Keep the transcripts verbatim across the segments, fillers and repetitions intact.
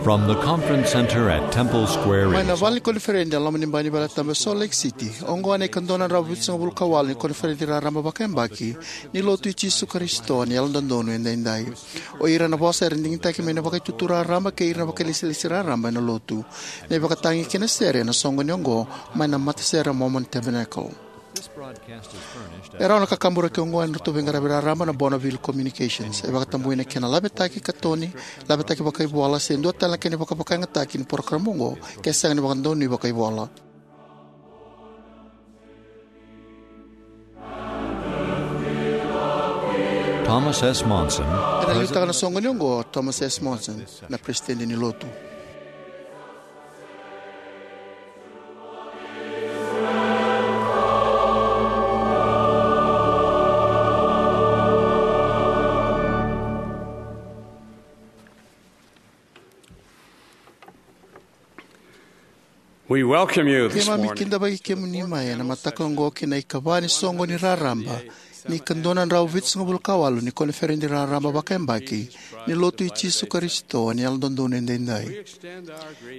From the conference center at Temple Square Mai in na vale ni koniferedi e loma ni bai ni Vale Tabu e Salt Lake City, oqo na ikadua na drau vitusagavulu ka walu ni koniferedi raraba vakayabaki ni Lotu i Jisu Karisito ni Yalododonu Edaidai. O ira na vosa era digitaki mai na Vakaitutu Raraba kei ira na vakailesilesi raraba ena Lotu. Na ivakatagi kei na sere ena soqoni oqo mai na Matasere Mormon Tabernacle. E rawa na kakaburaki oqo ena nodratou veiqaravi raraba na Bonneville Communications. E vakatabui na kena lavetaki katoni, lavetaki vakaivola, se dua tale na kena ivakavakayagataki ni porokaramu oqo ke sega ni vakadonui vakaivola. Thomas S. Monson. Ena liutaka na soqoni oqo o Thomas S. Monson, na Peresitedi ni Lotu. We welcome you this Keimami morning. kidavaki kemuni mai ena mataka oqo ki na ikava ni soqoni raraba ni ka dua na drau vitusagavulu ka walu ni koniferedi raraba vakayabaki ni Lotu i Jisu Karisito ni Yalododonu Edaidai.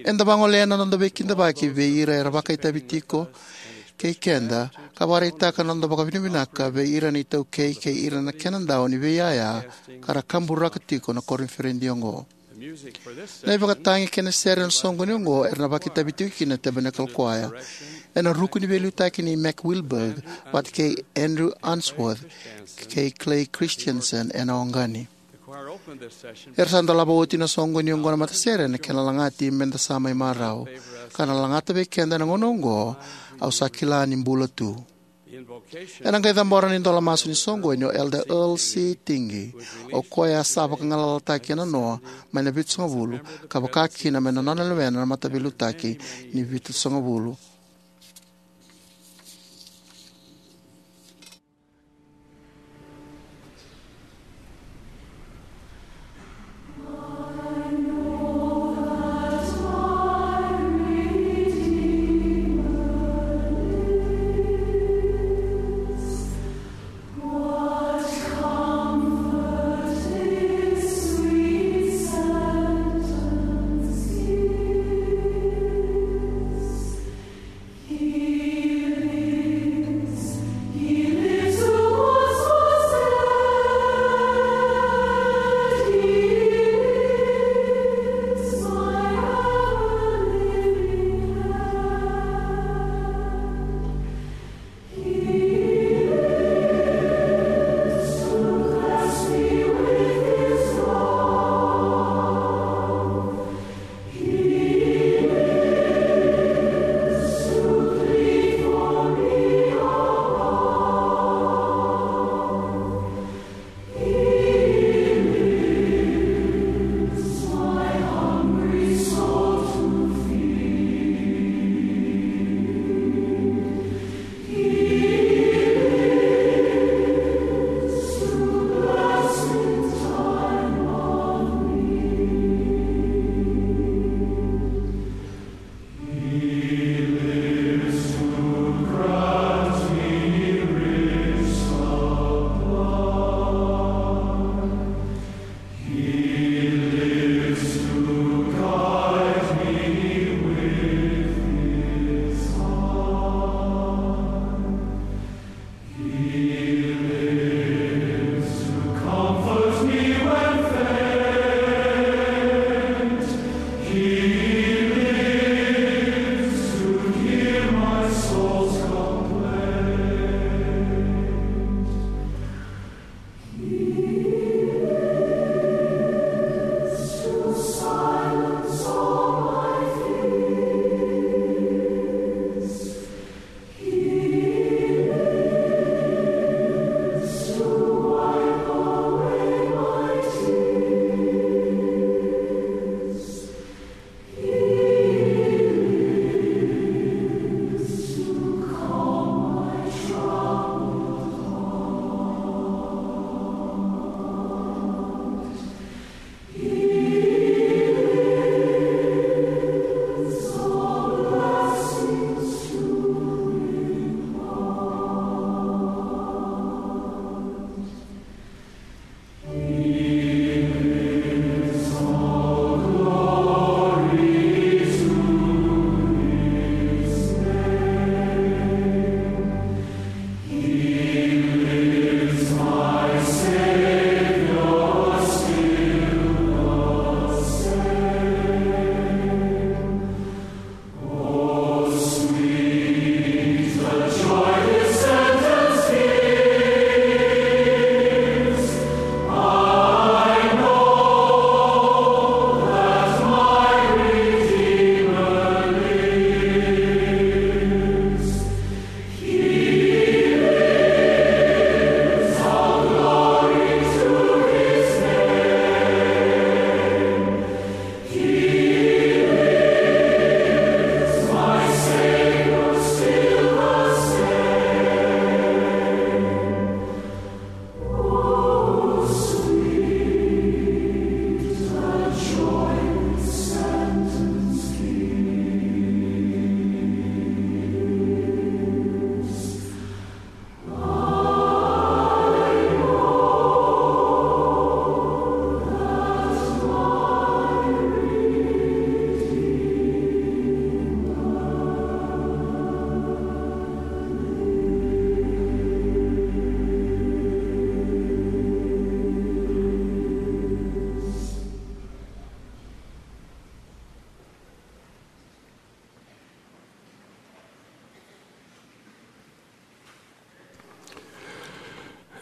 Eda vagolea na noda veikidavaki vei ira era vakaitavi tiko kei keda, ka vakaraitaka na noda vakavinavinaka vei ira na itaukei kei ira na kenadau ni veiyaya ka ra kaburaka tiko na koniferedi oqo. Na ivakatagi kei na sere ena soqoni oqo era na vakaitavi tiko kina na Tabernacle Choir ena ruku ni veiliutaki nei Mac Wilberg vata kei Andrew Unsworth kei Clay Christensen ena oqani. Era sa dolava oti na soqoni oqo na matasere ena kena lagati Meda Sa Mai Marau, ka na lagata vei keda ena gauna oqo Au Sa Kila Ni Bula Tu. Ena qai cabora na idola masu ni soqoni o Elder Earl C. Tingey, o koya sa vakagalalataki ena noa mai na vitusagavulu ka vaka kina mai na nona lewena na mataveiliutaki ni vitusagavulu.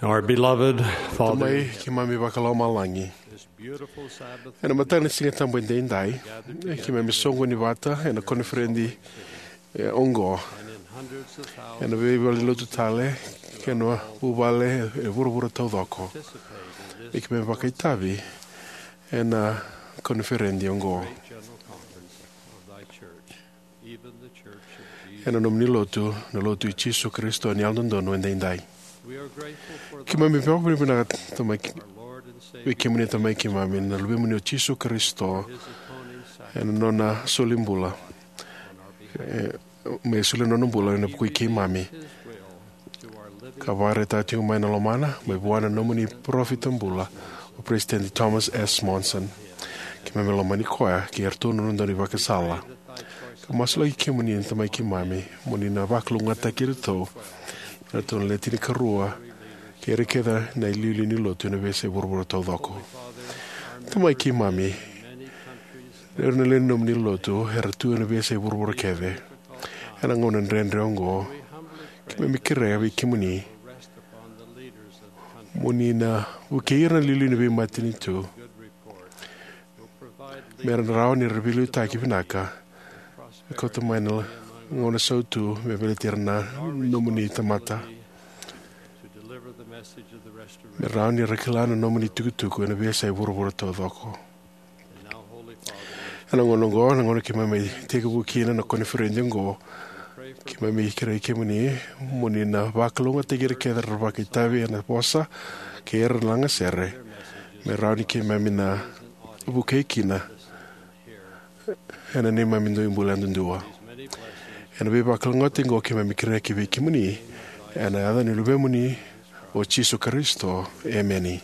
Our beloved Father, Tamai keimami vakalomalagi, ena mataka ni Siga Tabu edaidai, e keimami soqoni vata ena koniferedi e oqo, ena veivale ni lotu tale kei na vuvale e vuravura taucoko, e keimami vakaitavi ena koniferedi oqo, ena nomuni lotu, na lotu i Jisu Karisito ni Yalododonu Edaidai. Keimami vakavinavinaka, Tamai, vei kemuni, Tamai keimami, na Luvemuni o Jisu Karisito, ena nona soli bula, e, me solia na nona bula ena vuku i keimami, ka vakaraitaka tiko mai na lomana mai vua na nomuni parofita bula, o Peresitedi Thomas S. Monson. Keimami lomani koya kei iratou na noda ivakasala, ka masulaki kemuni, Tamai keimami, mo ni na vakalougatataki iratou, iratou na le tinikarua, kei ira kece na iliuliu ni lotu ena veiyasai vuravura taucoko. Tamai keimami, ira na lewe ni nomuni lotu era tu ena veiyasai vuravura kece. Ena gauna dredre oqo, keimami kerea vei kemuni mo ni na vukei ira na iliuliu ni veimatanitu me ra rawa ni ra veiliutaki vinaka, me kauta mai na gauna sautu me baleti ira na nomuni tamata, me rawa ni ra kila na nomuni tukutuku ena veiyasai vuravura taucoko. Ena gauna oqo, na gauna keimami tekivu kina na koniferedi oqo, keimami kerei kemuni mo ni na vakalougatataki ira kece era vakaitavi ena vosa kei ira na lagasere, me rawa ni keimami na vukei kina ena neimami dui bula yadudua. Ena veivakalougatataki oqo keimami kerea ki vei kemuni, ena yaca ni Luvemuni o Jisu Karisito. Emeni.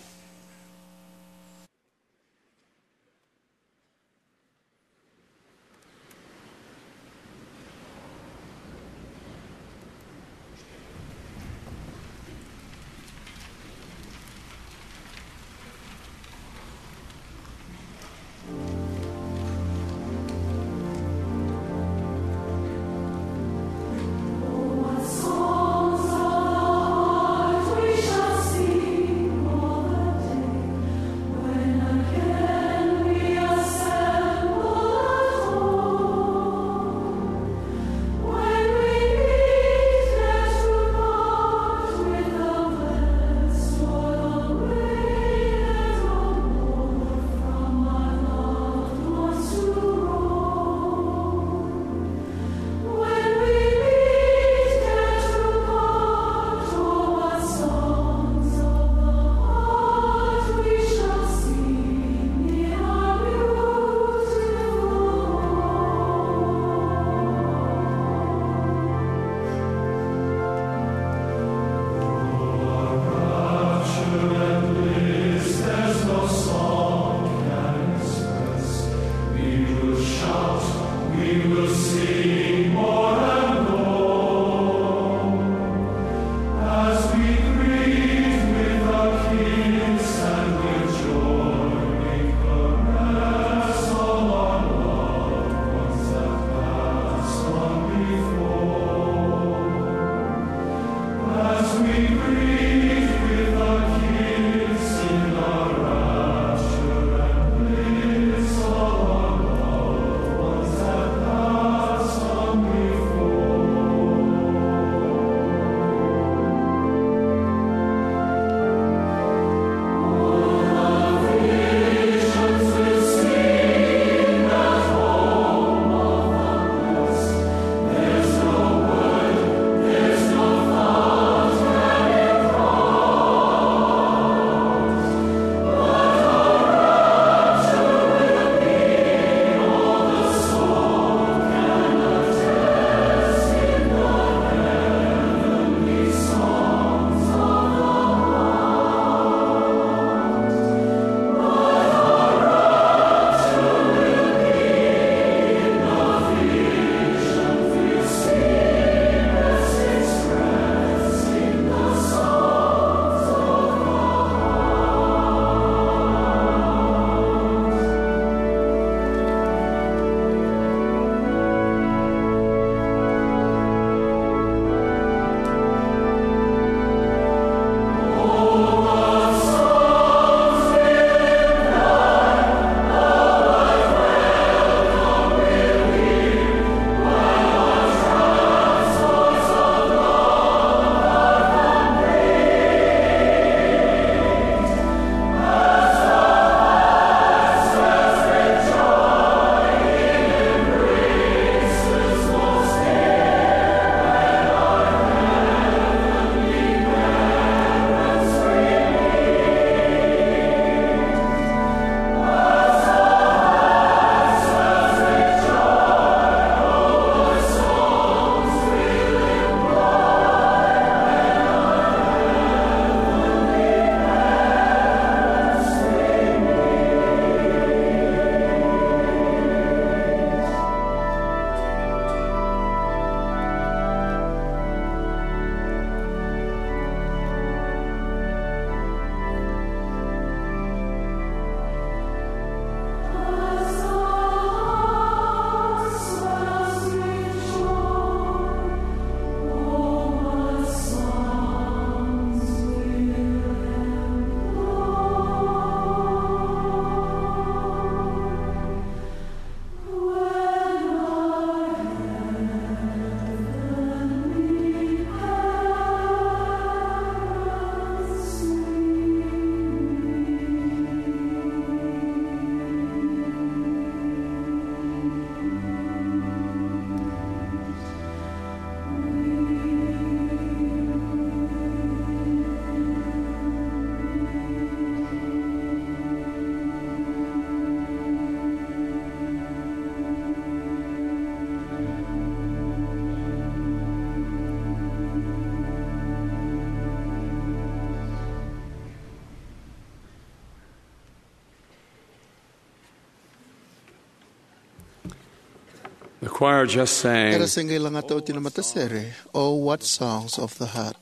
Choir just sang. Era se qai lagata oti na matasere, "Oh, what songs of the heart."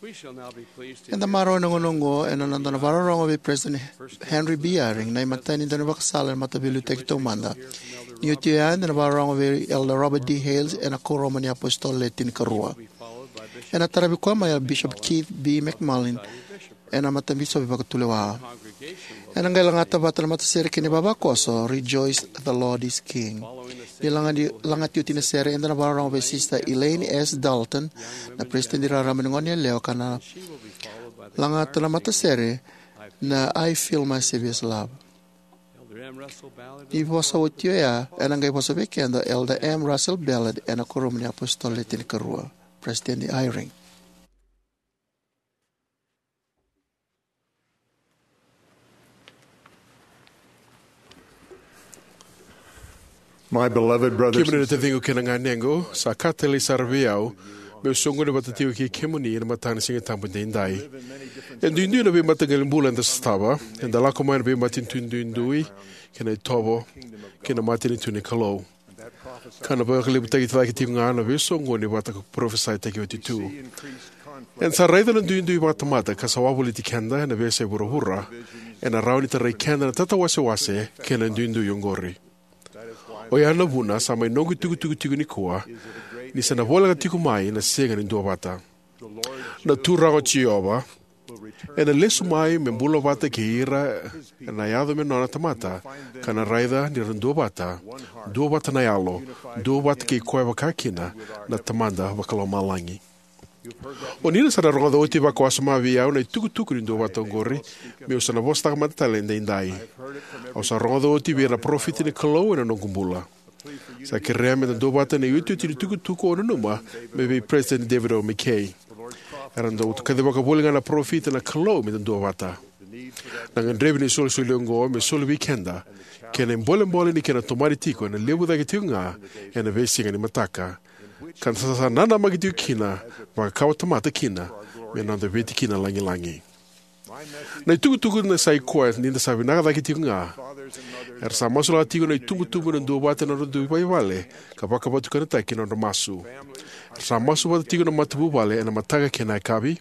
We shall now be pleased to Eda marau ena gauna oqo ena noda na vakarorogo vei President Henry B. Eyring, na imatai ni daunivakasala ena Mataveiliutaki Taumada. Ni oti oya, eda na vakarorogo vei Elder Robert D. Hales ena Kuoramu ni iApositolo Le Tinikarua. Ena taravi koya mai o Bishop Keith B. McMullin, ena Matabisopi Vakatulewa. Ena qai lagata vata na matasere kei na ivavakoso, "Rejoice, the Lord is King." Ni lagati, lagati oti na sere, eda na vakarorogo vei Sister Elaine S. Dalton, na Peresitedi Raraba ni Goneyalewa, ka na lagata na matasere na "I Feel My Savior's Love." Ni vosa oti oya, ena qai vosa vei keda o Elder M. Russell Ballard ena Kuoramu ni iApositolo Le Tinikarua. President Eyring. My beloved brothers Kemuni na and taciqu kei na ganequ, sa ka talei sara vei au meu soqoni vata tiko kei kemuni ena mataka ni Siga Tabu edaidai. E duidui na veimataqali bula eda sotava. Eda lako mai na veimatanitu duidui kei na itovo kei na matanitu ni Kalou. Ka na vakalevutaki cake tiko ga na veisoqoni vata ka parofisaitaki oti tu. Eda sa raica na duidui vakatamata ka sa wavoliti keda ena veiyasai vuravura, ena rawa ni tarai keda na tatawasewase kei na duidui oqori. Oya na vuna sa mai noqu itukutuku tiko nikua, ni sa na voleka tiko mai na Siga ni Duavata. Na Turaga o Jiova ena lesu mai me bula vata kei ira ena yaco me nona tamata, ka na raica ni ra duavata, duavata na yalo, duavata kei koya vakakina na Tamada Vakalomalagi. O ni na sa na rogoca oti vakawasoma vei au na itukutuku ni duavata oqori, meu sa na vosataka mada tale edaidai. Au sa rogoca oti vei ira na parofita ni Kalou ena noqu bula. Sa kerea meda duavata na iotioti ni tukutuku au nanuma mai vei President David O. McKay. Era dau kacivaka voli ga na parofita na Kalou meda duavata. Na gadrevi ni isolisoli oqo me soli vei keda, kei na ibolebole ni kena tomani tiko ena levu cake tiko ga ena veisiga ni mataka, ka da sa nanamaki tiko kina, vakakawatamata kina, me noda veitikina lagilagi. Na itukutuku na sa i koya ni da sa vinaka cake tiko ga. Era sa masulaka tiko na itubutubu ena duavata na nodra dui vale ka vakavatukanataki na nodra masu. Era sa masu vata tiko na matavuvale ena mataka kei na yakavi.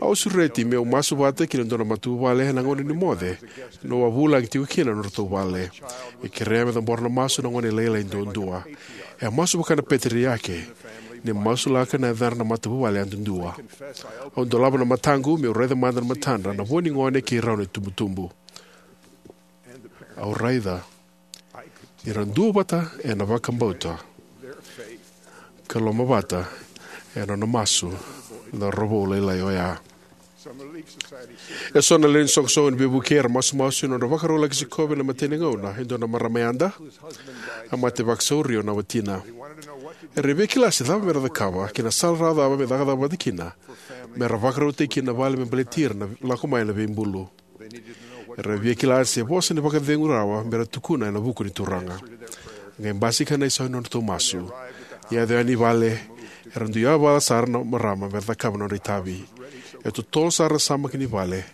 Au sureti meu masu vata kei na dua na matavuvale ena gauna ni moce niu a vulagi tiko kina na nodratou vale. E kerea me cabora na masu na gone lailai duadua. E a masu vaka na peteriake, ni masulaka na yacadra na matavuvale yadudua. Au dolava na mataqu meu raica mada na matadra na vo ni gone kei rau na itubutubu. Au raica ni ra duavata ena vakabauta ka lomavata ena nona masu na cauravou lailai oya. E so na lewe ni soqosoqo ni veivuke era masumasu ena nodra vakarau laki sikova ena imatai ni gauna e dua na marama yada a mate vakasauri o na watina. Era via kila se cava mera cakava kei na sala rawa cava me cakacaka vata kina mera vakarautaki kina na vale me baleti ira na lako mai na veibulu. Era via kila se vosa ni vakacegu rawa mera tukuna ena vuku ni Turaga. Qai basika na isau ni nodratou masu. Ni yaco yani i vale, era dui yavala sara na marama mera cakava na nodra itavi. E totolo sara na samaki ni vale,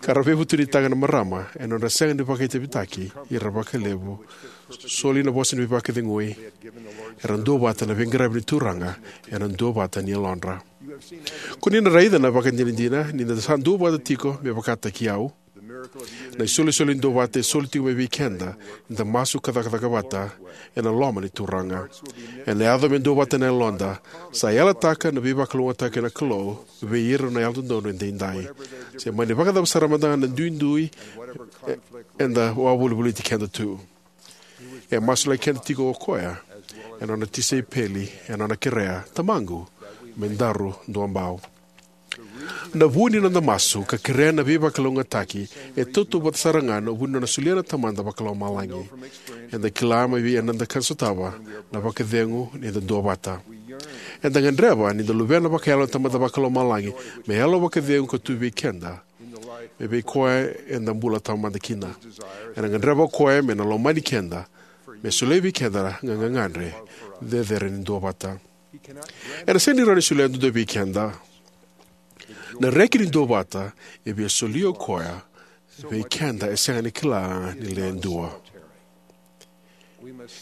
ka ra veivutunitaka na marama ena nodra sega ni vakaitavitaki ira vakalevu. Soli na vosa ni veivakacegui. Era duavata na veiqaravi ni Turaga ena duavata ni yalodra. Ko ni na raica na ivakadinadina ni da sa duavata tiko, me vakataki au. Na isolisoli ni duavata e soli tiko mai vei keda ni da masu ka cakacaka vata ena loma ni Turaga. Ena yaco me duavata na yaloda, sa yalataka na veivakalougatataki na Kalou vei ira na Yalododonu edaidai. Se mani vakacava sara mada ga na duidui e, eda wavolivolici keda tu. E masulaki keda tiko o koya ena nona tisaipeli, ena nona kerea, "Tamaqu, me daru duabau." Na vu ni noda masu ka kerea na veivakalougatataki e tautauvata sara ga na vu ni nona solia na Tamada Vakalomalagi. Eda kila mai vei ira eda kana sotava na vakacegu ni da duavata. Eda gadreva ni da luvena vakayalo na Tamada Vakalomalagi me yalo vakacegu ka tu vei keda, me vei koya eda bula taumada kina. Ena gadreva o koya me na lomani keda, me solia vei keda na gagadre cecere ni duavata. Ena sega ni rawa ni solia duadua vei keda. Na reki ni duavata e via solia o koya vei keda e sega ni kila ni le dua.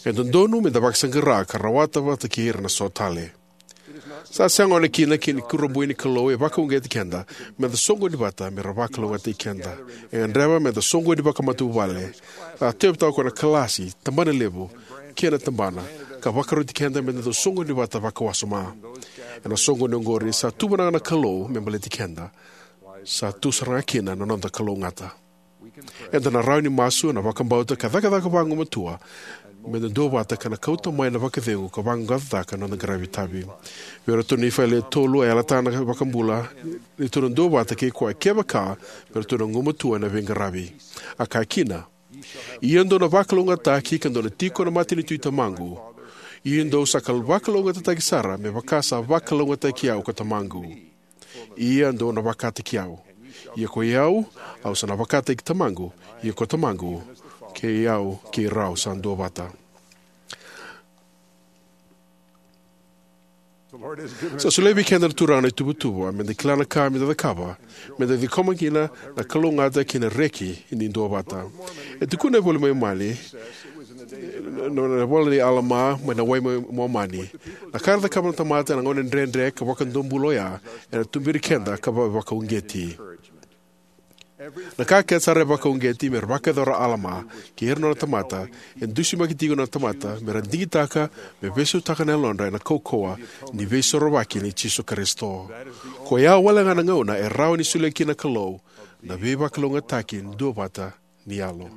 E dodonu me da vakasaqara ka rawata vata kei ira na so tale. Sa sega o na kina ki na kurabui ni Kalou e vakauqeti keda me da soqoni vata me ra vakalougatataki keda. E gadreva me da soqoni vakamatavuvale. Sa tauyavutaka ko na kalasi, tabanalevu, kei na tabana, ka vakaroti keda me da dau soqoni vata vakawasoma. Ena soqoni oqori sa tuvanaka na Kalou me baleti keda. Sa tu sara ga kina na noda kalougata. Eda na rawa ni masu ena vakabauta ka cakacaka vagumatua me da duavata ka na kauta mai na vakacegu ka vaqaqacotaka na noda qaravi itavi. Vei iratou na Nifai le tolu, a yalataka na iVakabula ni ratou na duavata kei koya kevaka me ratou na gumatua ena veiqaravi. A kaya kina, "Ia dou na vakalougatataki ka dou na tiko na matanitu i Tamaqu. Ia dou sa kal- vakalougatataki sara me vaka sa vakalougatataki au ko Tamaqu. Ia dou na vakataki au. Ia ko i au, au sa na vakataki Tamaqu. Ia ko Tamaqu, kei au, kei rau sa duavata." Sa solia vei keda na Turaga na ituvatuva me da kila na ka me da cakava me da ciqoma kina na kalougata kei na reki ni duavata. E tukuna e vola mai Momani, na, na vola nei Alama mai na wai mai Momani, na ka era cakava na tamata ena gauna dredre ka vakadobula oya, ena tuberi keda ka va- vakauqeti. Na ka kece sara e vakauqeti me ra vakayacora o Alama kei ira na nona tamata, e dusimaki tiko na tamata me ra digitaka me veisautaka na yalodra ena kaukauwa ni veisorovaki nei Jisu Karisito. Ko ya wale ga na gauna e rawa ni solia kina na Kalou na veivakalougatataki duavata ni yalo.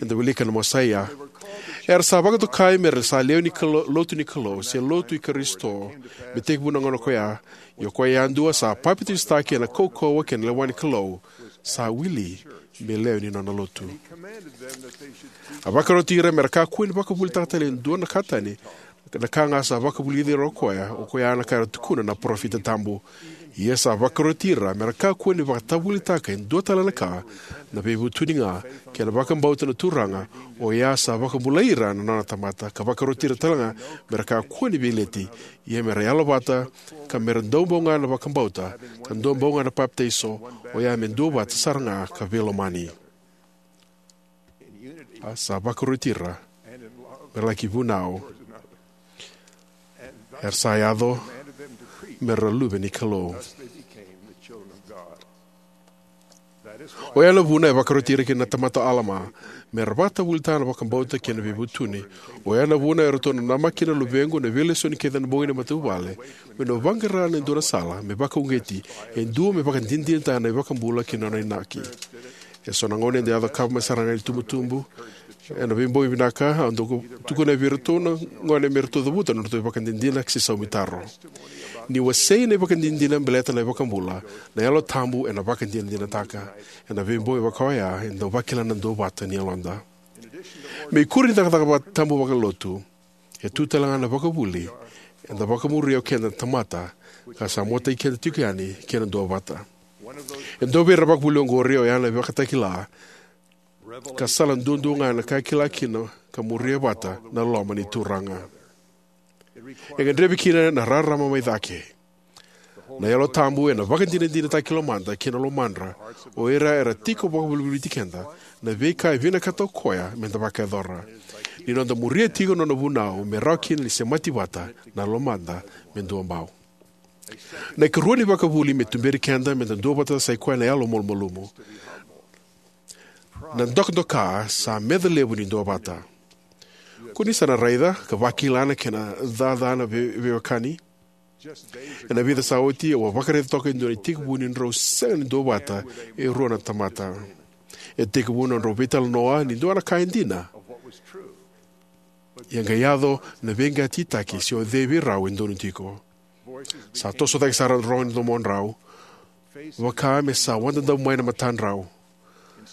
Eda wilika na Mosaia. Era sa vakatokai me ra sa lewe ni Kalou, lotu ni Kalou, se lotu i Karisito, me tekivu na gauna ko ya. Ia o koya yadua sa papitaisotaki ena kaukauwa kei na lewa ni Kalou, sa wili me lewe ni nona lotu. A vakaroti ira me ra kakua ni vakavuvulitaka tale e dua na ka tani, na ka ga sa vakavulici ira o koya, o koya na ka era tukuna na parofita tabu. Ia sa vakaroti ira me ra kakua ni vakatavulitaka e dua tale na ka, na veivutuni ga kei na vakabauta na Turaga, oya sa vakabulai ira na nona tamata, ka vakaroti ira tale ga me ra kakua ni veileti, ia me ra yalovata, ka me ra dau bau ga na vakabauta, ka dau bau ga na papitaiso, oya me duavata sara ga ka veilomani. A sa vakaroti ira me ra laki vunau, era sa yaco me ra luve ni Kalou. Oya na vuna e vakaroti ira kina na tamata o Alama me ra vakatavulitaka na vakabauta kei na veivutuni. Oya na vuna eratou na namaki kina na luvequ na veilesoni kece ena bogi ni matavuvale, me na vaqara na dua na sala me vakauqeti, e dua me vakadinadinataka na iVakabula kei na nona inaki. E so na gauna eda yaco ka mai sara ga ni tubutubu. Ena veibogi vinaka, au dau tukuna vei iratou na gone me ratou cavuta na nodratou ivakadinadina se saumi taro. Ni wasei na ivakadinadina baleta na iVakabula, na Yalo Tabu ena vakadinadinataka. Ena veibogi vaka oya, eda dau vakila na duavata ni yaloda. Me ikuri ni cakacaka va- tabu vakalotu, e tu tale ga na vakavuli eda vakamuria o keda na tamata, ka sa muataki keda tiko yani kei na duavata. E dua vei ira na vakavuli oqori oya na ivakatakila, ka sala duadua ga ena ka e kila kina ka muria vata na loma ni Turaga. E gadrevi kina na rarama mai cake. Na Yalo Tabu ena vakadinadinataka ki lomada kei na lomadra o ira era tiko vakavolivoliti keda na veika e vinakata o koya me da vakayacora. Ni noda muria tiko na nona vunau me rawa kina ni semati vata na lomada me duabau. Na ikarua ni vakavuli me tuberi keda me da duavata sa i koya na yalo malumalumu. Na dokadoka sa meca levu ni duavata. Ko ni sa na raica ka vakila na kena cacana vei- veiwekani. Ena vica sa oti, au a vakaraica toka e dua na itekivu ni drau sega ni duavata e rua na tamata. E tekivu na nodrau veitalanoa ni dua na ka e dina. Ia qai yaco na veiqatitaki se o cei vei rau e donu tiko. Sa toso cake sara na rogo ni domodrau, vaka me sa wadadavu mai na matadrau.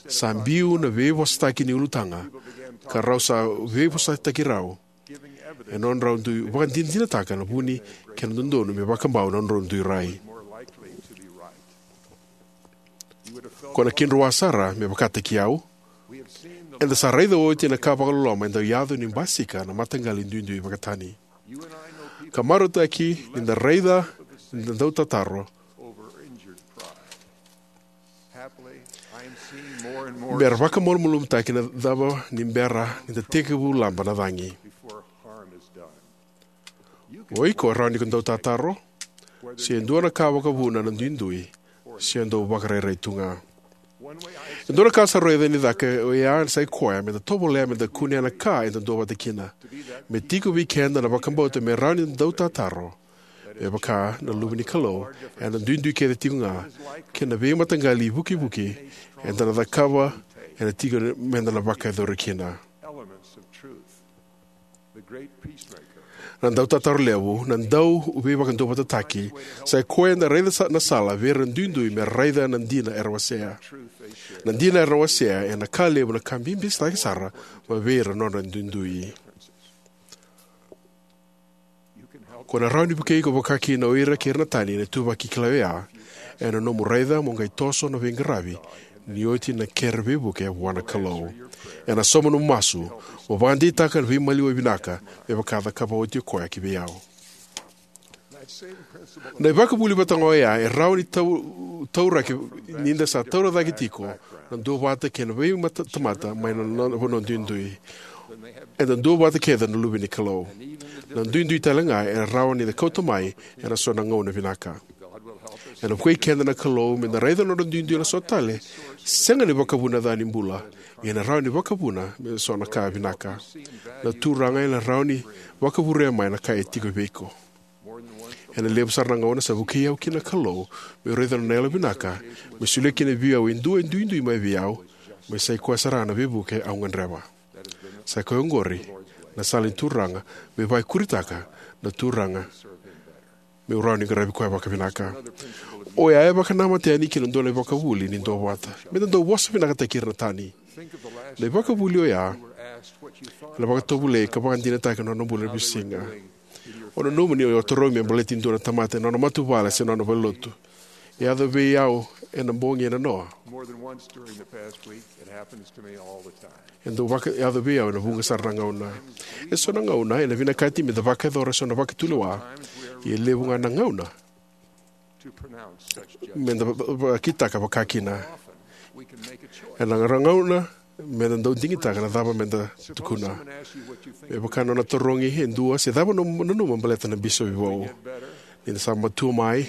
Sa biu na veivosataki ni ulutaga, ka rau sa veivosataki rau. E nodrau dui vakadinadinataka na vuni kei na dodonu me vakabau na nodrau dui rai. Ko na kidroa sara me vakataki au. Eda sa raica oti na ka vakaloloma e dau yaco ni basika na mataqali duidui vakatani. Ka marautaki ni da raica ni da dau tataro. Me ra vakamalumalumutaki na cava ni bera ni da tekivu laba na cagi. O iko e rawa ni ko dau tataro, se dua na ka vakavuna na duidui, se dau vakarairai tu ga. E dua na ka sa raica ni caka oya sa i koya me da tovolea me da kunea na ka eda duavata kina. Me tiko vei keda na vakabauta me rawa ni da dau tataro, me vaka na luve ni Kalou, ena duidui kece tiko ga, kei na veimataqali ivukivuki eda na cakava, ena tiko me da na vakayacora kina. Na dau tataro levu, na dau veivakaduavatataki, sa i koya eda raica sa- na sala vei ira na duidui me raica na dina era wasea. Na dina era wasea ena ka levu na ka bibi sara vei ira na nodra duidui. Ko na rawa ni vukei iko vakakina o ira kei ira na tani ena ituvaki kilai oya, ena nomu raica mo qai toso na veiqaravi ni oti na kere veivuke vua na Kalou. Ena sauma nomu masu, mo vakadeitaka na veimaliwai vinaka me vaka a cakava oti o koya ki vei au. Na ivakavuvuli vata ga oya e rawa ni tau- tauraki ni da sa taura cake tiko na duavata kei na veitamata mai na nona vanua duidui. Eda duavata kece na luve ni Kalou. Na duidui tale ga e rawa ni da kauta mai ena so na gauna vinaka. Ena vukei keda na Kalou me da raica na nodra duidui ena so tale, sega ni vakavuna na ca ni bula, ia ena rawa ni vakavuna me so na ka vinaka. Na Turaga ena rawa ni vakavurea mai na ka e tiko vei iko. Ena levu sara na gauna sa vukei au kina na Kalou meu raica na nona yalovinaka, me solia kina vei au e dua e duidui mai vei au, me sa i koya sara na veivuke au gadreva. Sa i koya oqori na sala ni Turaga, me vakaikuritaka na Turaga, meu rawa ni qaravi koya vakavinaka. Oya e vakanamata yani kina dua na ivakavuvuli ni duavata. Me da dau vosa vinakataki ira na tani. Na ivakavuvuli oya ena vakatovolei ka vakadinataka na nona bula ena veisiga. O nanuma ni o tarogi me baleti dua na tamata ena nona matavuvale se nona valenilotu. E yaco vei au ena bogi ena noa. E dau vakayaco vei au ena vuqa sara na gauna. E so na gauna ena vinakati me da vakayacora e so na vakatulewa. Ia e levu ga na gauna me da va- va- vakitaka vakakina. Ena gauna me da dau digitaka na cava me da tukuna. Me vaka na nona tarogi e dua se cava na nanuma baleta na bisopi vou. Ni da sa matua mai,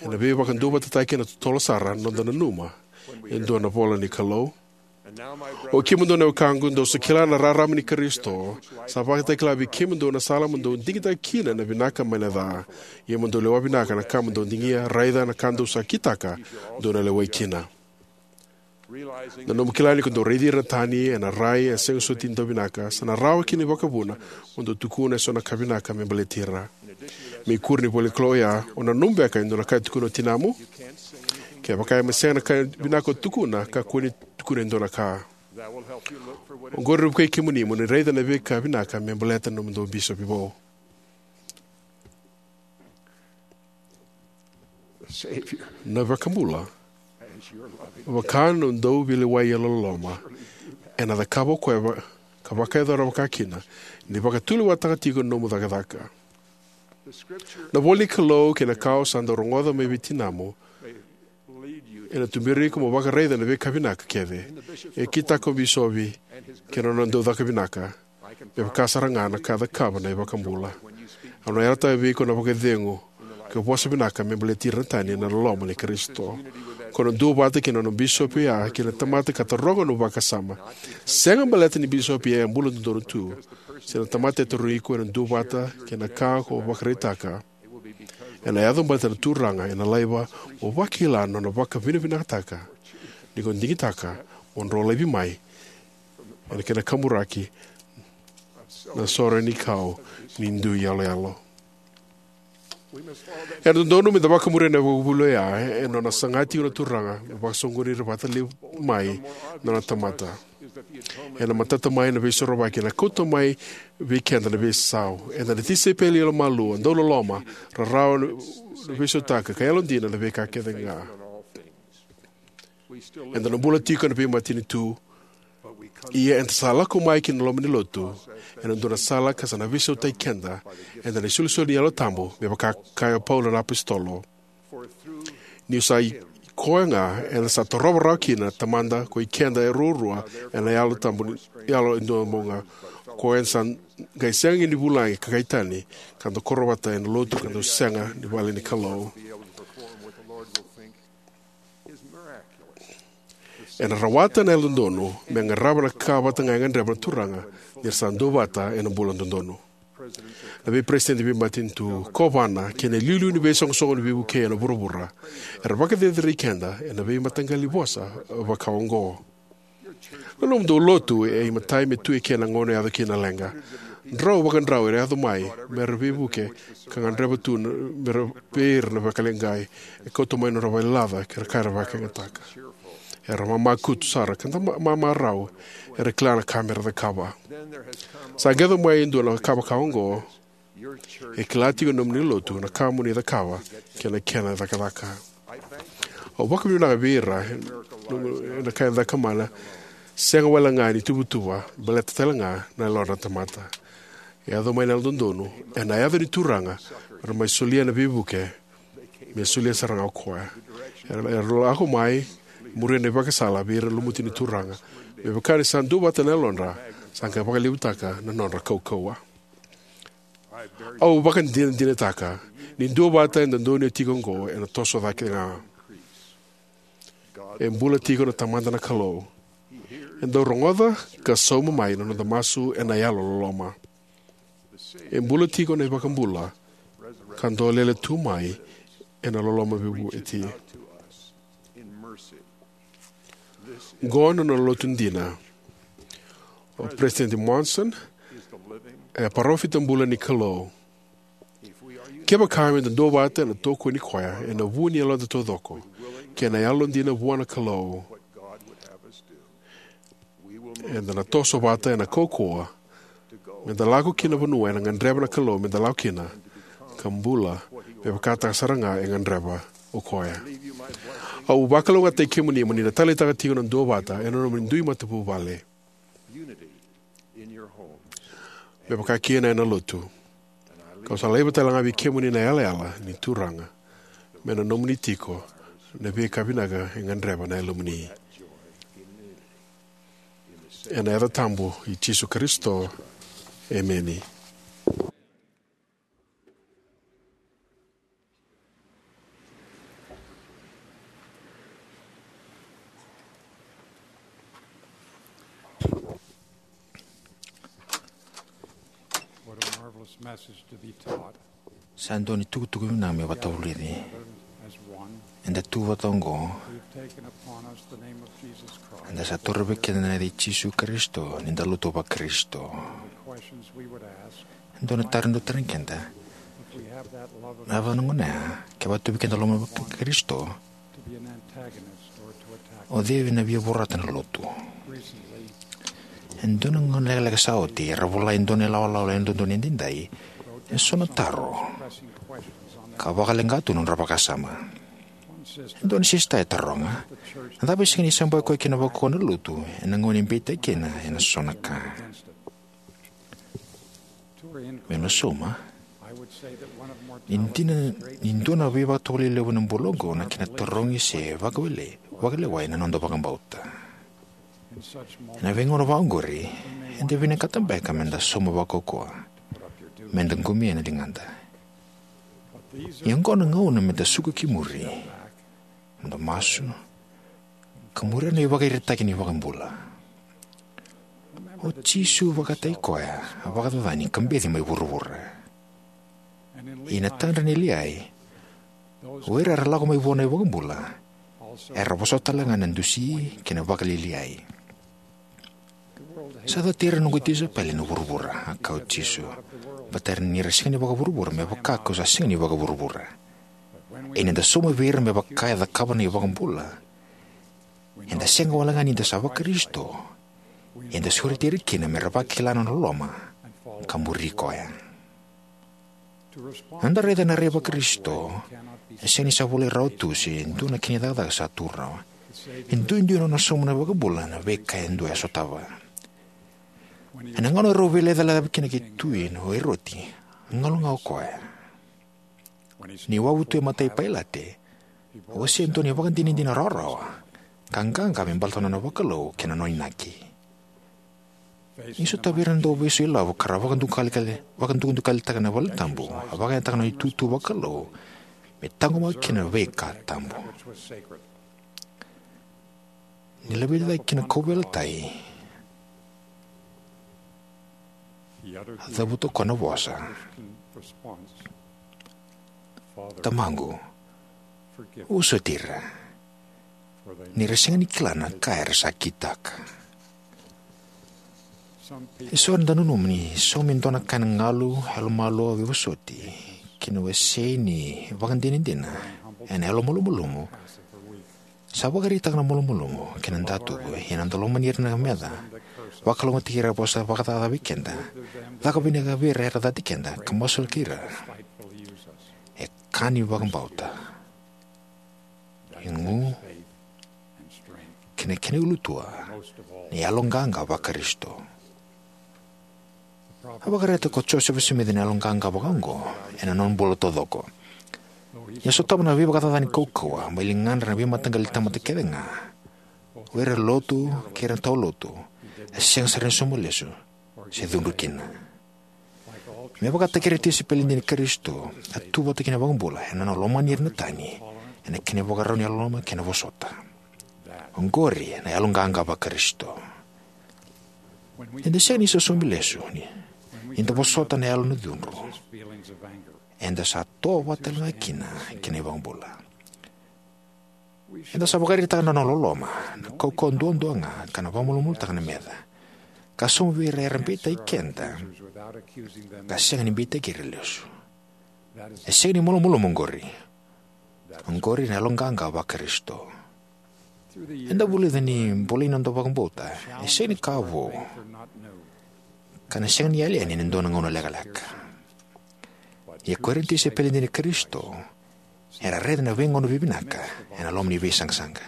ena veivakaduavatataki ena totolo sara na noda nanuma e dua na ivola ni Kalou. O kemudou na wekaqu, dou sa kila na rarama ni Karisito, sa vakatakila vei kemudou na sala mo dou digitaka kina na vinaka mai na ca. Ia mo dou lewa vinaka na ka mo dou digia, raica na ka dou sa kitaka, dou na lewai kina. Na nomu kila ni ko dou raici ira na tani ena rai e sega soti ni dau vinaka, sa na rawa kina vakavuna mo dou tukuna e so na ka vinaka me baleti ira. Me ikuri ni ivola ni Kalou oya, o nanuma beka e dua na ka e tukuna o tinamu? Kevaka e sega na ka vinaka o tukuna, kakua ni tukuna e dua na ka. Oqori na vukei kemuni mo ni raica na veika vinaka me baleta na nomudou bisopi vou. Na iVakabula, vaka na dau veilewai yalololoma, ena cakava o koya va- ka vakayacora vakakina ni vakatulewataka tiko na nomu cakacaka. Na ivola ni Kalou kei na ka o sa dau rogoca mai vei tinamu ena tuberi iko mo vakaraica na veika vinaka kece e kitaka o bisopi kei na nona dau caka vinaka, me vaka sara ga na ka e cakava na iVakabula. Au na yalataka vei iko na vakacegu ka vosa vinaka me baleti ira na tani ena loloma ni Karisito. Ko na duavata kei na nona bisopi oya kei na tamata ka taroga na nomu vakasama. Sega baleta ni bisopi e bula dodonu tu, se na tamata e tarogi iko, ena duavata kei na ka ko vakaraitaka. Ena yaco baleta na Turaga ena laiva mo vakila na nona vakavinavinakataka ni ko digitaka mo dro laivi mai ena kena kaburaki na sore ni kau ni dui yaloyalo. Ena dodonu me da vakamuria na ivakavuvuli oya ena nona saga tiko na Turaga me vakasoqoni ira vata levu mai na nona tamata. Ena matata mai na Veisorovaki, ena kauta mai vei keda na veisau. Eda na tisaipeli yalomalua, dauloloma, rarawa na veisautaka, ka yalodina na veika kece ga. Eda na bula tiko ena veimatanitu, ia eda sa lako mai ki na loma ni lotu ena dua na sala ka sa na veisautaki keda ena isolisoli ni Yalo Tabu, me vaka kaya o Paula na apositolo: Niu sa i koya ga eda sa torova rawa kina na Tamada koi keda e ruarua ena Yalo Tabu ni, Yalo e Duabau ga. Koya eda sa qai sega ni vulagi ka qai tani, ka da koro vata ena lotu ka da sega ni vale ni Kalou. Ena rawata na yalododonu me qarava na ka vata ga e gadreva na Turaga ni ra sa duavata ena bula dodonu. Na veiperesitedi veimatanitu, kovana, kei na iliuliu ni veisoqosoqo ni veivukei ena vuravura era vakacerecerei keda ena veimataqali vosa vakaoqo. Na nomudou lotu e imatai me tu eke ena gauna e yaco kina na leqa. Drau vakadrau era yaco mai me ra veivuke ka gadreva tu na, me ra vei ira na vakaleqai. E kauta mai na nodra valelaca kei na ka era vakayagataka. Era mamakutu sara ka da ma- mamarau, era kila na ka me ra cakava. Sa qai yaco mai e dua na ka vakaoqo. E kila tiko na nomuni lotu na ka mo ni cakava kei na kena cakacaka. Au vakavinavinaka vei ira ena ka e caka mana, sega wale ga ni tuvatuva, baleta tale ga na yalodra na tamata. E yaco mai na yalododonu ena yaca ni Turaga, me ra mai solia na veivuke, me solia sara ga o koya. Era, era lako mai, muria na ivakasala vei ira na lumuti ni Turaga. Me vaka ni sa duavata na yalodra, sa qai vakalevutaka na nodra kaukauwa. Au vakadinadinataka ni duavata eda donuya tiko oqo ena toso cake ga. E bula tiko na Tamada na Kalou. E dau rogoca ka sauma mai na noda masu ena yalo loloma. E bula tiko na iVakabula ka dolele tu mai ena loloma veivueti. Qo na nona lotu dina. O President Monson e parofita bula ni Kalou. Kevaka meda duavata ena tokoni koya ena vu ni yaloda taucoko kei na yalodina vua na Kalou, eda na toso vata ena kaukauwa meda lako ki na vanua ena gadreva na Kalou meda lako kina, ka bula me vakataka sara ga e gadreva o koya. Au vakalougatataki kemuni mo ni na taleitaka tiko na duavata ena nomuni dui matavuvale, me vaka kina ena lotu. Kau sa laiva tale ga vei kemuni na yalayala ni Turaga me na nomuni tiko na veika vinaka e gadreva na yalomuni. Ena yaca tabu i Jisu Karisito, emeni. What a marvelous message to be taught. Sa dua na itukutuku vinaka me vakavulici. As one, eda tu vata oqo. We've taken upon us the name of Jesus Christ. Eda sa toro vei keda na yaca i Jisu Karisito ni da lotu vaKarisito. The questions we would ask. E dua na taro eda tarogi keda. If we have that love of, na vaka na gauna ya, kevaka tu vei keda na loloma vaKarisito, to be an antagonist or to attack. O cei ena via vorata na lotu? Recently, e dua na gauna lekaleka sa oti, era vola e dua na ilawalawa e dodonu edaidai eso na taro ka vakaleqa tu na nodra vakasama. E dua na sista e taroga, na cava e sega ni sabaki koya kina vakaukauwa na lotu ena gauna e beitaki kina ena so na ka? Meu na sauma, ni dina ni dua na veivakatovolei levu ena bula oqo na kena tarogi se vakawele, vakalewai na noda vakabauta. Ena veigauna vaka oqori, eda vinakata beka meda sauma vakaukauwa, meda qumia na ligada. Ia oqo na gauna meda suka ki muri, meda masu, ka muria na ivakaraitaki ni iVakabula. O Jisu vakataki koya a vakacacani ka beci mai vuravura. Ia na tadra nei Liai, o ira era lako mai vua na iVakabula, era vosota tale ga na dusi kei na vakalialiai. Sa cati ira na noqu tisaipeli na vuravura, a kaya o Jisu, baleta ni ra sega ni vakavuravura, me vaka kau sa sega ni vakavuravura. Ia ni da sauma vei ira me vaka e cakava na iVakabula, eda sega wale ga ni da sa vaKarisito, eda sureti ira kina me ra vakila na nona loloma ka muri koya. Eda raica na rai vaKarisito e sega ni sa volai rawa tu se dua na kena icakacaka sa tu rawa. E duidui na nona sauma na iVakabula na veika e dua e sotava. Ena gauna erau veilecalecavi kina kei tui o Eroti, a galu ga o koya. Ni wavu tu e matai Pailate, A wasea e dua na ivakadinadina rawarawa ka qaqa me baleta na nona vakalou kei na nona inaki. Ni sotavi ira na dauveisotaki ilavo ka ra vakadukali-, vakadukadukalitaka na valetabu, a vakayagataka na nona itutu vakalou me taqomaka kina na veika tabu. Ni laveti cake ki na kauveilatai, a cavuta o koya na vosa: "Tamaqu, vosoti ira, ni ra sega ni kila na ka era sa kitaka." E so era dau nanuma ni saumi e dua na ka ena galu, yalomalua, veivosoti, kei na wasei ni ivakadinadina ena yalomalumalumu sa vakaraitaka na malumalumu kei na datuvu, ia na noda lomani ira na meca, vakalougatataki ira era vosa vakacaca vei keda, caka vinaka vei ira era cati keda, ka masulaki ira, e ka ni vakabauta, igu, kei na kena ulutua, na yaloqaqa Vakarisito. A vakaraitaka o Josefa Simici na yaloqaqa vakaoqo ena nona bula taucoko. Ni a sotava na veivakacacani kaukauwa mai ligadra na veimataqali tamata kece ga, o ira na lotu kei ira na tawa lotu, a sega sara ni sauma lesu se cudru kina. Me vakataki ira na tisaipeli dina i Karisito, a tu vata kei na iVakabula ena nona lomani ira na tani, ena kena ivakarau ni yalololoma kei na vosota. Oqori na yaloqaqa Vakarisito. Eda sega ni sa saumi lesu ni, ni da vosota na yalo ni cudru. Eda sa toa vata tale ga kina kei na iVakabula. Eda sa vakaraitaka na nona loloma, na kaukauwa duadua ga, ka na vakamalumalumutaka na meca, ka sauma vei ira era beitaki keda, ka sega ni beitaki ira lesu. E sega ni malumalumu oqori. Oqori na yaloqaqa Vakarisito. Eda vulica ni bolei na noda vakabauta e sega ni ka vou, ka na sega ni yali yani ena dua na gauna lekaleka. Ia ko ira na tisaipeli dina i Karisito era raica na veigauna vivinaka ena loma ni veisaqasaqa.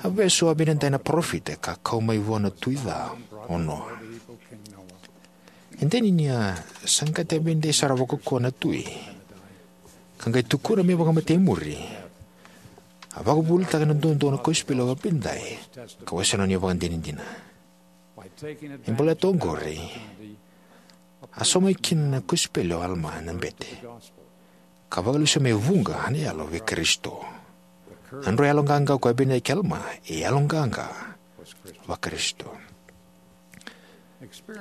A vesu o Aminadai na parofita ka kau mai vua na tui ca o Noa. E dina ni a saqati Aminadai sara vakaukauwa na tui, ka qai tukuna me vakamatei e muri, a vakavuvulitaka duadua na kosipeli o Aminadai ka wasea na nona ivakadinadina. E baleta oqori, a sauma kina na kosipeli o Alama na bete, ka vakalesuya mai vuqa na yalo vei Karisito. Na nodra yaloqaqa ko Aminadai kei Alama e yaloqaqa Vakarisito.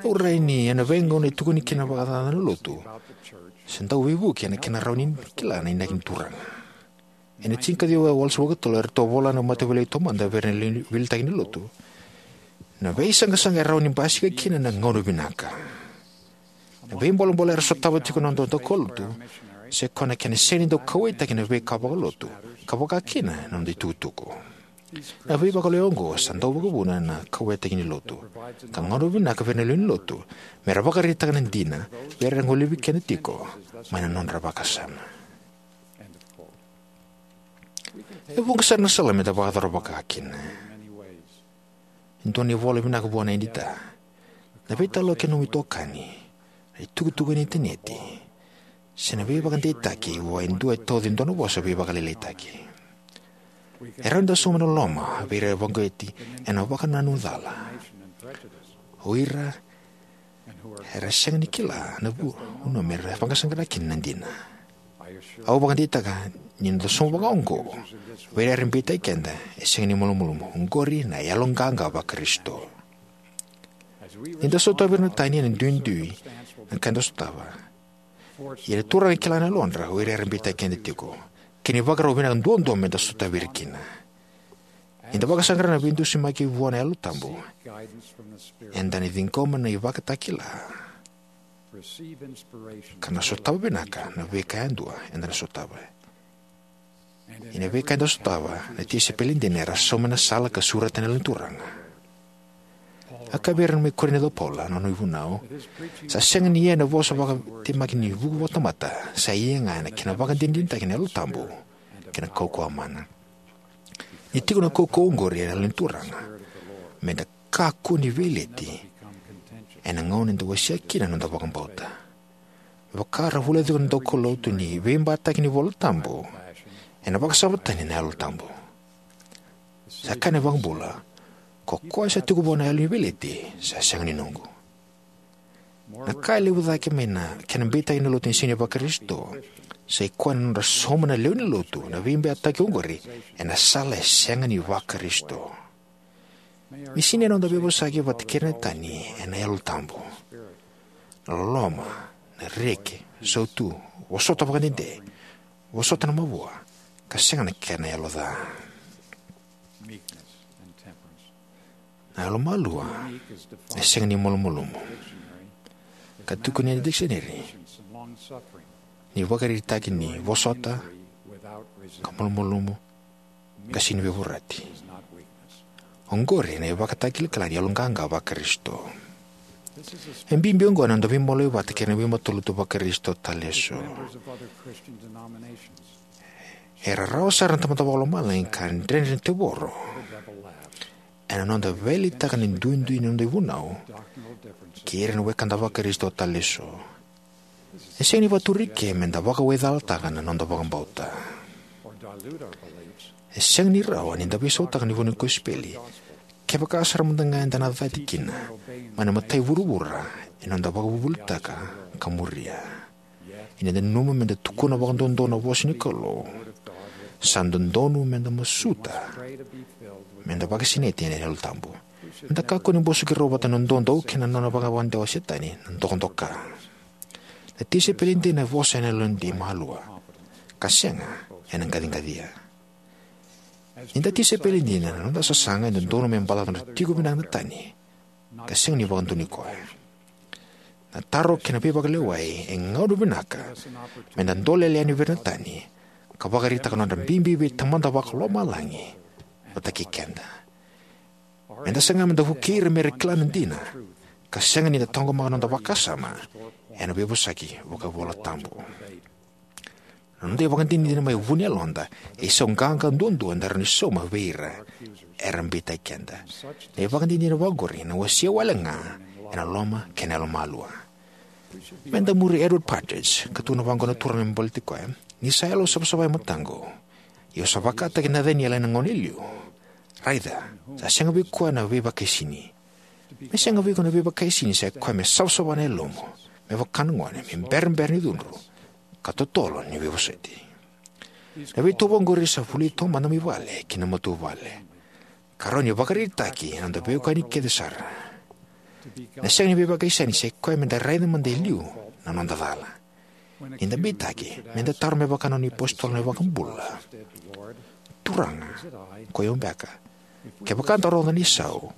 Au rai ni ena veigauna e tukuni kina vakacaca na lotu, se dau veivuke ena kena rawa ni kila na inaki ni Turaga. Ena tinikaciwa walusagavulu ka tolu, eratou vola na mataveilewai taumada vei ira na li-, veiliutaki ni lotu, na veisaqasaqa e rawa ni basika kina na gauna vinaka. Na veibolebole era sotava tiko na noda daukaulotu, se koya na kena sega ni dau kauwaitaki na veika vakalotu, ka vaka kina na noda itukutuku. Na veivakaloya oqo sa dau vakavuna na kauwaitaki ni lotu, ka gauna vinaka vei ira na lewe ni lotu me ra vakaraitaka na dina vei ira era golevi keda tiko mai na nodra vakasama. E vuqa sara na sala me da vakayacora vaka kina. E dua na ivola vinaka vua na Edita, na veitalanoa kei na nomu itokani, na itukutuku ena initaneti, se na veivakadeitaki vua e dua e tauca e dua na vosa veivakalialiataki. E rawa ni da sauma na loloma vei ira e vakauqeti ena vakanananu cala, o ira era sega ni kila na vu-, vanua me ra vakasaqara kina na dina. Au vakadeitaka ni noda sauma vakaoqo vei ira era beitaki keda e sega ni malumalumu. Oqori na yaloqaqa Vakarisito. Ni da sotava ira na tani, ena duidui na ka eda sotava. Ia na Turaga e kila na yalodra o ira era beitaki keda tiko, kei na ivakarau vinaka duadua me da sotavi ira kina. Ni da vakasaqara na veidusimaki vua na Yalo Tabu, eda na ciqoma na ivakatakila ka na sotava vinaka na veika yadua eda na sotava. Ia na veika eda sotava, na tisaipeli dina era sauma na sala ka sureta na Yalo ni Turaga. A kaya vei ira mai Korinica o Paula, na nona ivunau, sa sega ni ia na vosa vakatemaki ni vuku vakatamata, sa ia ga ena kena vakadinadinataki na Yalo Tabu kei na kaukauwa mana. Ni tiko na kaukauwa oqori ena Yalo ni Turaga, me da kakua ni veileti ena gauna eda wasea kina na noda vakabauta. Me vaka ra vulica tiko na daukaulotu ni veibataki ni iVola Tabu Ena vakasama tani na Yalo Tabu. Sa kaya na iVakabula, ko koya sa tiko vua na yalo ni veileti sa sega ni noqu. Na ka e levu cake mai na kena beitaki na lotu ni sega ni Vakarisito sa i koya na nodra sauma na lewe ni lotu na veibeitaki oqori ena sala e sega ni Vakarisito. Ni sinai na noda veivosaki vata kei ira na tani ena Yalo Tabu, na loloma, na reki, sautu, vosota vakadede, vosota na mavoa, ka sega na kena yalo ca. Na yalomalua e sega ni malumalumu. Ka tukuni ena dikiseneri ni vakaraitaki ni vosota ka malumalumu ka sega ni veivorati. Oqori na ivakatakilakila ni yaloqaqa Vakarisito. E bibi oqo na noda veimaliwai vata kei na veimatalotu Vakarisito tale eso. E rarawa sara na Tamada Vakalomalagi ka dredre na tevoro ena noda veiletaka na duidui ni noda ivunau kei ira na wekada Vakarisito tale eso. E sega ni vakaturi ke meda vakawaicalataka na noda vakabauta. E sega ni rawa ni da veisautaka na ivunau ni kosipeli kevaka sara mada ga eda na cati kina mai na matai vuravura ena noda vakavuvulitaka ka muria. Ia ni da nanuma meda tukuna vakadodonu na vosa ni Kalou, sa dodonu meda masuta meda vakasinaiti ena Yalo Tabu. Meda kakua ni bosoki rau vata na doudou kei na nona vakavakadewa o Setani na dokadoka. Na tisaipeli dina e vosa ena yalodei malua ka sega ena qaciqacia. Ni da tisaipeli dina, na noda sasaga e dodonu me balata na nodra tiko vinaka na tani ka sega ni vakadonui koya. Na taro kei na veivakalewai e gauna vinaka meda dolele yani vei ira na tani ka vakaraitaka na nodra bibi vei Tamada Vakalomalagi vata kei keda. Meda saga meda vukei ira mera kila na dina ka sega ni da taqomaka na noda vakasama ena veivosaki vakaivolatabu. Na noda ivakadinadina mai vu ni yaloda e isau qaqa duadua eda rawa ni sauma vei ira era beitaki keda. Na ivakadinadina vaqori ena wasea wale ga ena loma kei na yalomalua. Meda muri Edward Partridge, ka tukuna vaqo na Turaga me baleti koya: Ni sa yalo savasava e mataqu, ia au sa vakataki Nathaniel ena gauna e liu. Raica, sa sega vei koya na veivakaisini. Me sega vei iko na veivakaisini sa i koya me savasava na yalomu, me vaka na gone, me berabera ni cudru, ka totolo ni veivosoti. Na veitovo oqori sa vuli taumada mai vale ki na matavuvale ka rawa ni vakaraitaki ena noda veiwekani kece sara. Na sega ni veivakaisini sa i koya meda raica mada e liu na noda cala. Ni da beitaki, meda taro me vaka na nona iApositolo na iVakabula: Turaga, ko i au beka? Kevaka da rogoca na isau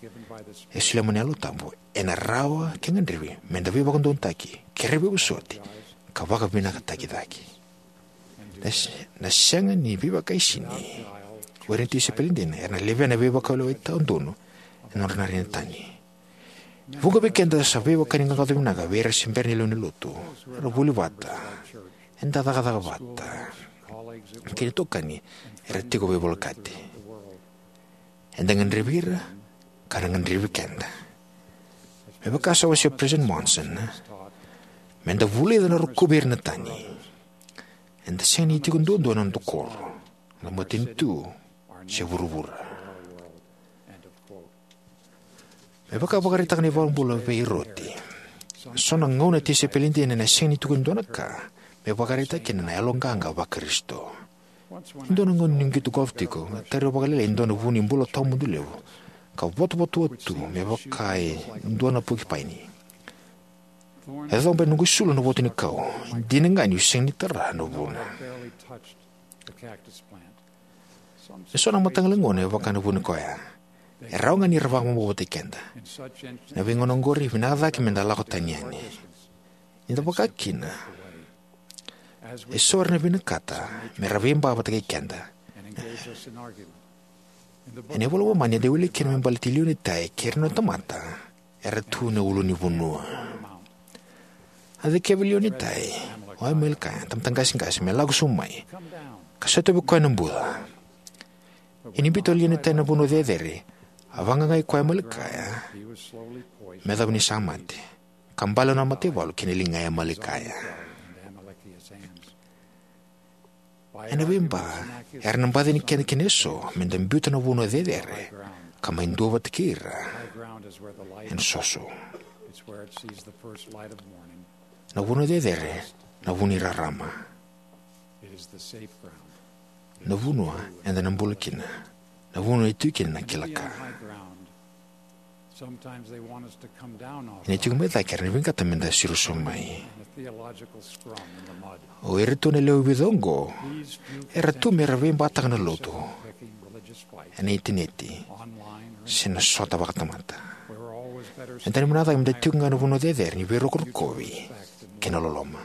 e solia mai na Yalo Tabu, ena rawa ke gadrevi meda veivakadodonutaki, kerei veivosoti, ka vakavinakataki cake. Na, na sega ni veivakaisini o ira na tisaipeli dina era na levea na veivakauwai tawadonu ena nodra na rai na tani. E vuqa vei keda sa veiwekani qaqaco vinaka vei ira se bera ni lewe ni lotu. Era vuli vata, eda cakacaka vata, kei na itokani era tiko veivolekati. Eda gadrevi ira ka ra gadrevi keda. Me vaka sa wasea o President Monson, meda vulica na rokovi ira na tani. Eda sega ni tiko duadua ena noda koro, na matanitu, se vuravura. Me vaka e vakaraitaka na iVakabula vei Eroti, so na gauna na tisaipeli dina ena sega ni tukuni dua na ka me vakaraitaka kina na yaloqaqa Vakarisito. E dua na gauna niu qito golf tiko, a tara vakalailai e dua na vu ni bula tawamudu levu ka votovotoa tu me vaka e dua na pokipaini. E coba e noqu isulu na votu ni kau. Dina ga niu sega ni tara na vuna. E so na mataqali gauna e vaka na vuni koya. E rawa ga ni ra vakabobotaki keda. Na veigauna oqori, vinaka cake meda lako tani yani. Ni da vaka kina, e so era na vinakata me ra veiba vata kei keda. Ena iVola i Momani eda wilika kina me baleti Lionitai kei ira na nona tamata era tu ena ulunivanua. A cikeva o Lionitai o Amalikaia, tamata qaseqase, me lako sobu mai ka sotavi koya ena buca. Ia ni biuta o Lionitai na vanua cecere, a vaqaqai koya o Amalikaia me yacova ni sa mate, ka bale na nona mataivalu ki na liga i Amalikaia. Ena veiba, era na baci yani keda kina eso me da biuta na vanua cecere ka mai duavata kei ira ena soso. Na vanua cecere, na vanua ni rarama, na vanua eda na bula kina, na vanua e tu kina na kila ka. Ena tiko mai cake era na vinakata me da siro sobu mai. O ira tu na lewe vica oqo era tu me ra veibataka na lotu ena initaneti se na sota vakatamata. Eda na vinakata me da tiko ga ena vanua cecere ni veirokovi kei na loloma.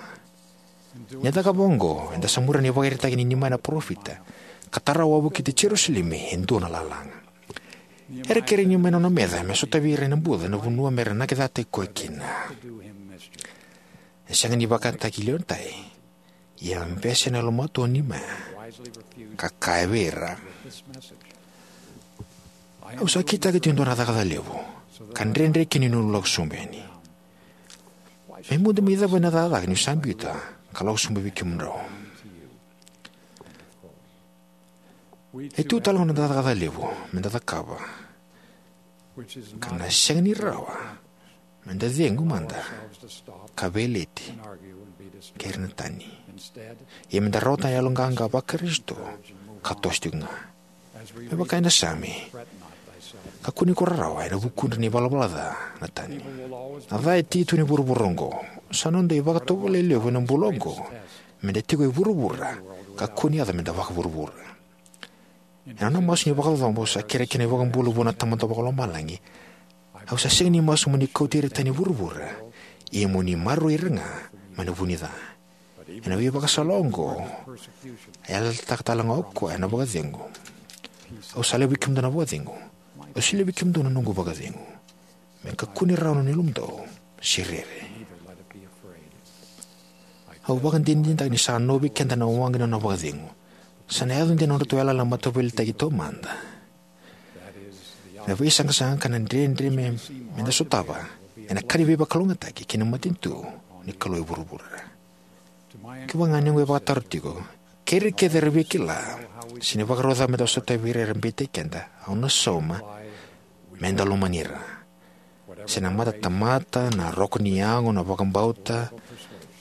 Ni da cakava oqo, eda sa muria na ivakaraitaki nei Nimaia na parofita, ka tara wavokiti Jerusalemi e dua na lalaga. Era kerei Nimaia na nona meca me sotavi ira ena buca na vanua me ra nakecataki koya kina. E sega ni vakataki lewe ni tai, ia a bese na yalomatua nei Nimaia, ka kaya vei ira: Au sa kitaka tiko e dua na cakacaka levu, ka dredre kina niu lako sobu yani. Me mudu mai cava na cakacaka niu sa biuta ka lako sobu vei kemudrau? E tu tale ga na cakacaka levu me da cakava, ka na sega ni rawa me da cegu mada ka veileti kei ira na tani. Ia me da rawata na yaloqaqa va-Karisito ka toso tiko ga. Me vaka ena Same: Kakua ni ko rarawa ena vukudra na ivalavala ca na tani. Na ca e tiki tu ena vuravura oqo. Sa noda ivakatovolei levu ena bula oqo me da tiko e vuravura ka kua ni yaco me da vakavuravura. Ena nona masu ni vakacabo, sa kerekere na iVakabula vua na Tamada Vakalomalagi: Au sa sega ni masu mo ni kauti ira tani e vuravura, ia mo ni maroroi ira ga mai na vu ni ca. Ena veivakasala oqo, a yalataka tale ga o koya na vakacegu: Au sa laivi kemudou na vakacegu, au sa laivi kemudou na noqu vakacegu. Me kakua ni rawa na nona yalomudou, se rere. Au vakadinadinataka ni sa novi keda na waqa ni nona vakacegu. Sa na yaco dina na nodratou yalayala mataveiliutaki taumada. Na veisaqasaqa ka na dredre me, me da sotava ena ka ni veivakalougatataki kei na matanitu ni Kalou e vuravura. Kevaka ga ni oqo e vakataro tiko, kei ira kece era via kila se na ivakarau cava me da sotavi ira era beitaki keda, au na sauma: Me da lomani ira. Se na matatamata, na roka ni yago, na vakabauta,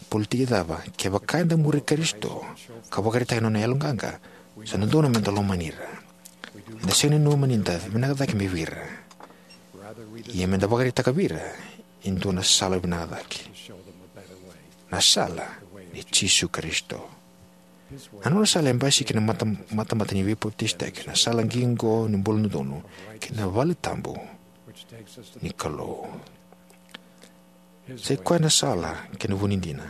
politiki cava, kevaka eda muri Karisito ka vakaraitaka na nona yaloqaqa, sa dodonu me da lomani ira. Eda sega ni nanuma ni da vinaka cake mai vei ira, ia me da vakaraitaka vei ira e dua na sala vinaka cake, na sala nei Jisu Karisito. A nona sala e basika ena mata, matamata ni veipapitaisotaki, na sala qiqo ni bula dodonu, kei na vale tabu ni Kalou. Sa i koya na sala kei na vu ni dina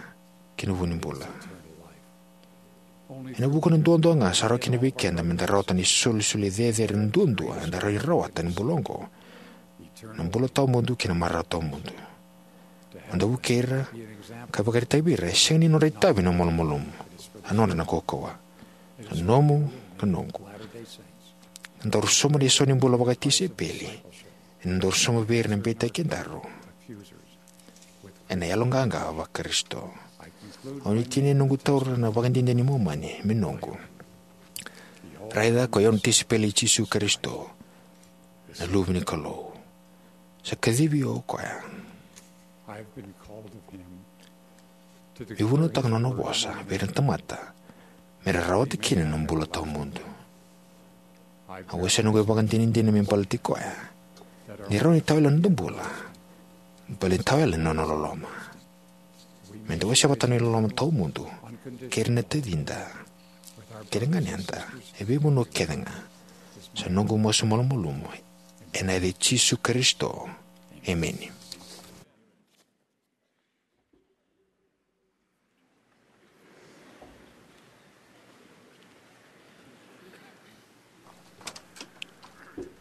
kei na vu ni bula. Ena vuku ni duadua ga sa rawa kina vei keda me da rawata na isolisoli cecere duadua eda rawa ni rawata ena bula oqo, na bula tawamudu kei na marau tawamudu. Me da vukei ira ka vakaraitaka vei ira e sega ni nodra itavi na malumalumu, a nodra na kaukauwa. Na nomu, na noqu. Na daru sauma na isau ni bula vakatisaipeli ena daru sauma vei ira na beitaki kedaru ena yaloqaqa va-Karisito. Au ni tinia noqu taura na ivakadinadina ni Momani me noqu. Raica, ko i au na tisaipeli i Jisu Karisito, na Luve ni Kalou. Sa kacivi au o koya. I've been called of him to the, meu vunautaka na nona vosa vei ira na tamata me ra rawata kina na bula tawamudu. Au wasea noqu ivakadinadina me baleti koya, ni rawa ni tawayalani noda bula baleta ni tawayalani na nona loloma. Me da wasea vata na iloloma tawamudu kei ira na tacida kei na ganeda e veivanua kece ga. Sa noqu masu malumalumu ena yaca i Jisu Karisito. Emeni.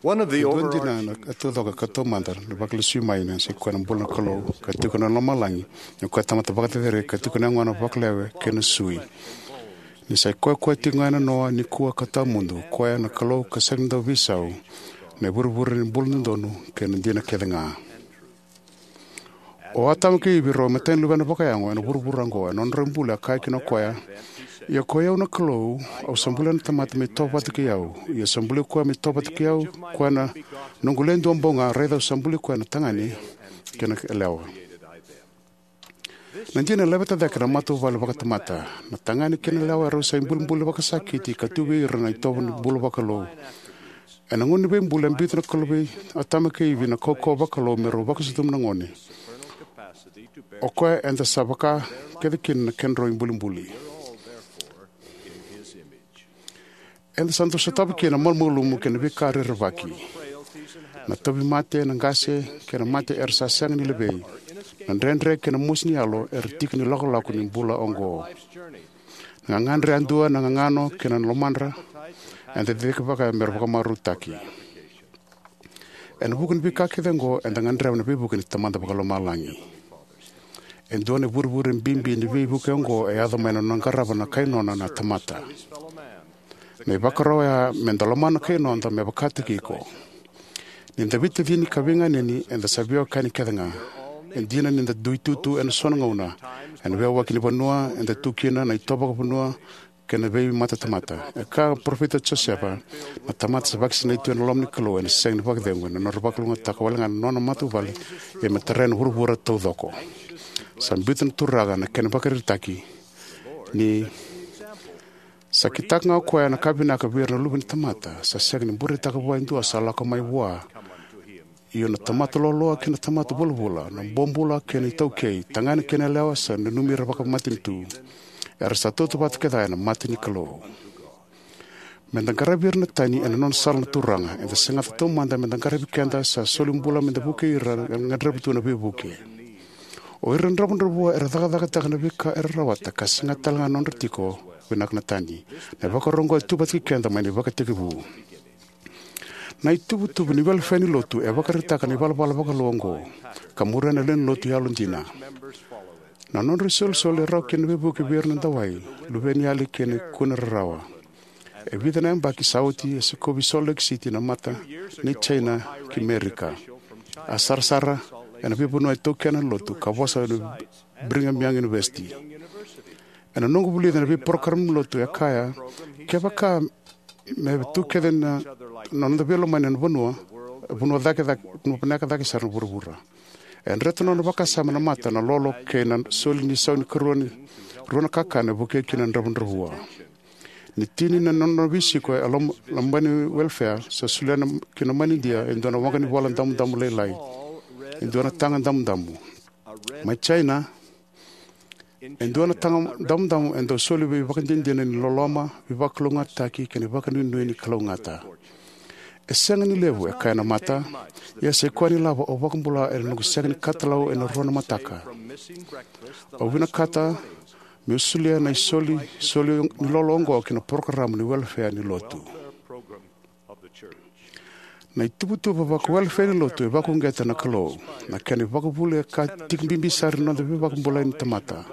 One of the, e dua dina na ka taucoko ka taumada ni vakalesui mai na, sa i koya na bula na Kalou ka tiko ena lomalagi, ni o koya tamata vakacerecerei ka tiko ena yagona vakalewe kei na sui. Ni sa i koya, koya tiko ga ena noa, nikua ka tawamudu, koya na Kalou ka sega ni dau veisau, na ivurevure ni bula dodonu kei na dina kece ga. O Atama kei Ivi rau imatai ni luvena vakayago ena vuravura oqo. Ena nodrau bula, a kaya kina o koya, Ia ko i au na Kalou, au sa bulia na tamata me itovo vata kei au, ia sa bulia koya me itovo vata kei au, koya na noqu Le Duabau Ga, raica au sa bulia koya na tagane kei na yalewa. Na dina e laveta cake na matavuvale vakatamata. Na tagane kei na yalewa erau sa ibulibuli vakasakiti ka tu vei ira na itovo ni bula vakalou. Ena gauna ni veibuli, a biuta na Kalou vei Atama kei Ivi na kaukauwa vakalou me rau vakasucuma na gone. O koya eda sa vaka kece kina na kedrau ibulibuli. Eda sa dau sotava kina na malumalumu kei na veika rerevaki. Na tauvimate, na qase, kei na mate era sa sega ni levei. Na dredre kei na mosi ni yalo era tiki ni lakolako ni bula oqo. Na gagadre yadua, na gagano kei na lomadra, eda cicivaka me ra vakamarautaki. Ena vuku ni veika kece oqo, eda gadreva na veivuke ni Tamada Vakalomalagi. E dua na ivurevure bibi ni veivuke oqo e yaco mai na nona qarava na kai nona na tamata. Na ivakarau oya me da lomana na kai noda me vakataki iko. Ni da veitacini ka veiganeni, eda sa veiwekani kece ga. E dina ni da dui tutu ena so na gauna, ena veiwaki ni vanua eda tu kina, na itovo vakavanua, kei na veimatatamata. E kaya o Parofita Josefa, na tamata sa vakasinaiti ena loma ni Kalou ena sega ni vakacegu, ena nodra vakalougatataka wale ga na nona matavuvale, ia me tarai na vuravura taucoko. Sa biuta na Turaga na kena ivakaraitaki ni sa kitaka ga o koya na ka vinaka vei ira na luve ni tamata, sa sega ni bureitaka vua e dua sa lako mai vua. Io na tamata loaloa kei na tamata vulavula, na bobula kei na itaukei, tagane kei na yalewa sa nanumi ira vakamatanitu. Era sa tautauvata kece ena mata ni Kalou. Me da qaravi ira na tani ena nona sala na Turaga, eda segata taumada me da qaravi keda sa soli bula me da vukei ira era gadreva tu na veivuke. O ira na dravudravua era cakacakataka na veika era rawata ka segata tale ga na nodra tiko vinaka na tani. Na ivakarau oqo e tu vata kei keda mai na ivakatekivu. Na ituvatuva ni welefea ni lotu e vakaraitaka na ivalavala vakalou oqo, ka muria na lewe ni lotu yalodina. Na nodra isolisoli e rawa kina na veivuke vei ira na dawai, luveniyali kei na kune rarawa. E vica na yabaki sa oti e sikovi Salt Lake City na mata ni China ki Merika. A sarasara ena veivanua e taukena na lotu ka vosa ena Brigham Young University. Ena noqu vulica na veiporokaramu ni lotu e kaya, kevaka me tu kece na, na noda veilomani ena vanua, vanua cake, cake, vanua vinaka cake sara na vuravura. E dreta na nona vakasama na mata, na lolo kei na soli ni sau ni karua ni rua na kakana e vukei kina na dravudravua. Ni tini na nona veisiko e loma, loma ni welefea, sa solia na, ki na manidia e dua na waqa ni vola damudamu lailai, e dua na taga damudamu. Mai China, e dua na taga damudamu e dau soli veivakadinadina ni loloma, veivakalougatataki kei na vakanuinui ni kalougata. E sega ni levu, e kaya na mata, ia sa i koya na ilavo au vakabula ena noqu sega ni katalau ena rua na mataka. Au vinakata meu solia na isoli, soli ni lolo oqo ki na porokaramu ni welefea ni lotu. Na ituvatuva vakawelefea ni lotu e vakauqeta na Kalou. Na kena ivakavuvuli e ka tiki bibi sara ni noda veivakabulai ni tamata.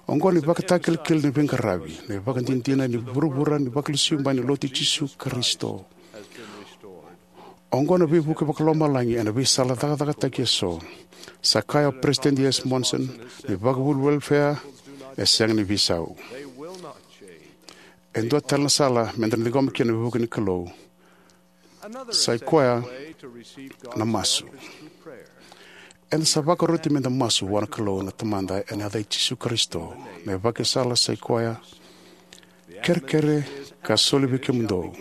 Oqo na ivakatakilakila ni veiqaravi, na ivakadinadina ni vuravura ni Vakalesui Bai ni Lotu i Jisu Karisito. Oqo na veivuke vakalomalagi ena veisala cakacakataki eso. Sa kaya o Peresitedi S. Monson, na ivakavuvuli welefea e sega ni veisau. E dua tale na sala me da na ciqoma kina na veivuke ni Kalou. Sa i koya na masu. Eda sa vakaroti me da masu vua na Kalou na Tamada ena yaca i Jisu Karisito. Na ivakasala sa i koya, kerekere ka soli vei kemudou.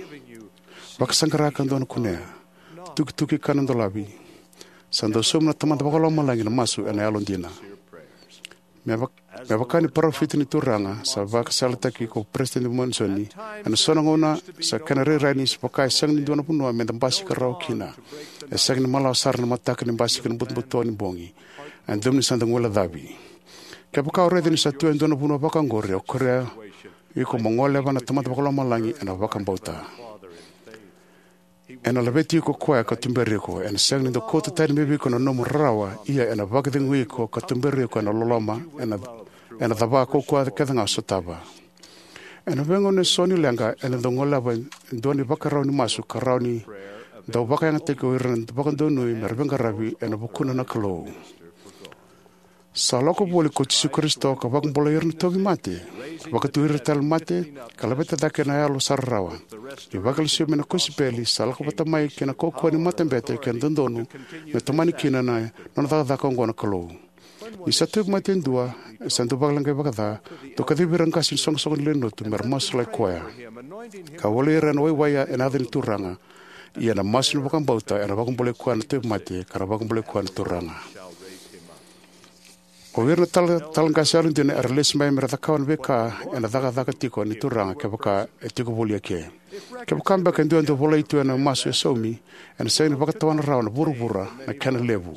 Vakasaqara ka dou na kunea. Tukituki ka na dolavi. Sa dau sauma na Tamada Vakalomalagi na masu ena yalodina. Me vaka, me vaka ni parofita ni Turaga, sa vakasalataki ko Peresitedi Monisoni, ena so na gauna sa kena rairai ni sa vaka e sega ni dua na vanua me da basika rawa kina. E sega ni malawa sara na mataka ni basika ni butobuto ni bogi. E dodonu ni sa da guilecavi. Kevaka o raica ni sa tu e dua na vanua vaka oqori, au kerea iko mo goleva na Tamada Vakalomalagi ena vakabauta. Ena laveti iko o koya ka tuberi iko. Ena sega ni dau kauta tani mai vei iko na nomu rarawa, ia ena vakacegui iko ka tuberi iko ena loloma, ena, ena cava kaukaua kece ga o sotava. Ena veigauna eso ni leqa, ena dau goleva e dua na ivakarau ni masu ka rawa ni dau vakayagataki o ira na vakadonui me ra veiqaravi ena vukuna na Kalou. Sa lako voli ko Jisu Karisito ka vakabulai ira na tauvimate, vakaturi ira tale na mate, ka laveta cake na yalo sa rarawa. Ni vakalesuya mai na kosipeli, sa lako vata mai kei na kaukauwa ni matabete kei na dodonu me tomani kina na nona cakacaka oqo na Kalou. Ni sa tauvimate e dua, e sa dau vakaleqai vakaca, dau kacivi ira na qase ni soqosoqo ni lewe ni lotu me ra masulaki koya, ka wali ira ena waiwai ena yaca ni Turaga. Ia na masu ni vakabauta ena vakabulai koya na tauvimate, ka na vakabulai koya na Turaga. O ira na tala, tala qase yalodina era lesu mai me ra cakava na veika ena cakacaka tiko ni Turaga kevaka e tiko voli eke. Kevaka beka e dua e dau volai tu ena masu e saumi, ena sega ni vakatawana rawa na vuravura na kena levu.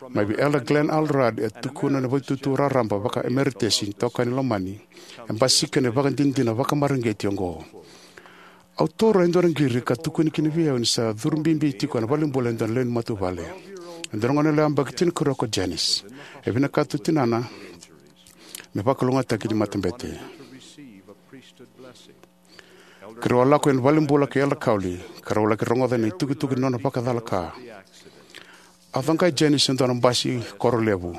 Mai vei Elder Glenn L. Rudd, e tukuna na vaitutu raraba vaka-emeritesi ni tokani lomani, e basika ena ivakadinadina vakamareqeti oqo. Au taura e dua na qiri ka tukuni kina vei au ni sa curu bibi tiko ena valenibula e dua na lewe ni matavuvale. E dua na goneyalewa yabaki tinikarua ko Janice. E vinakata o tinana me vakalougatataki ni matabete. Keirau a lako ena valenibula kei Elder Cowley, ka rau laki rogoca na itukutuku ni nona vakacalaka. A coqai Janice e dua na basi koro levu.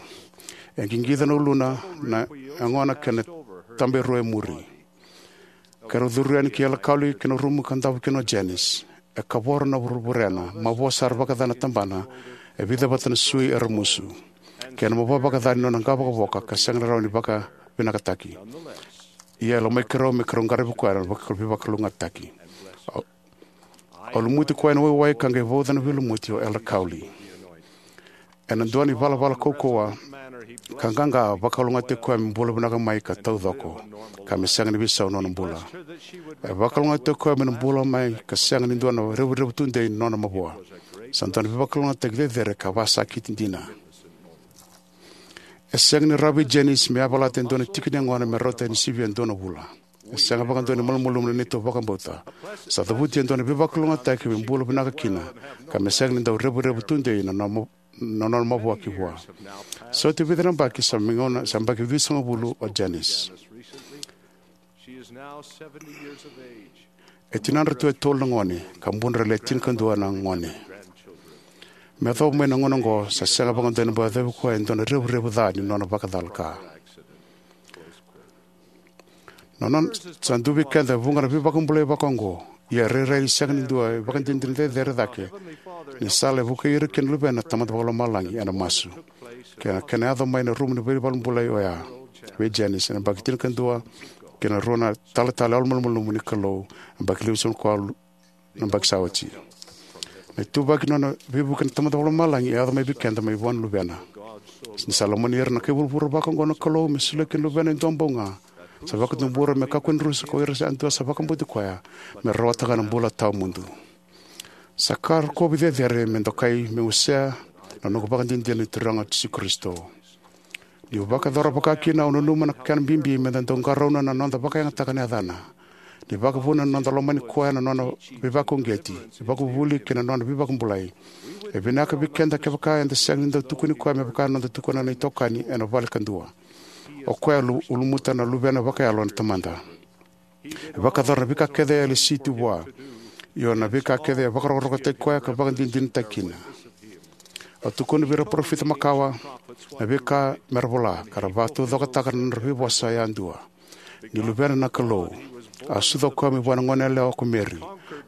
E qiqica na uluna, na yagona kei na tabairua e muri. Keirau curu yani ki Elder Cowley ki na rumu ka davo kina o Janice. E kavoro na vurevure, na mavoa sara vakaca na tabana, e vica vata na sui e ramusu, kei na mavoa vakaca ni nona qavokavoka ka sega ni rawa ni vakavinakataki. Ia e lomai keirau me keirau qaravi koya ena vaka-, veivakalougatataki. Au, au lumuti koya ena waiwai ka qai vauca na veilumuti o Elder Cowley. Ena dua na ivalavala kaukauwa ka qaqa, a vakalougatataki koya me bula vinaka mai ka taucoko, ka me sega ni veisau na nona bula. E vakalougatataki koya me na bula mai ka sega ni dua na revurevu tudei ni nona mavoa. Sa dua na veivakalougatataki cecere ka vakasakiti dina. E sega ni rawa vei Janice me yavalata e dua na tiki ni yagona me rauta ni sivia e dua na vula. E sega vakadua ni malumalumu na neitou vakabauta. Sa cavuti e dua na veivakalougatataki me bula vinaka kina, ka me sega ni dau revurevu tudei na nona, na nona mavoa ki vua. Sa oti e vica na yabaki, sa mai gauna, sa yabaki vitusagavulu o Janice. E tinadratou e tolu na gone, ka budra e le tinikadua na gone. Me yacova mai na gauna oqo, sa sega vakadua ni bau yacovi koya e dua na revurevu ca ni nona vakacalaka. Na nona, sa dua vei keda e vuqa na veivakabulai vaka oqo, ia e rairai ni sega ni dua e vakadinadina cecere cake ni sala e vukei ira kina na luvena na Tamada Vakalomalagi ena masu. Kei na kena yaco mai na rumu ni veivalenibula oya vei Janice ena yabaki tinikadua, kei na rua na talatala yalomalumalumu ni Kalou, yabaki limasagavulu ka walu na yabaki sa oti. Na ituvaki ni nona veivuke na Tamada Vakalomalagi e yaco mai vei keda mai vua na luvena. Ni sa lomani ira na kai vuravura vaka oqo na Kalou me solia kina na luvena e dua bau ga, sa vakatubura me kakua ni rusa ko ira yadua sa vakabauti koya, me rawata ga na bula tawamudu. Sa ka rokovi cecere me dokai meu wasea na noqu vakadinadina ni Turaga o Jisu Karisito. Niu vakayacora vaka kina, au nanuma na kena bibi me da dau qarauna na noda vakayagataka na yacana. Ni vakavuna na noda lomani koya, na nona veivakauqeti, veivakavuvuli kei na nona veivakabulai, e vinaka vei keda kevaka eda sega ni dau tukuni koya me vaka na noda tukuna na itokani ena vale kadua. O koya e lu-, ulumuta na luvena vakayalo na Tamada. E vakayacora na veika kece e lesi tu vua. Io, na veika kece e vakarokorokotaki koya ka vakadinadinataki kina. Au tukuna vei ira na parofita makawa na veika me ra vola, ka ra vakataucokotaka na nodra veivosa yadua. Ni luvena na Kalou, a sucu o koya mai vua na goneyalewa ko Meri.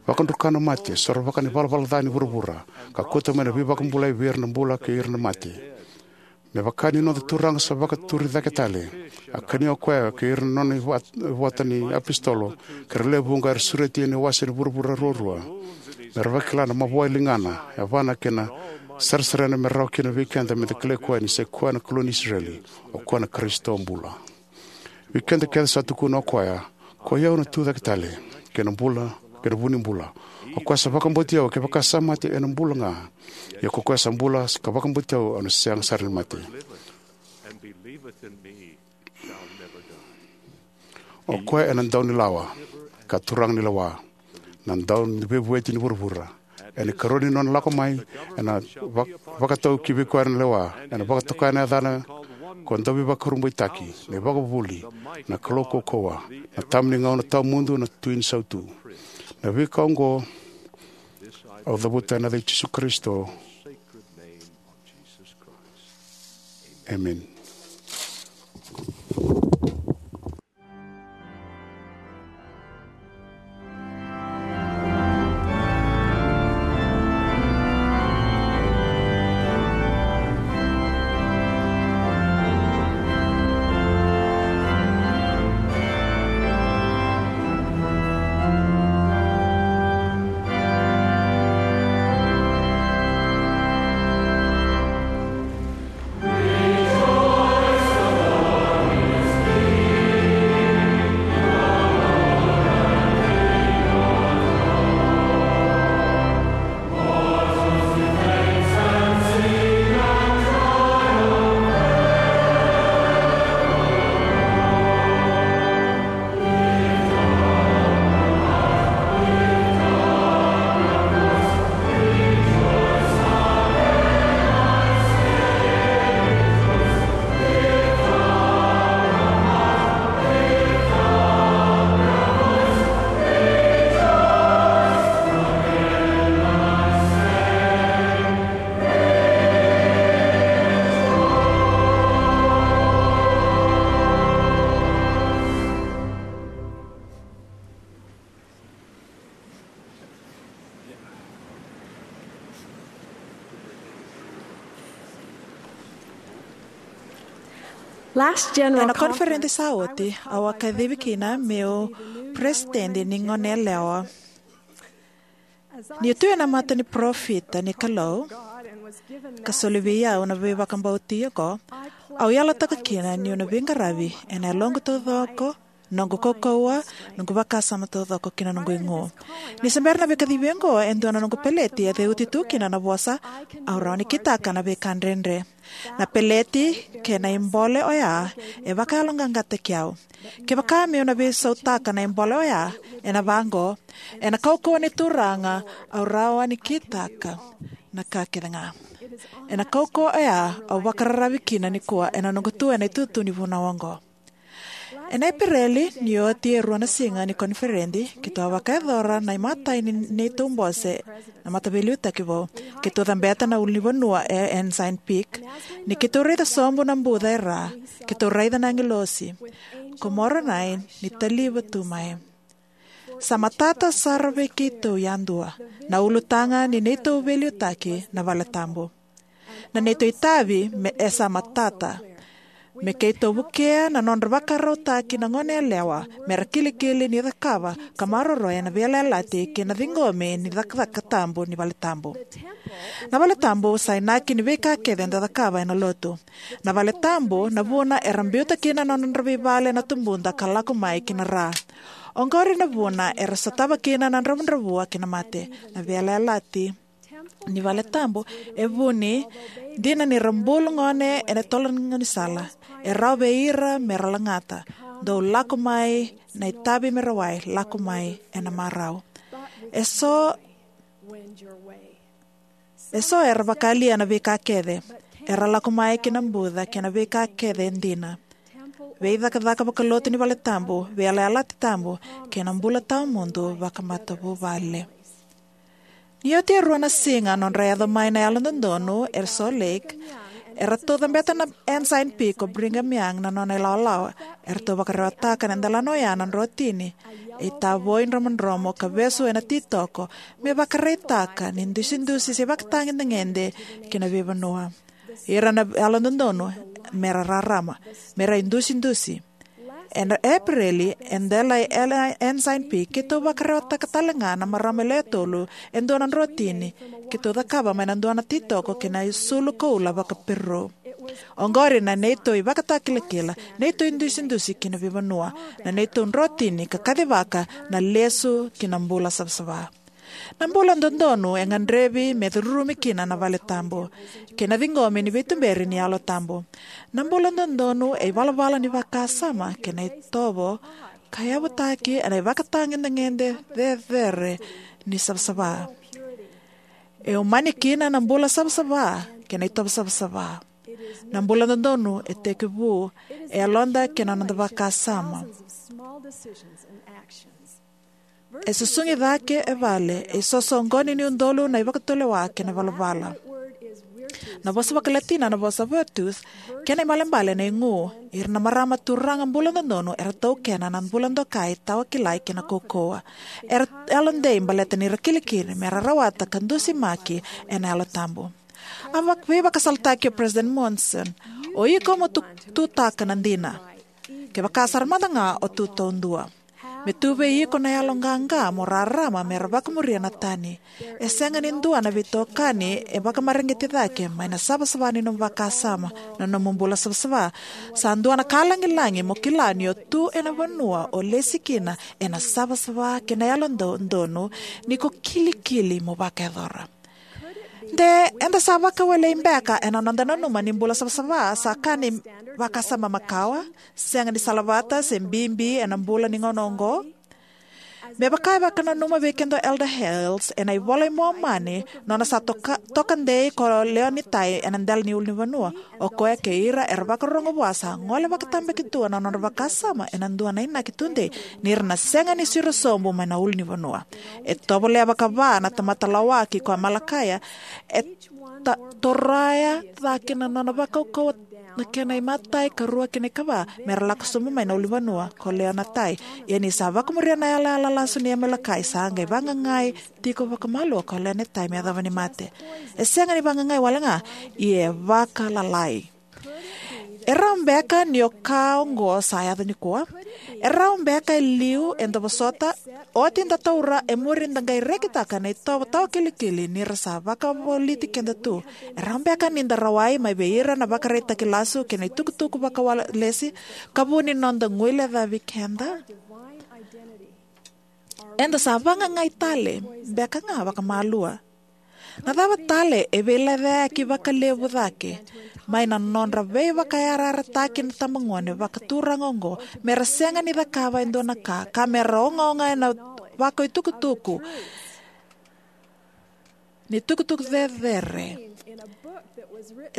Vakadruka na mate, sorovaka na ivalavala ca ni vuravura, ka kauta mai na veivakabulai vei ira na bula kei ira na mate. Me vaka ni noda Turaga sa vakaturi cake tale, a kania o koya kei ira na nona ivat-, ivota ni apositolo, kei ira lewe vuqa era sureti ena iwase ni vuravura ruarua, me ra vakila na mavoa e ligana, yavana kei na sarisarina me rawa kina vei keda me da kilai koya ni sai koya na Kalou ni Isireli, o koya na Karisito bula. Vei keda kece sa tukuna o koya, "Koi au na tu cake tale, kei na bula, kei na vu ni bula. O koya sa vakabauti au, kevaka sa mate, ena bula ga. Ia ko koya sa bula, ka vakabauti au, au na sega sara ni mate." O koya ena daunilawa, ka turaga ni lewa, na dauniveivueti ni vuravura. Ena ikarua ni nona lako mai, ena va-, vakatau ki vei koya na lewa, ena vakatokai na yacana ko Dauveivakurabuitaki, na iVakavuvuli, na Kalou kaukauwa, na Tama ni gauna tawamudu, na Tui ni sautu. Na veika oqo au cavuta ena yaca i Jisu Karisito. Emeni. Last General Ena Conference koniferedi sa oti, au a kacivi kina meu peresitedi ni goneyalewa. Niu tu ena mata ni parofita ni Kalou, ka soli vei au na veivakabauti oqo, au yalataka kina niu na veiqaravi ena yaloqu taucoko, noqu kaukauwa, noqu vakasama taucoko kei na noqu igu. Ni se bera na veikacivi oqo, e dua na noqu peleti e ceuti tu kina na vosa, "Au rawa ni kitaka na veika dredre." Na peleti kei na ibole oya e vakayaloqaqataki au. Kevaka meu na veisautaka na ibole oya, ena vaqo, "Ena kaukauwa ni Turaga, au rawa ni kitaka na ka kece ga." Ena kaukauwa oya au vakararavi kina nikua ena noqu tu ena itutu ni vunau oqo. Ena Epereli, ni oti e rua na siga ni koniferedi, keitou a vakayacora na imatai ni neitou bose na mataveiliutaki vou. Keitou cabeta na ulunivanua e Ensign Peak. Ni keitou raica sobu na buca e ra, keitou raica na agilosi ko Moronai ni taliva tu mai. Sa matata sara vei keitou yadua na ulutaga ni neitou veiliutaki na valetabu. Na neitou itavi me e sa matata. Me keitou vukea na nodra vakarautaki na goneyalewa me ra kilikili ni cakava ka maroroya na veiyalayalati kei na ciqomi ni cakacaka tabu ni valetabu. Na valetabu sa inaki ni veika kece eda cakava ena lotu. Na valetabu na vuna era biuta kina na nodra veivale na tubuda ka lako mai ki na ra. Oqori na vuna era sotava kina na dravudravua kei na mate. Na veiyalayalati ni valetabu e vuni dina ni ra bulu gone ena tolo ni gaunisala. E rawa vei ira me ra lagata. Dou lako mai na itavi me rawai, lako mai ena marau. E so, e so era vakayalia na veika kece. Era lako mai ki na buca kei na veika kece e dina. Veicakacaka vakalotu ni valetabu, veiyalayalati tabu, kei na bula tawamudu vakamatavuvale. Ni oti e rua na siga nodra yaco mai na yalododonu e Salt Lake, eratou cabeta na Ensign Peak ko Brigham Young na nona ilawalawa. Eratou vakarewataka na delana oya na drotini e tavoi dromodromo ka vesu ena titoko me vakaraitaka ni dusidusi se vakatagedegede ki na veivanua. Ira na yalododonu me ra rarama, me ra idusidusi. Ena Epereli, e dela e Ensign Peak, keitou vakarewataka tale ga na marama e lewe tolu e dua na drotini keitou cakava mai na dua na titoko kei na isulu koula vaka-Peru. Oqori na neitou ivakatakilakila, neitou idusidusi ki na veivanua, na neitou drotini ka kacivaka na lesu ki na bula savasava. Na bula dodonu e gadrevi me curumi kina na valetabu kei na ciqomi ni veituberi ni Yalo Tabu. Na bula dodonu e ivalavala ni vakasama kei na itovo ka yavutaki ena ivakatagedegede cecere ni savasava. E umani kina na bula savasava kei na itovo savasava. Na bula dodonu e tekivu e yaloda kei na noda vakasama. E susugi cake e vale, e sosoqoni ni udolu na ivakatulewa kei na valavala. Na vosa vakaLatina na vosa virtus, kena ibalebale na igu. Ira na marama turaga bula dodonu era taukena na bula dokai, tawa kilai kei na kaukauwa. Era yalodei baleta ni ra kilikili me ra rawata ka dusimaki ena Yalo Tabu. A vak-, veivakasalataki o President Monson, "O iko mo tu-, tutaka na dina. Kevaka sara mada ga o tu taudua. Me tu vei iko na yalo qaqa mo rarama me ra vakamuria na tani. E sega ni dua na veitokani e vakamareqeti cake mai na savasava ni nomu vakasama, na nomu bula savasava. Sa dua na ka lagilagi mo kila ni o tu ena vanua o lesi kina ena savasava kei na yalododonu ni ko kilikili mo vakayacora." De eda sa vakawelei beka ena noda nanuma ni bula savasava sa ka ni vakasama makawa, sega ni salavata, se bibi ena bula ni gauna oqo? Me vaka e vakananuma vei keda o Elder Hales ena iVola i Momani, nona sa toka, toka dei ko Leonitai ena dela ni ulunivanua. O koya kei ira era vakarorogo vua sa gole vakatabakidua na nodra vakasama ena dua na inaki tudei, ni ra na sega ni siro sobu mai na ulunivanua. E tovolea vakava na tamata lawaki ko Amalakaia, e ta-, toroya cake na nona vakaukauwa na kena imatai, karua kei na ikava, me ra lako sobu mai na ulunivanua ko Leonitai. Ia ni sa vakamuria na yalayala lasu ni Amalekai, sa qai vagagai tiko vakamalua ko Leonitai me yacova ni mate. E sega ni vagagai wale ga, ia e vakalalai. E rawa beka ni o ka oqo sa yaco nikua? E rawa beka e liu eda vosota, oti da taura e muri da qai rekitaka na itovo tawakilikili ni ra sa vakavoliti keda tu? E rawa beka ni da rawai mai vei ira na vakaraitaki lasu kei na itukutuku vakawalesi ka vu ni noda guilecavi keda? Eda sa vagagai tale beka ga vakamalua? Na cava tale e veilecayaki vakalevu cake mai na nodra veivakayarayarataki na itabagone vakaturaga oqo, me ra sega ni cakava e dua na ka, ka me ra ogaoga ena vakaitukutuku ni tukutuku cecere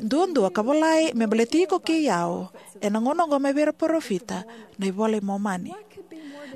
duadua ka volai me baleti iko kei au ena gauna oqo mai vei ira parofita, na iVola i Momani?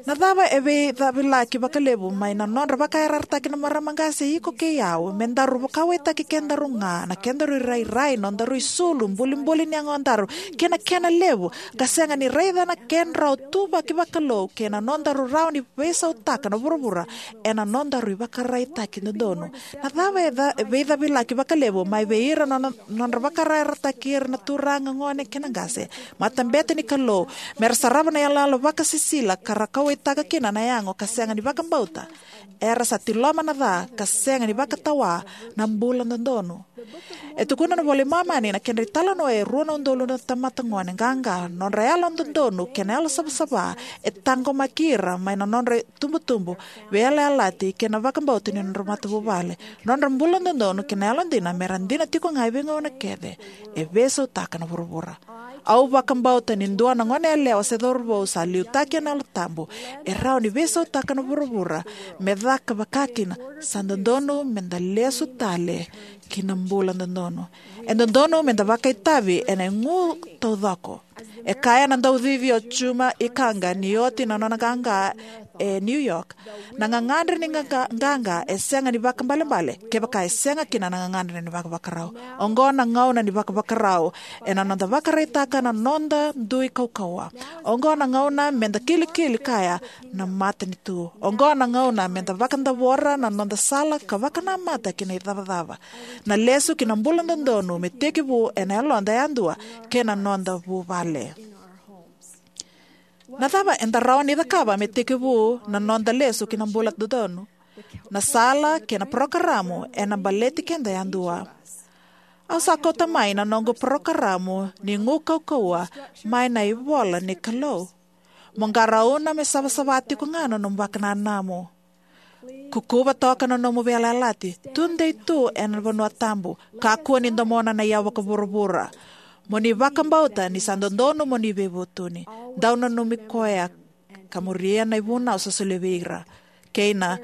Na cava e veicavilaki vakalevu mai na nodra vakayarayarataki na marama qase, iko kei au, me daru vakauwaitaki kedaru ga, na kedaru irairai, nodaru isulu, bulibuli ni yagodaru, kei na kena levu, ka sega ni raica na kedrau ituvaki vakalou kei na nodaru rawa ni veisautaka na vuravura ena nodaru ivakaraitaki dodonu? Na cava e ca-, e veicavilaki vakalevu mai vei ira na nona-, nodra vakayarayarataki ira na turaga, gone kei na qase, matabete ni Kalou, me ra sarava na iyaloyalo vakasisila ka ra kauwaitaka kina na yago ka sega ni vakabauta? Era sa tiloma na ca ka sega ni vakatawa na bula dodonu. E tukuna na iVola i Momani na kedra italanoa e rua na udolu na tamata gone qaqa, nodra yalododonu kei na yalosavasava e taqomaki ira mai na nodra itubutubu veiyalayalati kei na vakabauta ni nodra matavuvale. Nodra bula dodonu kei na yalodina me ra dina tiko ga e veigauna kece e veisautaka na vuravura. Au vakabauta ni dua na goneyalewa se cauravou sa liutaki ena Yalo Tabu e rawa ni veisautaka na vuravura me caka vakakina. Sa dodonu me da lesu tale ki na bula dodonu. E dodonu me da vakaitavi ena igu taucoko. E kaya na daucici o Juma Ikaga ni oti na nona qaqa e New York, "Na gagadre ni qaqa, qaqa e sega ni vakaibalebale kevaka e sega kina na gagadre ni vakavakarau." Oqo na gauna ni vakavakarau ena noda vakaraitaka na noda dui kaukauwa. Oqo na gauna me da kilikili kaya na matanitu. Oqo na gauna me da vakadavora na noda sala ka vakanamata ki na icavacava. Na lesu ki na bula dodonu me tekivu ena yaloda yadua kei na noda vuvale. Na cava eda rawa ni cakava me tekivu na noda lesu ki na bula dodonu? Na sala kei na parokaramu ena baleti keda yadua. Au sa kauta mai na noqu parokaramu ni gu kaukauwa mai na ivola ni Kalou. Mo qarauna me savasava tiko ga na nomu vakananamu. Kukuva toka na nomu veiyalayalati. Tudei tu ena vanua tabu. Kakua ni domona na iyau vakavuravura. Mo ni vakabauta ni sa dodonu mo ni veivutuni. Dau nanumi koya ka muria na ivunau sa solia vei ira. Kei na,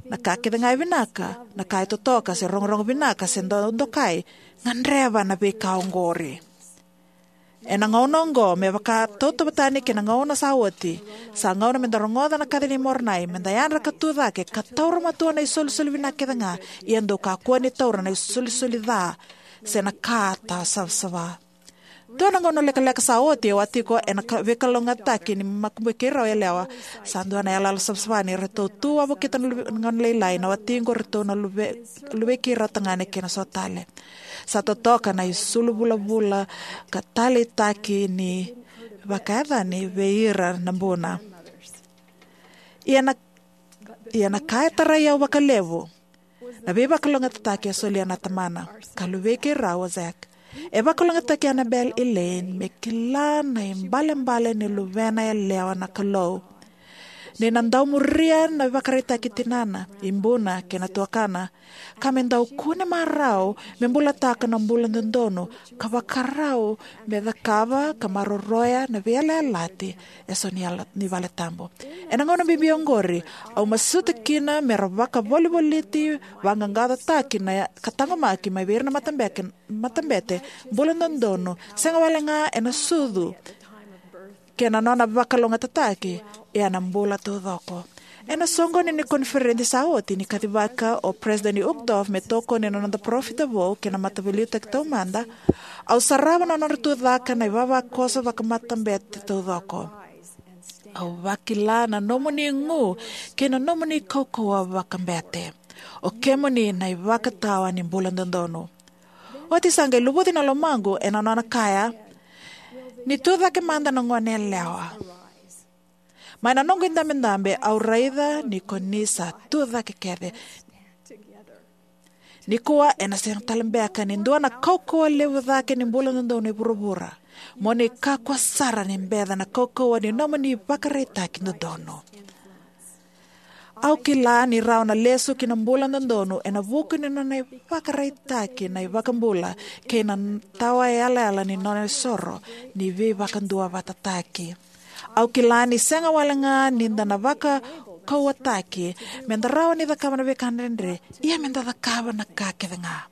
na ka kece ga e vinaka, na ka e totoka, se rogorogo vinaka, se do-, dokai, gadreva na veika oqori. Ena gauna oqo, me vaka tautauvata tani kei na gauna sa oti, sa gauna me da rogoca na kaci nei Moronai, me da yadra ka tu cake, ka taura matua na isolisoli vinaka kece ga, ia dou kakua ni taura na isolisoli ca, se na ka tawa savasava. Dua na gauna lekaleka sa oti, au a tiko ena ka- veikalougatakia ni makubui keirau yalewa. Sa dua na yalayala savasava ni ratou tu wavokita na luve- na gauna lailai na watiqu, ratou na luve- luvei keirau tagane kei na so tale. Sa totoka na isulu vulavula ka taleitaki ni vakayacani vei ira na buna. Ia na, ia na ka e tarai au vakalevu na veivakalougatataki e solia na tamana ka luvei keirau o Zach. E vakalougatataki Annabel Elaine me kila na ibalebale ni luvena yalewa na Kalou, ni na dau muria na ivakaraitaki tinana, ibuna kei na tuakana, ka me dau kune marau me bulataka na bula dodonu ka vakarau me cakava ka maroroya na veiyalayalati eso ni, yala, ni valetabu. Ena gauna bibi oqori, au masuta kina me ra vakavolivoliti, vaqaqacotaki na ka taqomaki mai vei ira na matabeke- matabete, bula dodonu sega wale ga ena sucu kei na nona vakalougatataki, ia na bula taucoko. Ena soqoni ni koniferedi sa oti, ni kacivaka o Peresitedi Uchtdorf me tokoni na noda parofita vou kei na Mataveiliutaki Taumada, au sarava na nodra tucake na ivavakoso vakamatabete taucoko. Au vakila na nomuni gu kei na nomuni kaukauwa vakabete. O kemuni na ivakatawa ni bula dodonu. Oti sa qai luvuci na lomaqu ena nona kaya, ni tucake mada na goneyalewa. Mai na noqu idabedabe au raica ni ko ni sa tucake kece. Nikua ena sega tale beka ni dua na kaukauwa levu cake ni bula dodonu e vuravura. Mo ni kakua sara ni beca na kaukauwa ni nomuni vakaraitaki dodonu. Au kila ni rawa na lesu ki na bula dodonu ena vuku ni nona ivakaraitaki na iVakabula kei na tawa yalayala ni nona isoro ni veivakaduavatataki. Au kila ni sega wale ga ni da na vakauwataki me da rawa ni cakava na veika dredre, ia me da cakava na ka kece ga.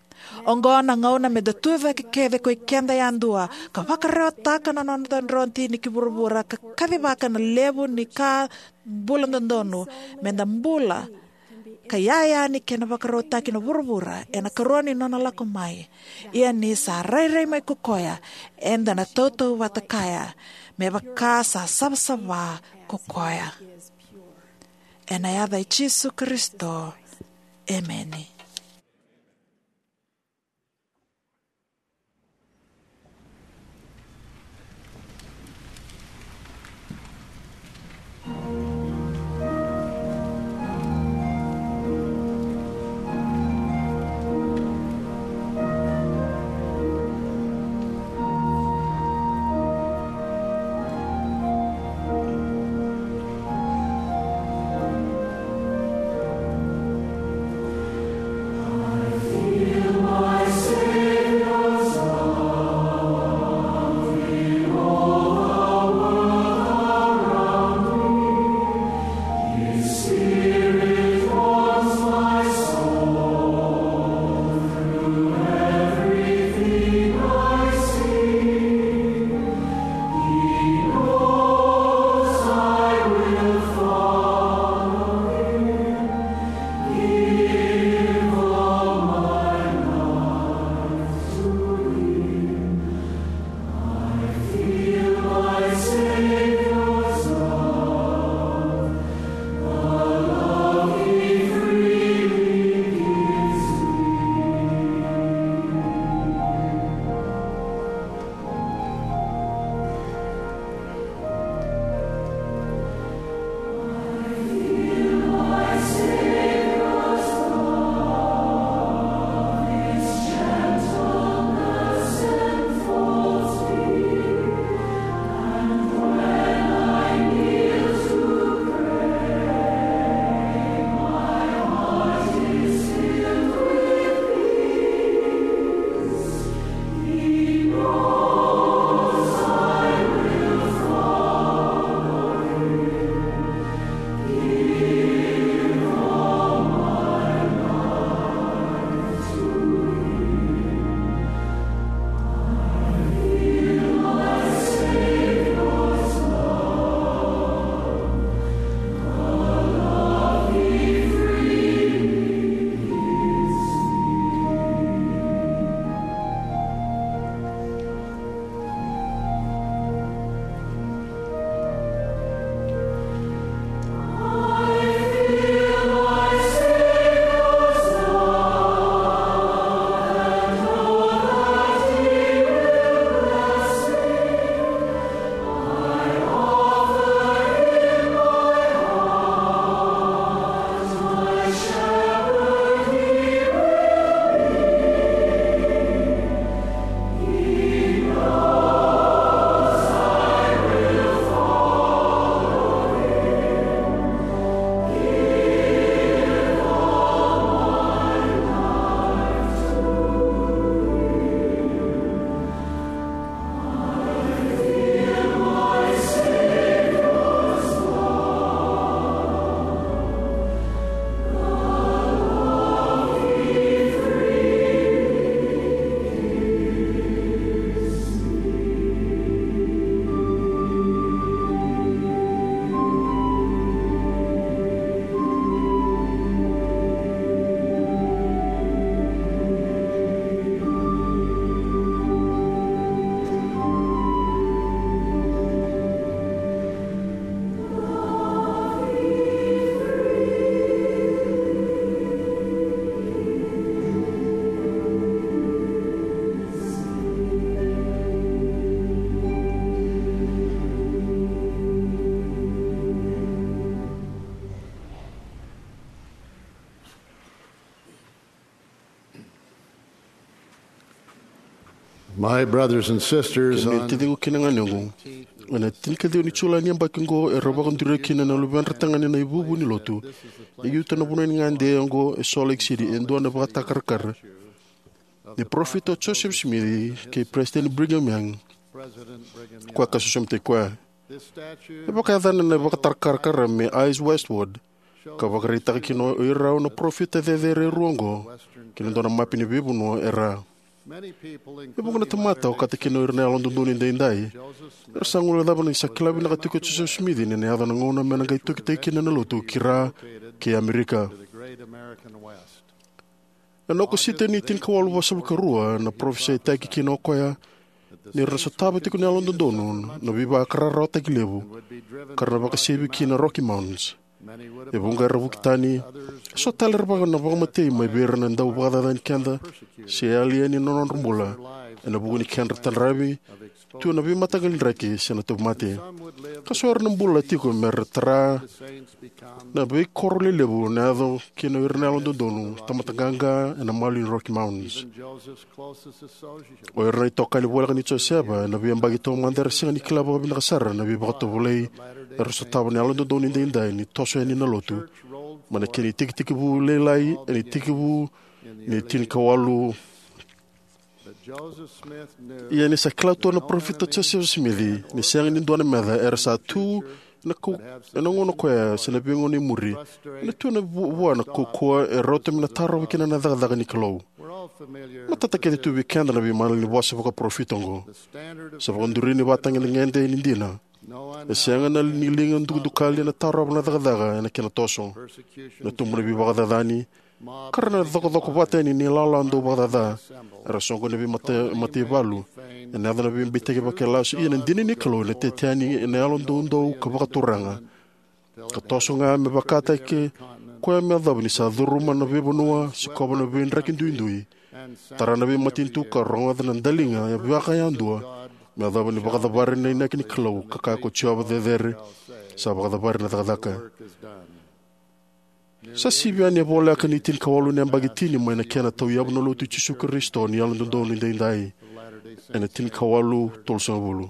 Oqo na gauna me da tucake kece ko ikeda yadua ka vakarewataka na noda drotini ki vuravura ka kacivaka na levu ni ka bula dodonu me da bula ka yaya ni kena vakarautaki na vuravura ena karua ni nona lako mai. Ia ni sa rairai mai ko koya, eda na tautauvata kaya me vaka sa savasava ko koya. Ena yaca i Jisu Karisito, emeni. My brothers and sisters, kemuni na taciqu kei na ganequ, ena tinikaciwa ni Julai ni yabaki oqo era vakaduri kina na luvedra tagane na ivuvu ni lotu. E ciuta na vanua ni gade oqo e Salt Lake City e dua na vakatakarakara ni Parofita o Joseph Smith kei Peresitedi Brigham Young, koya ka sosomitaki koya. E vakayacana na vakatakarakara me Eyes Westward, ka vakaraitaka kina o irau na parofita cecere e rua oqo ki na dua na mape ni veivanua e ra. E vuqa na tamata, okati kina o ira na Yalododonu Edaidai, era sa guilecava ni sa kila vinaka tiko o Joseph Smith ni na yaco na gauna me na qai tokitaki kina na lotu ki ra kei Amerika. Ena Okosita ni tinikawalu vasagavulu ka rua, na parofisaitaki kina o koya ni ra na sotava tiko na Yalododonu na veivakararawataki levu, ka ra na vakasevi ki na Rocky Mountains. E vuqa era vuki tani, e so tale era vaka na vakamatei mai vei ira na dau vakacacani keda se yali yani na nodra bula ena vuku ni kedra tadravi tu na veimataqali draki se na tauvimate. Ka so era na bula tiko me ra tara na veikoro lelevu na yaco kina o ira na Yalododonu, tamata qaqa ena malu ni Rocky Mountains. O ira na itokani voleka nei Josefa ena veiyabaki taumada era sega ni kila vakavinaka sara na veivakatovolei era sotava na Yalododonu Edaidai ni toso yani na lotu mai na kena itekitekivu lailai ena itekivu ni tinikawalu. Ia ni sa kila tu na Parofita Joseph Smith ni sega ni dua na meca era sa tu ena kau-, ena gauna koya se na veigauna e muri, ena tu ena vu-, vua na kaukauwa e rauta me na tarova kina na cakacaka ni Kalou. Matata kece tu vei keda na veimalanivosa vakaparofita oqo. Sa vakaduri ni ivakatagedegede ni dina. E sega na ni liga dukadukali ena tarova na cakacaka ena kena toso. Na tubu na veivakacacani, ka ra na cokocoko vata yani na ilala dau vakacaca. Era soqoni na veimata-, mataivalu, ena yaco na veibeitaki vakailasu, ia na dina ni Kalou ena tete yani ena yalo doudou ka vakaturaga. Ka toso ga me vakataki koya me yacova ni sa curuma na veivanua, sikova na veidraki duidui, tara na veimatanitu ka rogoca na daliga e vakayadua, me yacova ni vakacavari na inaki ni Kalou ka kaya ko Jiova cecere, sa vakacavari na cakacaka. Sa sivi yani e voleka ni tinikawalu na yabaki tini mai na kena tauyavu na Lotu i Jisu Karisito ni Yalododonu Edaidai ena tinikawalu tolusagavulu.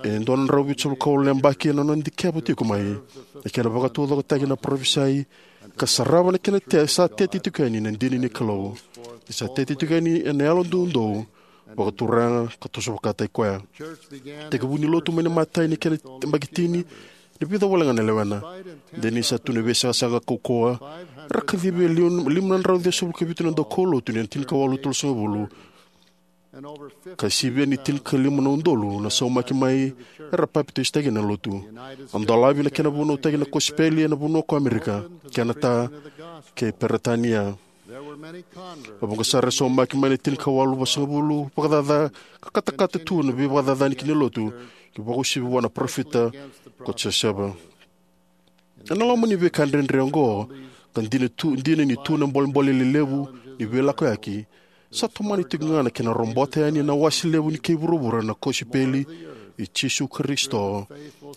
E dua na drau vitusagavulu ka walu na yabaki ena nona dikeva tiko mai na kena vakataucokotaki na parofisai ka sarava na kena te-, sa tete tiko yani na dina ni Kalou. Ni sa tete tiko yani ena yalo doudou, vakaturaga ka toso vakataki koya. Tekivu ni lotu mai na imatai ni kena yabaki tini, na vica wale ga na lewena. De ni sa tu na veisaqasaqa kaukauwa, era kacivi e liu-, lima na drau ciwasagavulu ka vitu na daukaulotu ni tinikawalu tolusagavulu. Ka sivia ni tinikalima na udolu na saumaki mai era papitaisotaki ena lotu. A dolavi na kena vunautaki na kosipeli ena vanua ko Amerika, Kenata, kei Peritania. E vuqa sara e saumaki mai na tinikawalu vasagavulu vakacaca ka katakata tu na veivakacacani ki na lotu, ki vakauasivi vua na parofita ko Josefa. Ena loma ni veika dredre oqo, ka dina tu, dina ni tu na bolebole lelevu ni veilakoyaki, sa tomani tiko ga na kena robota yani na wase levu ni kei vuravura na kosipeli i Jisu Karisito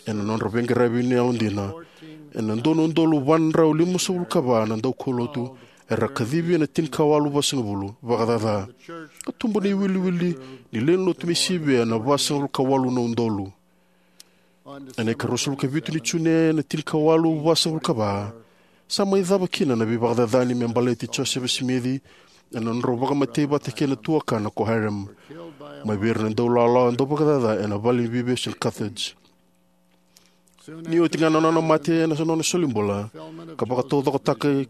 ena nodra veiqaravi ni yalodina. Ena dua na udolu va na drau limasagavulu ka va na daukaulotu era kacivi ena tinikawalu vasagavulu vakacaca. Ka tubu na iwiliwili ni lewe ni lotu me sivia na vasagavulu ka walu na udolu. Ena ikaruasagavulu ka vitu ni June ena tinikawalu vasagavulu ka va, sa mai cava kina na veivakacacani me baleti Josefa Simici ena nodrau vakamatei vata kei na tuakana ko Hyrum, mai vei ira na daulawalawa dauvakacaca ena vale ni veivesu na Carthage. Ni oti ga na nona mate ena nona solibula, ka vakataucokotaka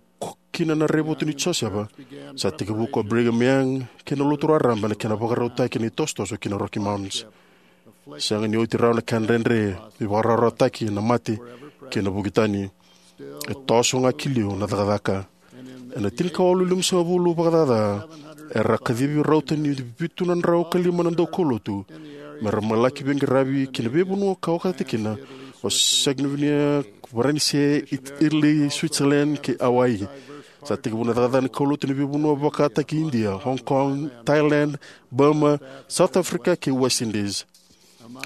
kina na raivotu ni Josefa, sa tekivu ko Brigham Young kei na Lotu Raraba na kena vakarautaki na itosotoso ki na Rocky Mountains. Sega ni oti rawa na kena dredre, veivakararawataki, na mate, kei na vuki tani. E toso ga ki liu na cakacaka. Ena tinikawalu limasagavulu vakacaca, era kacivi rauta ni vitu na drau ka lima na daukaulotu me ra mai laki veiqaravi ki na veivanua ka okati kina o Scandinavia, Varanise, It-, Italy, Switzerland kei Hawaii. Sa tekivu na cakacaka ni kaulotu ena veivanua vakataki India, Hong Kong, Thailand, Burma, South Africa kei West Indies.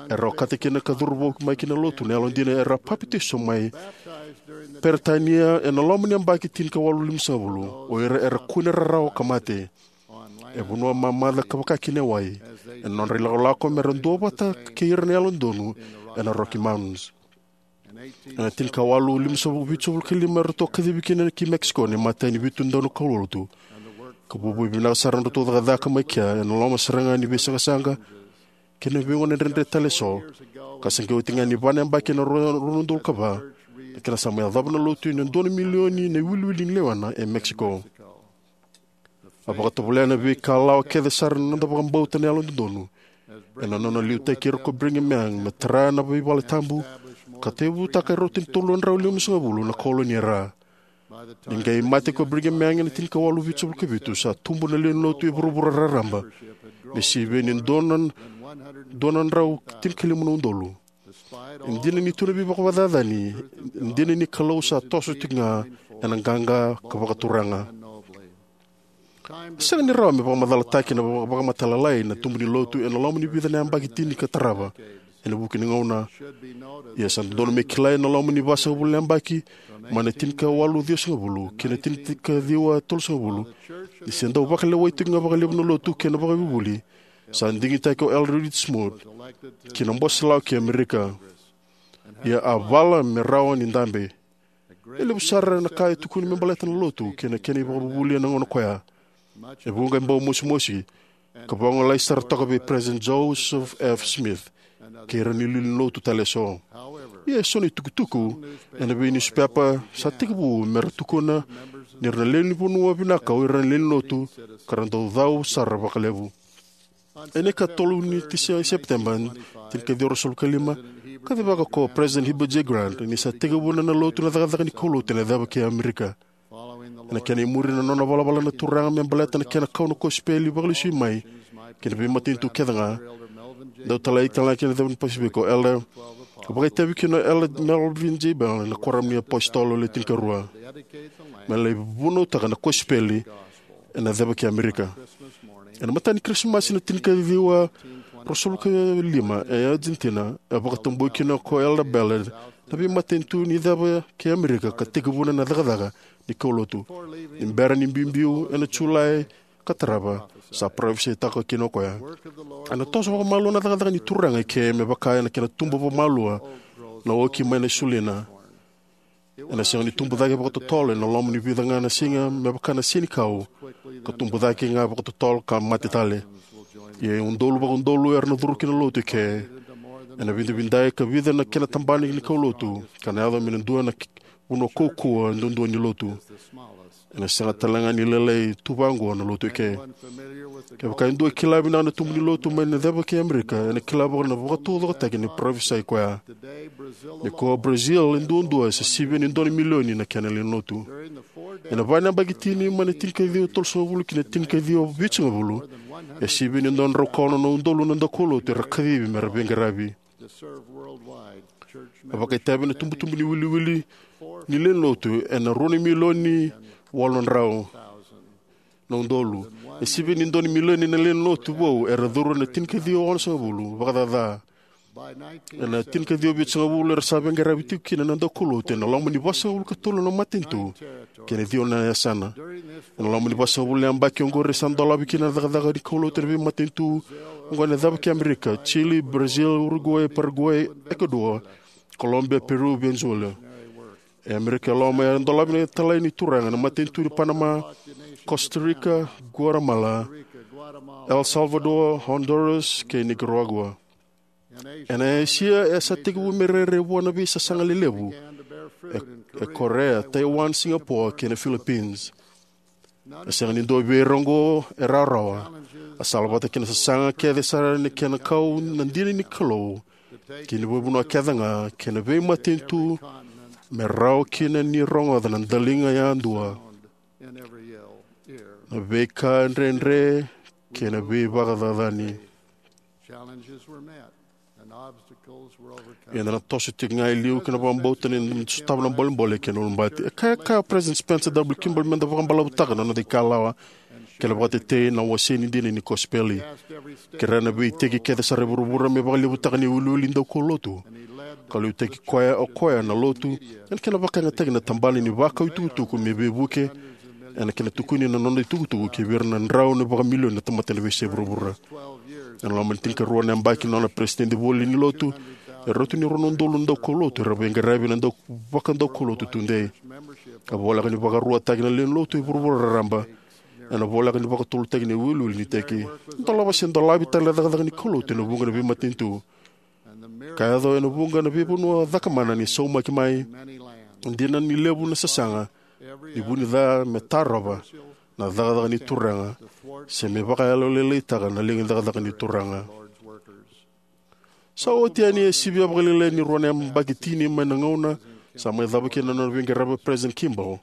Era okati kina ka curuvou mai ki na lotu na yalodina era papitaiso mai Peritania ena loma ni yabaki tinikawalu limasagavulu. O ira era kune rarawa ka mate. E vanua mamaca ka vaka kina e wai, ena nodra ilakolako me ra duavata kei ira na Yalododonu ena Rocky Mountains. Ena tinikawalu limasagavulu, vitusagavulu ka lima, eratou a kacivi kina ki Mexico na imatai ni vitu dau na kaulotu, ka vuavuai vinaka sara na nodratou cakacaka mai kea ena loma sara ga ni veisaqasaqa kei na veigauna dredre tale eso. Ka se qai oti ga ni va na yabaki ena rua, rua na udolu ka va, na kena sa mai yacova na Lotu ena dua na milioni na iwiliwili ni lewena e Mexico. A vakatovolea na veika lawa kece sara na noda vakabauta na Yalododonu ena nona liutaki ira ko Brigham Young me tara na veivaletabu ka tauyavutaka e rauta ni tolu na drau limasagavulu na koloni e ra. Ni qai mate ko Brigham Young ena tinikawalu vitusagavulu ka vitu, sa tubu na lewe ni Lotu e vuravura raraba me sivia ni dua na, dua na drau tinikalima na udolu. E dina ni tu na veivakacacani, e dina ni Kalou sa toso tiko ga ena qaqa ka vakaturaga. E sega ni rawa me vakamacalataki na vaka-, vakamatailalai na tubu ni Lotu ena loma ni vica na yabaki tini ka tarava ena vuku ni gauna. Ia sa dodonu me kilai ena loma ni vasagavulu na yabaki, mai na tinikawalu ciwasagavulu ki na tinikaciwa tolusagavulu, ni se dau vakalewai tiko ga vakalevu na Lotu kei na ivakavuvuli, sa digitaki ko Elder Reed Smoot ki na Bose Lawa kei Amerika. Ia a vala me rawa ni dabe. E levu sara na ka e tukuni me baleta na Lotu kei na kena ivakavuvuli ena gauna ko ya. E vuqa qai bau mosimosi, ka vagolei sara toka vei President Joseph F. Smith kei ira na iliuliu ni Lotu tale eso. Ia e so na itukutuku ena veiniusipepa sa tekivu me ra tukuna ni ra na lewe ni vanua vinaka o ira na lewe ni Lotu, ka ra dau cau sara vakalevu. Ena ikatolu ni tisi-, Sepiteba, tinikaciwa ruasagavulu ka lima, kacivaka ko President Heber J. Grant ni sa tekivuna na Lotu na cakacaka ni kaulotu ena ceva kei Amerika. Ena kena imuri na nona valavala na Turaga me baleta na kena kau na kosipeli vakalesui mai ki na veimatanitu kece ga, dau talai tale ga ki na ceva ni Pasifika, Elder, ka vakaitavi kina o Elder Melvin J. Ballard ena Kuoramu ni iApositolo Le Tinikarua, me lai vunautaka na kosipeli ena ceva kei Amerika. Ena mataka ni Kirisimasi na tinikaciwa ruasagavulu ka lima e Argentina, e vakatabui kina ko Elder Ballard na veimatanitu ni ceva kei Amerika ka tekivuna na cakacaka ni kaulotu. Ni bera ni biubiu ena Julai ka tarava, sa parofisaitaka kina o koya: Ena toso vakamalua na cakacaka ni Turaga eke, me vaka ena kena tubu vakamalua na oki mai na isulina. Ena sega ni tubu cake vakatotolo ena loma ni vica ga na siga me vaka na senikau, ka tubu cake ga vakatotolo ka mate tale. Ia e udolu vakaudolu era na curu ki na Lotu eke. Ena vidavidai ka vica na kena tabana ni kaulotu, ka na yaco me na dua na k-, vanua kaukauwa duadua ni Lotu. Ena sega tale ga ni lailai tu vaqo na Lotu eke. Kevaka e dua e kila vinaka na tubu ni Lotu mai na ceva kei Amerika, ena kila vaka na vakataucokotaki ni parofisai koya. Nikua o Brazil e duadua, sa sivia ni dua na milioni na kena lewe ni Lotu. Ena va na yabaki tini, mai na tinikaciwa tolusagavulu ki na tinikaciwa vitusagavulu, e sivia ni dua na drau ka ono na udolu na daukaulotu era kacivi me ra veiqaravi. A vakaitavi na tubutubu ni iwiliwili ni lewe ni Lotu ena rua na milioni walu na drau na udolu. E sivia ni dua na milioni na lewe ni Lotu vou era curu ena tinikaciwa onosagavulu, vakacaca. Ena tinikaciwa vitusagavulu era sa veiqaravi tiko kina na daukaulotu ena loma ni vasagavulu ka tolu na matanitu kei na ciwa na yasana. Ena loma ni vasagavulu na yabaki oqori sa dolavi kina na cakacaka ni kaulotu ena veimatanitu oqo ena ceva kei Amerika: Chile, Brazil, Uruguay, Paraguay, Ecuador, Colombia, Peru, Venezuela. E Amerika e loma era dolavi na italai ni Turaga na matanitu ni Panama, Costa Rica, Guatemala, El Salvador, Honduras kei Nicaragua. Ena Esia e sa tekivu me rairai vua na veisasaga lelevu e, e Korea, Taiwan, Singapore kei na Philippines. E sega ni dua vei ira oqo e rawarawa. A salavata kei na sasaga kece sara ni kena kau na dina ni Kalou ki na veivanua kece ga kei na veimatanitu, me rawa kina ni rogoca na daliga yadua, na veika dredre kei na veivakacacani. Eda na toso tiko ga e liu ki na vakabauta ni da sotava na bolebole kei na ulubati. E kaya, kaya o President Spencer W. Kimball meda vakabalavutaka na noda ikalawa kei na vakatetei na wasei ni dina ni kosipeli. Kerea na veiiteki kece sara e vuravura me vakalevutaka na iwiliwili ni daukaulotu. Ka liutaki koya o koya na Lotu ena kena vakayagataki na tabana ni vakau itukutuku me veivuke ena kena tukuni na nona itukutuku ki vei ira na drau na vakamilioni na tamata ena veiyasai vuravura. Ena loma ni tinikarua na yabaki na nona peresitedi voli ni lotu, e rauta ni rua na udolu na daukaulotu era veiqaravi ena dau vakadaukaulotu tudei. A voleka ni vakaruataki na lewe ni lotu e vuravura raraba ena voleka ni vakatulutaki na iwiliwili ni iteki. Dolava se dolavi tale na cakacaka ni kaulotu ena vuqa na veimatanitu ka yaco ena vuqa na veivanua cakamana ni saumaki mai. Dina ni levu na sasaga ni vu ni ca me tarova na cakacaka ni Turaga se me vakayalolailaitaka na liga ni cakacaka ni Turaga. Sa oti yani e sivia vakalailai ni rua na yabaki tini mai na gauna sa mai cava kina na nona veiqaravi o Peresitedi Kimball.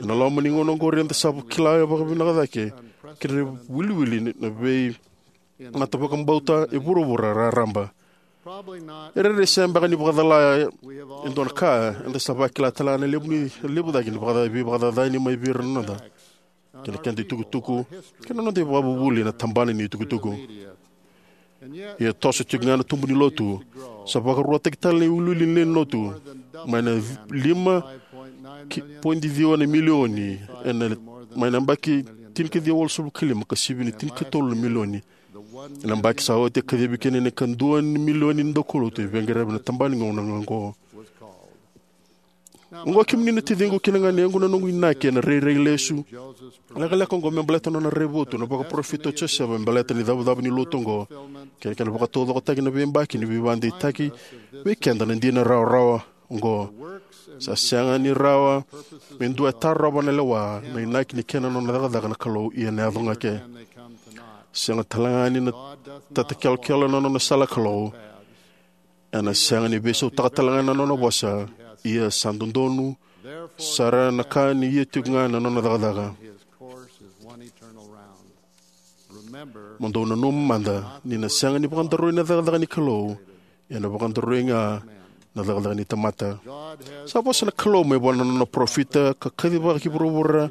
Ena loma ni gauna oqori eda sa kila vakavinaka cake kina na iwiliwili na veimatavakabauta e vuravura raraba. E rairai sega beka ni vakacala e dua na ka, eda sa vakila tale ga na levu ni levu cake ni vaka- veivakacacani mai vei ira na noda kei na keda itukutuku kei na noda ivakavuvuli ena tabana ni itukutuku. Ia e toso tiko ga na tubu ni lotu. Sa vakaruataki tale na iwiliwili ni lewe ni lotu mai na lima ki- poidi ciwa na milioni ena mai na yabaki tinikaciwa walusagavulu ka lima ka sivia na tinikatolu na milioni ena yabaki sa oti, e kacivi kina na ikadua ni milioni ni daukaulotu e veiqaravi ena tabana ni gauna oqo. Oqo kemuni na taciqu kei na ganequ, na noqu inaki ena rairai lesu lekaleka oqo me baleta na nona raivotu na vakaparofita o Josefa me baleta na icavucavu ni lotu oqo kei na kena vakataucokotaki na veiyabaki ni veivakadeitaki vei keda na dina rawarawa oqo. Sa sega ni rawa me dua e tarova na lewa na inaki ni kena nona cakacaka na Kalou, ia ena yaco ga ke. Sega tale ga ni na tatakelokelo na nona sala Kalou, ena sega ni veisautaka tale ga na nona vosa, ia sa dodonu sara na ka ni ia tiko ga na nona cakacaka. Mo dou nanuma mada ni na sega ni vakadaroi na cakacaka ni Kalou, ena vakadaroi ga na cakacaka ni tamata. Sa vosa na Kalou mai vua na nona parofita ka kacivaki vuravura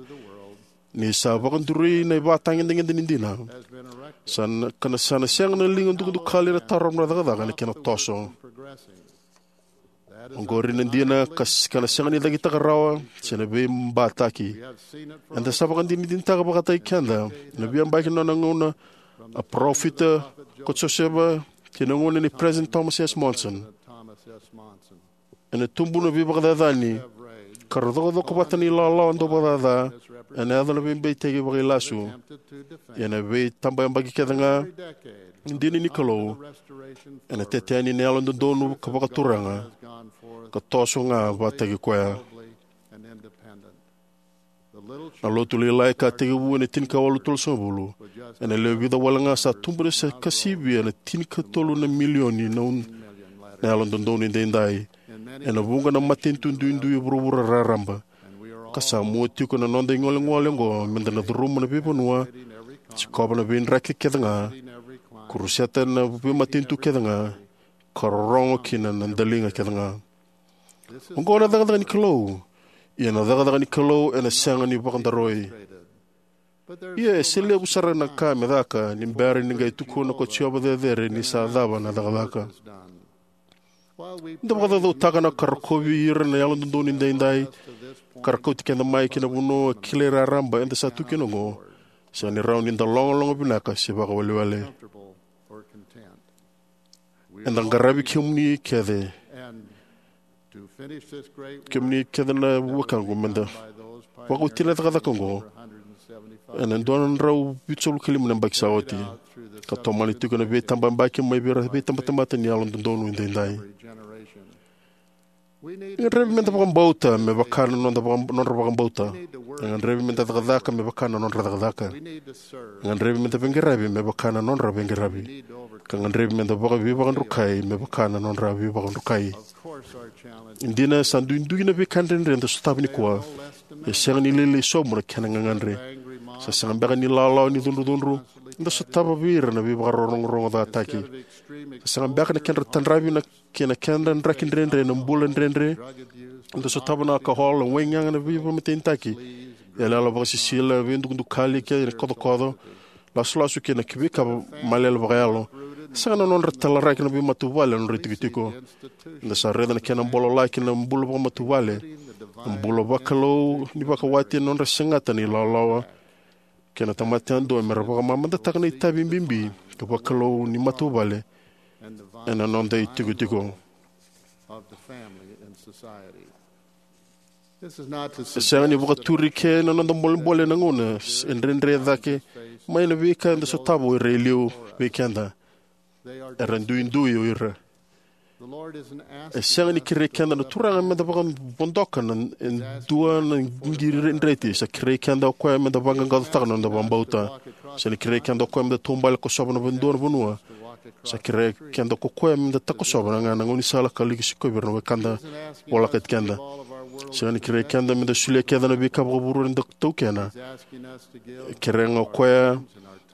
ni sa vakaduri na ivakatagedegede ni dina. Sa na, ka na sa na sega na liga dukadukali na tarova na cakacaka na kena toso. Oqori na dina ka s- ka na sega ni cakitaka rawa se na veibataki. Eda sa vakadinadinataka vakataki keda na veiyabaki na nona gauna a parofita ko Josefa kei na gauna ni President Thomas S. Monson. Ena tubu na veivakacacani ka ra cokocoko vata na ilawalawa dau vakacaca ena yaco na veibeitaki vakailasu. Ena veitabayabaki kece ga dina ni Kalou ena tete yani na yalododonu ka vakaturaga ka toso ga vakataki koya. Na lotu lailai ka tekivu ena tinikawalu tolusagavulu ena lewe vica wale ga sa tubu na se ka sivia na tinikatolu na milioni na un- na yalododonu edaidai ena vuqa na matanitu duidui e vuravura raraba. Ka sa mua tiko na noda igolegole oqo meda na curuma na veivanua, sikova na veidraki kece ga, kuruseta na veimatanitu kece ga, ka rorogo kina na daliga kece ga. Oqo na cakacaka ni Kalou. Ia na cakacaka ni Kalou ena sega ni vakadaroi. Ia e se levu sara na ka me caka ni bera ni qai tukuna ko Jiova cecere ni sa cava na cakacaka. Da vakacaucautaka na ka rokovi ira na yalododonu edaidai ka ra kauti keda mai ki na vanua kilai raraba eda sa tu kina oqo. Sega ni rawa ni da logaloga vinaka se vakawelewele. Eda qaravi kemuni kece, kemuni kece na wekaqu, meda vakaoti na cakacaka oqo ena dua na drau vitusagavulu ka lima na yabaki sa oti ka tomani tiko na veitabayabaki mai vei ira veitabatamata ni yalododonu edaidai. E gadrevi meda vakabauta me vaka na noda vaka- nodra vakabauta. E gadrevi meda cakacaka me vaka na nodra cakacaka. E gadrevi meda veiqaravi me vaka na nodra veiqaravi. Ka gadrevi meda vaka- veivakadrukai me vaka na nodra veivakadrukai. E dina sa duidui na veika dredre eda sotava nikua. E sega ni lailai sobu na kena gagadre. Sa sega beka ni lawalawa ni cudrucudru eda sotava vei ira na veivakarorogorogo cataki. Sa sega beka na kedra tadravi na kei na kedra draki dredre na bula dredre eda sotava, na alcohol, na waigaga, na veivakamatenitaki, iyaloyalo vakasisila, veidukadukali kei na kocokoco, lasulasu kei na veika malele vakayalo. Sega na nodra talaraki na veimatavuvale na nodra itikotiko. Eda sa raica na kena bololaki na bula vakamatavuvale Na bula vakalou ni vakawati ena nodra segata na ilawalawa kei na tamata yadua mera vakamamadataka na itavi bibi ka vakalou ni matavuvale ena noda itikotiko. E sega ni vakaturi ke na noda bolebole na gauna e dredre cake mai na veika eda sotava o ira e liu vei keda. Era duidui o ira. E sega ni kerei keda na Turaga meda vakavodoka na e dua na qiri dreti. Sa kerei keda o koya meda vaqaqacotaka na noda vakabauta. Sa na kerei keda o koya meda taubale kosova na dua na vanua. Sa kerei keda ko koya meda takosova na ga na gaunisala ka laki sikovi ira na wekada volakati keda. Sega ni kerei keda meda solia kece na veika vakavuravura eda taukena. E kerea ga o koya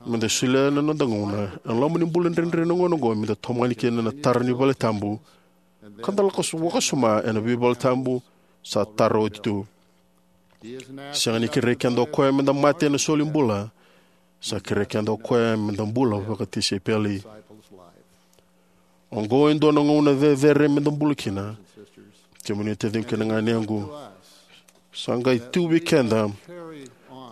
meda solia na noda gauna ena loma ni bula dredre na gauna oqo meda tomani kina na tara ni vale tabu ka da lako so- vakasoma ena veivaletabu sa tara oti tu. Sega ni kerei keda o koya meda mate ena soli bula. Sa kerei keda o koya meda bula vakatisaipeli. Oqo e dua na gauna cecere meda bula kina. Kemuni taciqu kei na ganequ, sa qai tu vei keda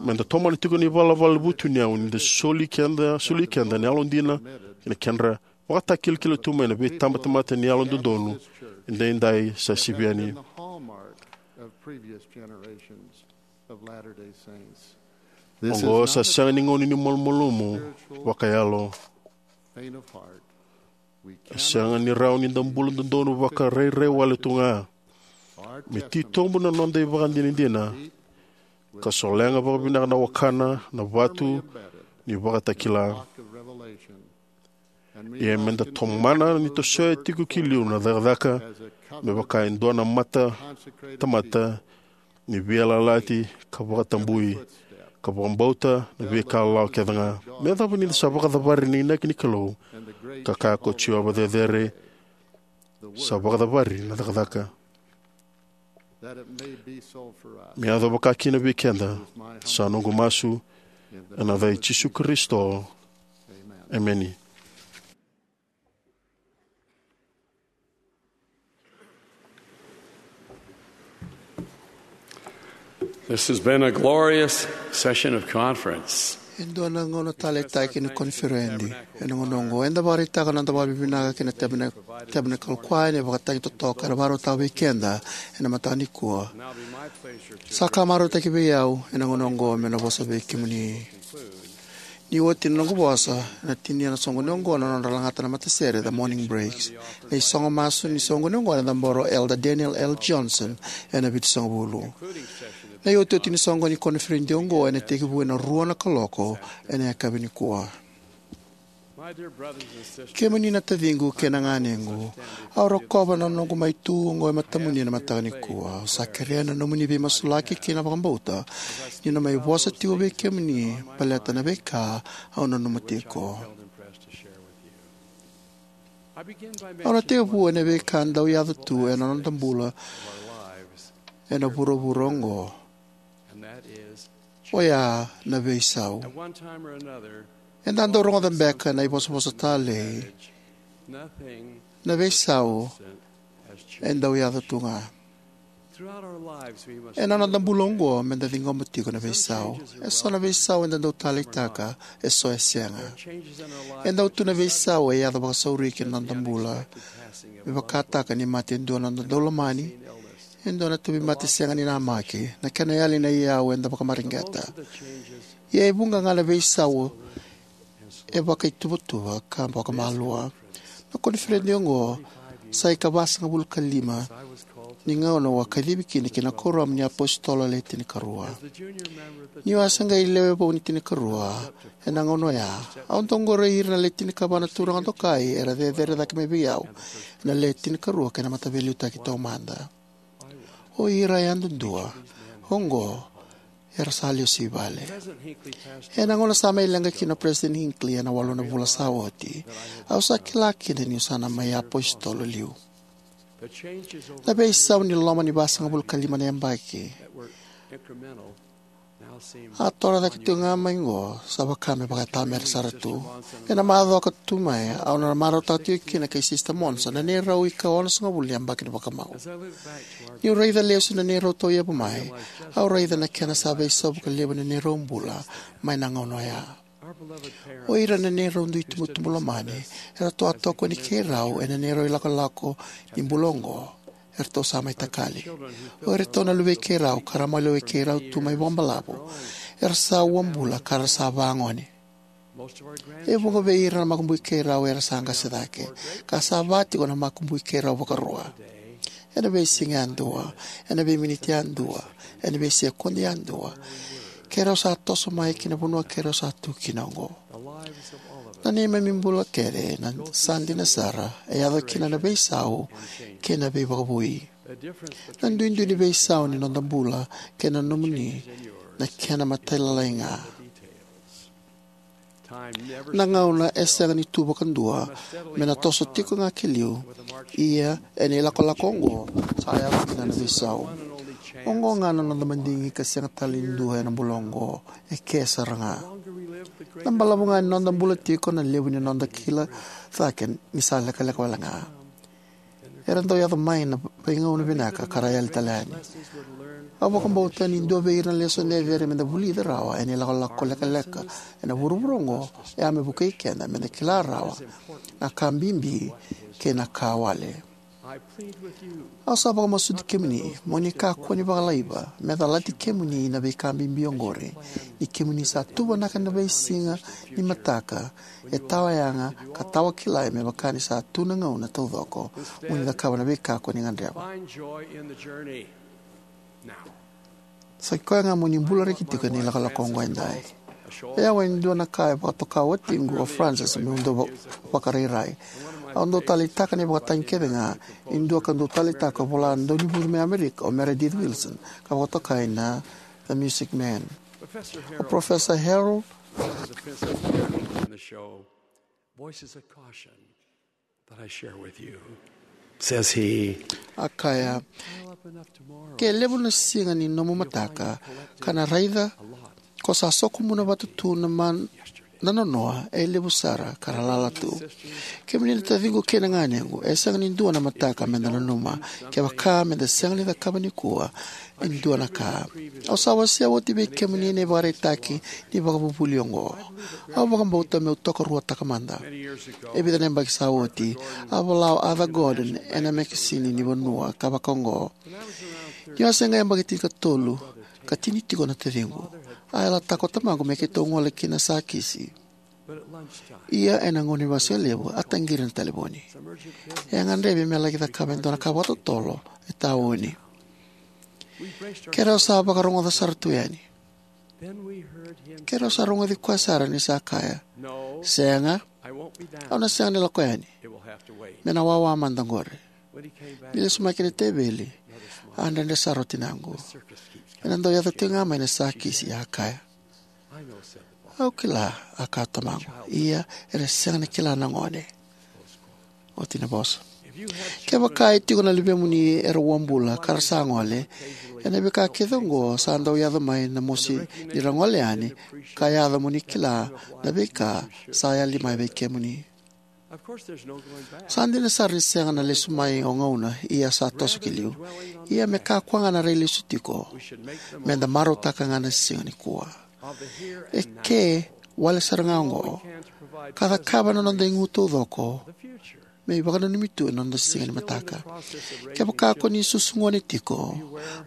meda tomana tiko na ivalavala vutuniyau ni da soli keda, soli keda na yalodina kei na kedra vakatakilakila tu mai na veitabatamata ni yalododonu edaidai sa sivi yani. Oqo sa sega ni gauna ni malumalumu vakayalo. E sega ni rawa ni da bula dodonu vakarairai wale tu ga. Me titobu na noda ivakadinadina ka solega vakavinaka na wakana na vatu ni vakatakila. Ia meda tomana ni tosoya tiko ki liu na cakacaka me vaka e dua na mata tamata ni veiyalayalati ka vakatabui ka vakabauta na veika lalawa kece ga. Me yacova ni da sa vakacavari na inaki ni Kalou ka kaya ko Jiova cecere, sa vakacavari na cakacaka. Me yaco vaka kina vei keda sa noqu masu ena yaca i Jisu Karisito. Emeni. This has been a glorious session of conference. E dua na gauna taleitaki ni koniferedi. Ena gauna oqo eda vakaraitaka na noda vakavinavinaka kei na Tabernakle Choir ena vakatagi totoka era vakarautaka vei keda ena mataka nikua. Sa ka marautaki vei au ena gauna oqo me na vosa vei kemuni. Ni oti na noqu vosa, na tinia na soqoni oqo na nodra lagata na matasere, the morning breaks. Na isogo masu ni soqoni oqo na cabora o Elder Daniel L. Johnson ena Vitusagavulu. Na iotioti ni soqoni koniferedi oqo ena tekivu ena rua na kaloko ena yakavi nikua. Kemuni na taciqu kei na ganequ, au rokova na noqu mai tu oqo e matamuni ena mataka nikua. Au sa kerea na nomuni veimasulaki kei na vakabauta ni na mai vosa tiko vei kemuni baleta na veika au nanuma tiko. Au na tekivu ena veika dau yaco tu ena noda bula ena vuravura oqo, oya na veisau. Eda dau rogoca beka na ivosavosa talei, na veisau e dau yaco tu ga. Ena noda bula oqo meda ciqoma tiko na veisau. E so na veisau eda dau taleitaka, e so e sega. E dau tu na veisau e yaco vakasauri ki na noda bula. Me vakataka ni mate e dua na noda daulomani, e dua na tauvimate sega ni namaki, na kena yali na iyau eda vakamareqeta. Ia e vuqa ga na veisau e vakaituvatuva ka vakamalua. Na koniferedi oqo sa ika vasagavulu ka lima ni gauna au a kacivi kina ki na Kuoramu ni iApositolo Le Tinikarua. Niu a se qai lewe vou ni Tinikarua ena gauna oya, au dau qoroi ira na Le Tinikava na turaga dokai era cecere cake mai vei au ena Le Tinikarua kei na Mataveiliutaki Taumada. O ira yadudua oqo era sa lesu i vale. Ena gauna sa mai leqa kina o President Hinckley ena walu na vula sa oti, au sa kila kina niu sa na mai apositolo liu. Na veisau ni loma ni vasagavulu ka lima na yabaki A torocake tiko ga mai oqo, sa vaka me vakaitamera sara tu. Ena macawa ka tu mai, au na marautaka tiko kina kei Sisita Monson na neirau ika onosagavulu ni yabaki ni vakamau. Niu raica lesu na neirau tauyavu mai, au raica na kena sa veisau vakalevu na neirau bula mai na gauna oya. O ira na neirau dui tubutubu lomani eratou a tokoni keirau ena neirau ilakolako ni bula oqo. Eratou sa mai takali. O iratou na luvei keirau ka ra maliwai keirau tu mai vakabalavu, era sa uabula ka ra sa vagone. E vuqa vei ira na makubui keirau era sa qase cake, ka sa va tiko na makubui keirau vakarua. Ena veisiga yadua, ena veiminiti yadua, ena veisekodi yadua, keirau sa toso mai ki na vanua keirau sa tu kina oqo. Na neimami bula kece na sa dina sara e yaco kina na veisau kei na veivakavoui. Na duidui ni veisau ni noda bula kei na nomuni na kena matailalai ga. Na gauna e sega ni tu vakadua, me na toso tiko ga ki liu. Ia ena ilakolako oqo sa yaco kina na veisau. Oqo ga na noda madigi ka sega tale ni dua ena bula oqo, e ke sara ga. Na balavu ga ni noda bula tiko, na levu ni noda kila cake ni sa lekaleka wale ga. Era dau yaco mai na veigauna vinaka ka ra yali tale yani. Au vakabauta ni dua vei ira na lesoni e vere meda vulica rawa ena ilakolako lekaleka ena vuravura oqo, e a me vukei keda meda kila rawa na ka bibi kei na ka wale. Au sa vakamasuti kemuni mo ni kakua ni vakalaiva me calati kemuni na veika bibi oqori, ni kemuni sa tuvanaka na veisiga ni mataka e tawayaga ka tawakilai, me vaka ni sa tu na gauna taucoko mo ni cakava na veika ko ni gadreva. Sa i koya ga mo ni bula reki tiko ena ilakolako oqo edai. E yawa e dua na ka e vakatoka watiqu o Francis meu dau va-, vakarairai. Au dau taleitaka na ivakatagi kece ga, e dua ka dau taleitaka e vola daunivucu mai Amerika o Meredith Willson, ka vakatokai na The Music Man. O Professor Harold Voices of caution that I share with you, says he. A kaya, ke levu na siga ni nomu mataka ka na raica ko sa sokomuna vata tu na man na nonoa e levu sara ka ra lala tu. Kemuni na taciqu kei na ganequ, e sega ni dua na mataka meda nanuma kevaka meda sega ni cakava nikua e dua na ka. Au sa wasea oti vei kemuni na ivakaraitaki ni vakavuvuli oqo. Au vakabauta meu tokaruataka mada. E vica na yabaki sa oti, a vola o Arthur Gordon ena mekesini ni vanua ka vaka oqo: Niu a se qai yabaki tinikatolu ka tini tiko na taciqu, a yalataka o tamaqu me keitou gole ki na sakisi. Ia ena gauna ni vasu levu a taqiri na talevoni. E a gadrevi me laki cakava e dua na ka vakatotolo e tauni. Keirau sa vakarogoca sara tu yani. Keirau sa rogoci koya sara ni sa kaya, "Sega, au na sega ni lako yani. Me na wawa mada qori." Ni lesu mai ki na teveli, a dredre sara o tinaqu. Ena dau yaco tiko ga mai na sakisi, a kaya. "Au kila," a kaya o tamaqu, "ia era sega ni kila na gone." Oti na vosa. Kevaka e tiko na luvemuni era uabula ka ra sa gole, ena veika kece oqo sa dau yaco mai na mosi ni ra gole yani, ka yaco mo ni kila na veika sa yali mai vei kemuni. Sa dina sara ni sega na lesu mai o gauna, ia sa toso ki liu. Ia me kakua ga na rai lesu tiko, meda marautaka ga na siga nikua. E ke wale sara ga oqo ka cakava na noda igu taucoko me ivakananumi tu ena noda siga ni mataka. Kevaka ko ni susu gone tiko,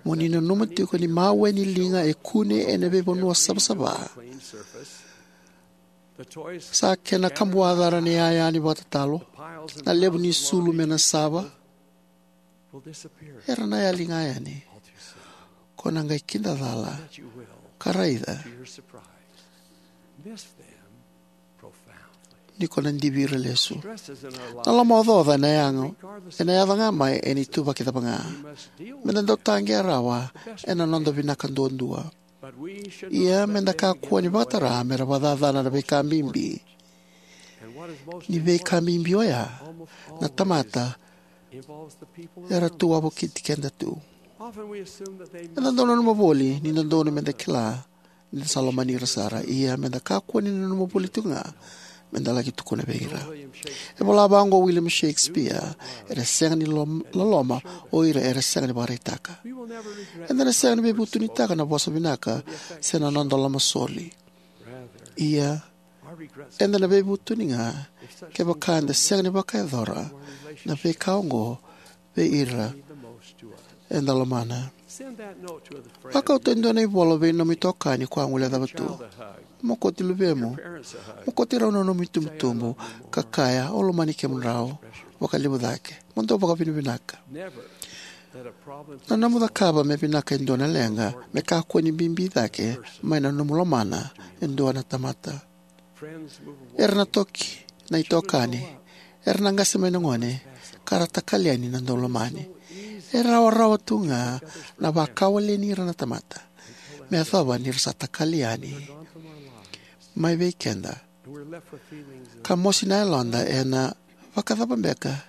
mo ni nanuma tiko ni mawe ni liga e kune ena veivanua savasava, sa kena kabuacara na iyaya ni vakatatalo, na levu ni sulu me na sava, era na yali ga yani. Ko na qai kidacala ka raica ni ko na divi ira lesu. Na lomaocaoca ena yaga, ena yaco ga mai ena ituvaki cava ga. Meda dau taqea rawa ena noda vinaka duadua. Ia meda kakua ni vakatara mera vakacacana na veika bibi. Ni veika bibi oya, na tamata era tu wavokiti keda tu. Eda dau nanuma voli ni dodonu meda kila ni da sa lomani ira sara, ia me da kakua ni nanuma voli tiko ga me da laki tukuna vei ira. E vola vaqo o William Shakespeare, era sega ni lom- loloma o ira era sega ni vakaraitaka. Eda na sega ni veivutunitaka na vosa vinaka se na noda lomasoli. Ia, eda na veivutuni ga kevaka eda sega ni vakayacora na veika oqo vei ira eda lomana. Vakauta e dua na ivola vei nomu itokani ko a guilecava tu. Mokoti luvemu. Mokoti rau na nomu itubutubu ka kaya, "Au lomani kemudrau vakalevu cake." Mo dou vakavinavinaka. Na nomu cakava me vinaka e dua na leqa me kakua ni bibi cake mai na nomu lomana e dua na tamata. Era na toki na itokani, era na qase mai na gone, ka ra takali yani na daulomani. E rawarawa tu ga na vakawaleni ira na tamata me yacova ni ra sa takali yani mai vei keda, ka mosi na yaloda ena vakacava beka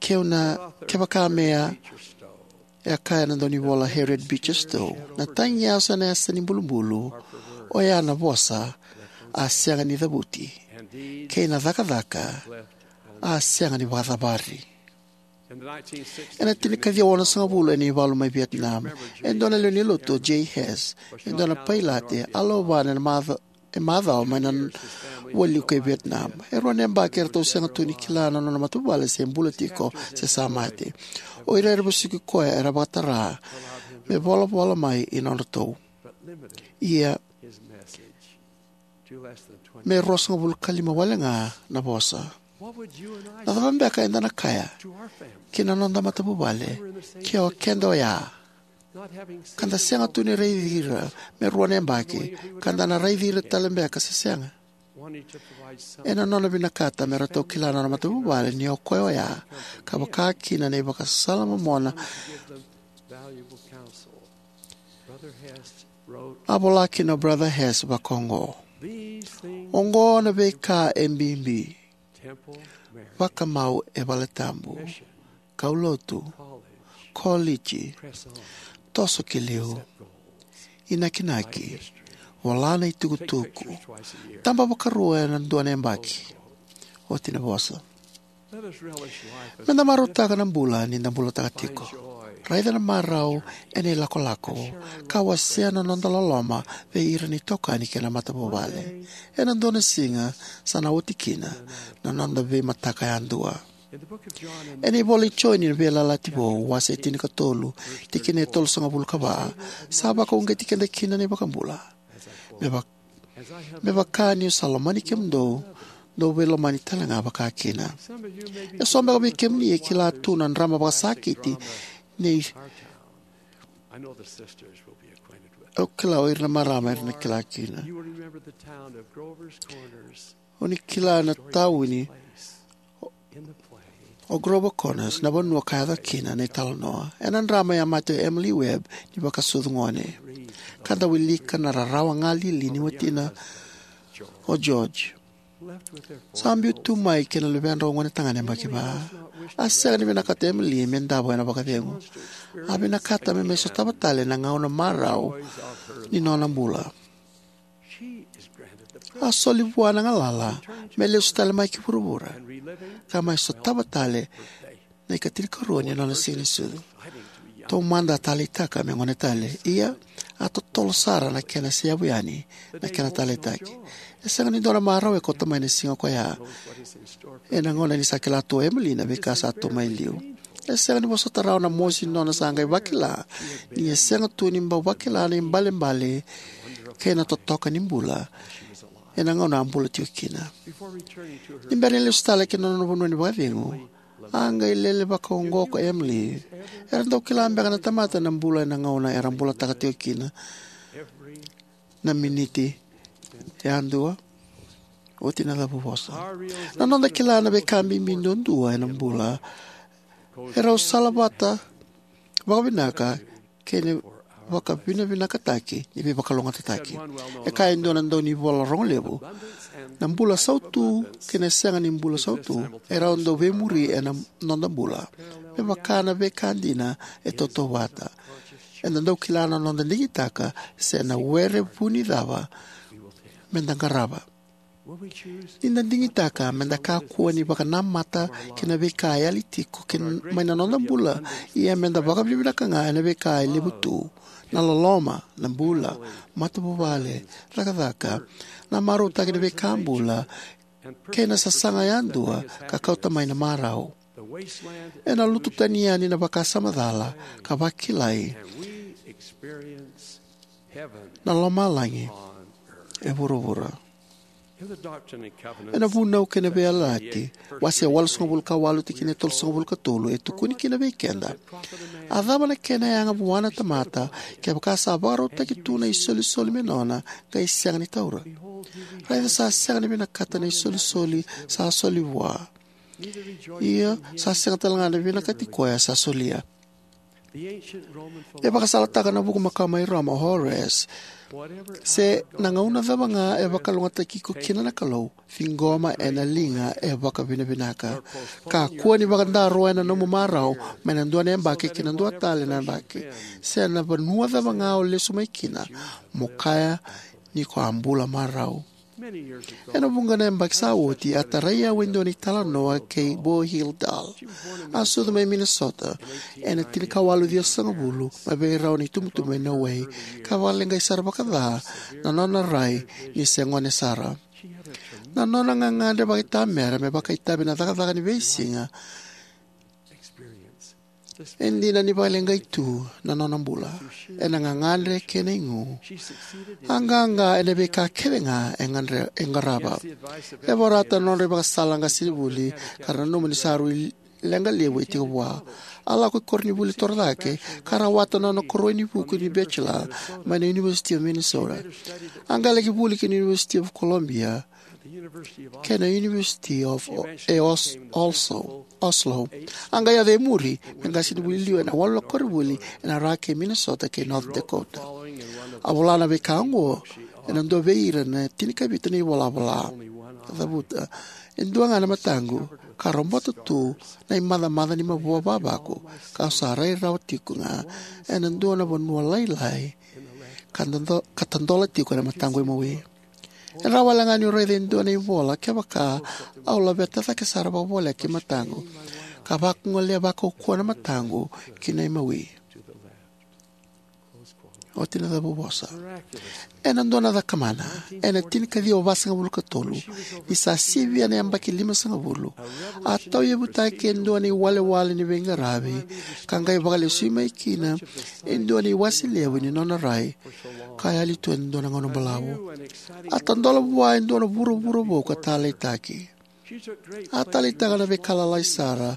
keu na kevaka me a e a kaya na daunivola Harriet Beecher Stowe, na tagi yaso ena yasa ni bulubulu, oya na vosa a sega ni cavuti, kei na cakacaka a sega ni vakacavari. Ena tinikaciwa onosagavulu ena ivalu mai Vietnam, e dua na lewe ni lotu o Jay Hess, e dua na pailate, a lauvana ena maca- e macawa mai na wali kei Vietnam. E rua na yabaki eratou sega tu ni kila na nona matavuvale se bula tiko se sa mate. O ira era vesuki koya era vakatara me volavola mai i nodratou, ia me ruasagavulu ka lima wale ga na vosa. Na cava beka eda na kaya ki na noda matavuvale ke o keda oya, ka da sega tu ni raici ira me rua na yabaki, ka da na raici ira tale beka se sega? Ena nona vinakata me ratou kila na nona matavuvale ni o koya oya, ka vaka kina na ivakasala momona, a vola kina o Brother Hess vakaoqo: "Oqo na veika e bibi: vakamau e valetabu, kaulotu, koliji, toso ki liu, inakinaki, vola na itukutuku, taba vakarua ena dua na yabaki." Oti na vosa. Me da marautaka na bula ni da bulataka tiko. Raica na marau ena ilakolako, ka wasea na noda loloma vei ira na itokani kei na matavuvale. Ena dua na siga sa na oti kina na noda veimataka yadua. Ena ivola i Joni na Veiyalayalati Vou, wase tinikatolu, tikina e tolusagavulu ka va, sa vakauqeti keda kina na iVakabula: "Me vaka, me vaka niu sa lomani kemudou, dou veilomani talega vakakina." Eso beka vei kemuni e kila tu na drama vakasakiti nei, au kila o ira na marama era na kila kina. O ni kila na tauni o Grover Connors, na vanua ka yaco kina na italanoa. Ena drama, e a mate o Emily Webb ni vakasucu gone, ka da wilika na rarawa galili ni watina o George. Sa biu tu mai kei na luvedrau gonetagane yabaki va. A sega ni vinakata o Emily me davo ena vakacegu. A vinakata me mai sotava tale na gauna marau ni nona bula. A soli vua na galala me lesu tale mai ki vuravura ka mai sotava tale na ikatinikarua ni nona siganisucu. Taumada a taleitaka me gone tale, ia a totolo sara na kena seyavu yani na kena taleitaki. E sega ni dua na marau e kauta mai na siga koya, ena gauna ni sa kila tu o Emily na veika sa tu mai liu. E sega ni vosota rawa na mosi ni nona sa qai vakila ni a sega tu ni bau vakila na ibalebale kei na totoka ni bula ena gauna a bula tiko kina. Ni bera ni lesu tale ki na nona vanua ni vakacegu, a qai lele vakaoqo ko Emily. Era dau kila beka na tamata na bula ena gauna era bulataka tiko kina na miniti yadua? Oti na cavuvosa. Na noda kila na veika bibi duadua ena bula e rau salavata vakavinaka kei na vakavinavinakataki ni veivakalougatataki. E kaya e dua na daunivola rogo levu, na bula sautu kei na sega ni bula sautu e rau dau veimuri ena noda bula, me vaka na veika dina e tautauvata. Eda dau kila na noda digitaka se na were vuni cava meda qarava. Ni da digitaka meda kakua ni vakanamata kei na veika e yali tiko kei mai na noda bula, ia meda vakavinavinaka ga ena veika e levu tu: na loloma, na bula, matavuvale, cakacaka, na marautaki ni veika bula, kei na sasaga yadua ka kauta mai na marau. Ena lutu tani yani na vakasama cala ka vakilai na lomalagi e vuravura. Ena Vunau kei na Veiyalayalati, wase walusagavulu ka walu, tikina e tolusagavulu ka tolu, e tukuni kina vei keda: A cava na kena yaga vua na tamata, kevaka sa vakarautaki tu na isolisoli me nona, qai sega ni taura? Raica, sa sega ni vinakata na isolisoli sa soli vua, io sa sega talega ni vinakati koya sa solia. E vakasalataka na vuku makawa mai Roma o Horace: Se na gauna cava ga e vakalougatataki iko kina na Kalou, ciqoma ena liga e vakavinavinaka. Kakua ni vakadaroya na nomu marau mai na dua na yabaki ki na dua tale na yabaki. Se na vanua cava ga o lesu mai kina, mo kaya ni ko a bula marau. Ena vuqa na yabaki sa oti, a tarai au e dua na italanoa kei Bo Hildahl. A sucu mai Minnesota ena tinikawalu ciwasagavulu, mai vei rau na itubutubu e Niuwei, ka vakaleqai sara vakaca na nona rai ni se gone sara. Na nona gagadre vakaitamera me vakaitavi na cakacaka ni veisiga e dina ni vakaleqai tu na nona bula ena gagadre kei na igu. A qaqa ena veika kecega e qarava. E vorata na nodra ivakasala na qasenivuli ka ra nanuma ni sa rui leqa levu e tiko vua. A lako i koronivuli torocake ka rawata na nona koroivuku ni Bachelor mai na University of Minnesota. A qai laki vuli ki na University of Columbia kei na University of Oslo. A qai yaco e muri me qasenivuli liu ena walu na koronivuli ena ra kei Minnesota kei North Dakota. A vola na veika oqo ena dua vei ira na tinikavitu na ivolavola: Cavuta e dua ga na mataqu ka robota tu na imacamaca ni mavoa vavaku, kau sa rai rawa tikoga ena dua na vanua lailai ka tadola tiko na mataqu imawi. E rawa walega niu raica e dua na ivola kevaka au laveta cake sara vakavoleka ki mataqu ka vakagoleya vakaukauwa na mataqu ki na imawi. Oti na cavuvosa. Ena dua na cakamana, ena tinikaciwa vasagavulu ka tolu, ni sa sivia na yabaki limasagavulu, a tauyavutaki e dua na iwalewale ni veiqaravi ka qai vakalesui mai kina e dua na iwase levu ni nona rai ka yali tu ena dua na gauna balavu. A tadola vua e dua na vuravura vou ka taleitaki. A taleitaka na veika lalai sara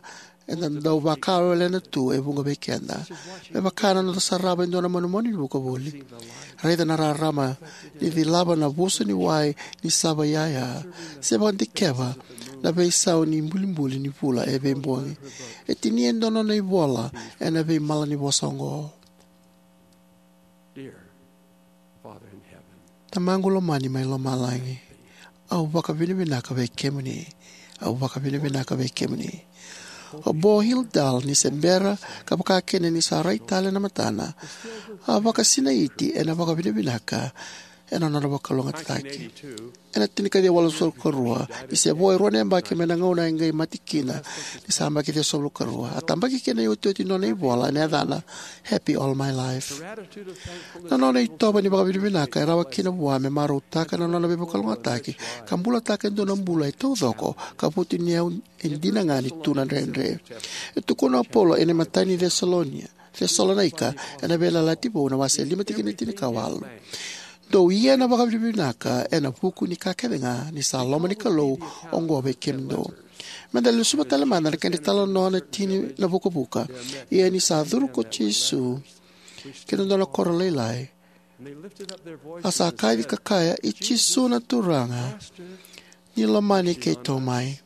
eda dau vakawelewelena tu e vuqa vei keda, me vaka na noda sarava e dua na manumanu ni vuka voli, raica na rarama ni cilava na vuso ni wai ni sava iyaya, se vakadikeva na veisau ni bulibuli ni vula e veibogi. E tinia e dua na nona ivola ena veimalanivosa oqo: Tamaqu lomani mai lomalagi, au vakavinavinaka vei kemuni. Au vakavinavinaka vei kemuni. O Bo Hildahl, ni se bera ka vakakina ni sa rai tale na matana, a vakasinaiti ena vakavinavinaka ena nona vakalougatataki. Ena tinikaciwa walusagavulu ka rua, ni se vo e rua na yabaki mai na gauna a qai mate kina ni sa yabaki ciwasagavulu ka rua, a tabaki kina na iotioti ni nona ivola ena yacana Happy All My Life. Na nona itovo ni vakavinavinaka e rawa kina vua me marautaka na nona veivakalougatataki ka bulataka e dua na bula e taucoko ka vutuniyau e dina ga ni tu na dredre. E tukuna o Paula ena imatai ni Cesalonaika, ena Veiyalayalati Vou na wase lima tikina e tinikawalu: Dou ia na vakavinavinaka ena vuku ni ka kecega, ni sa loma ni Kalou oqo vei kemudou. Meda lesuva tale mada na kedra italanoa na tini na vukavuka. Ia ni sa curu ko Jisu ki na dua na koro lailai, a sa kaci ka kaya, "I Jisu na Turaga, ni lomani keitou mai."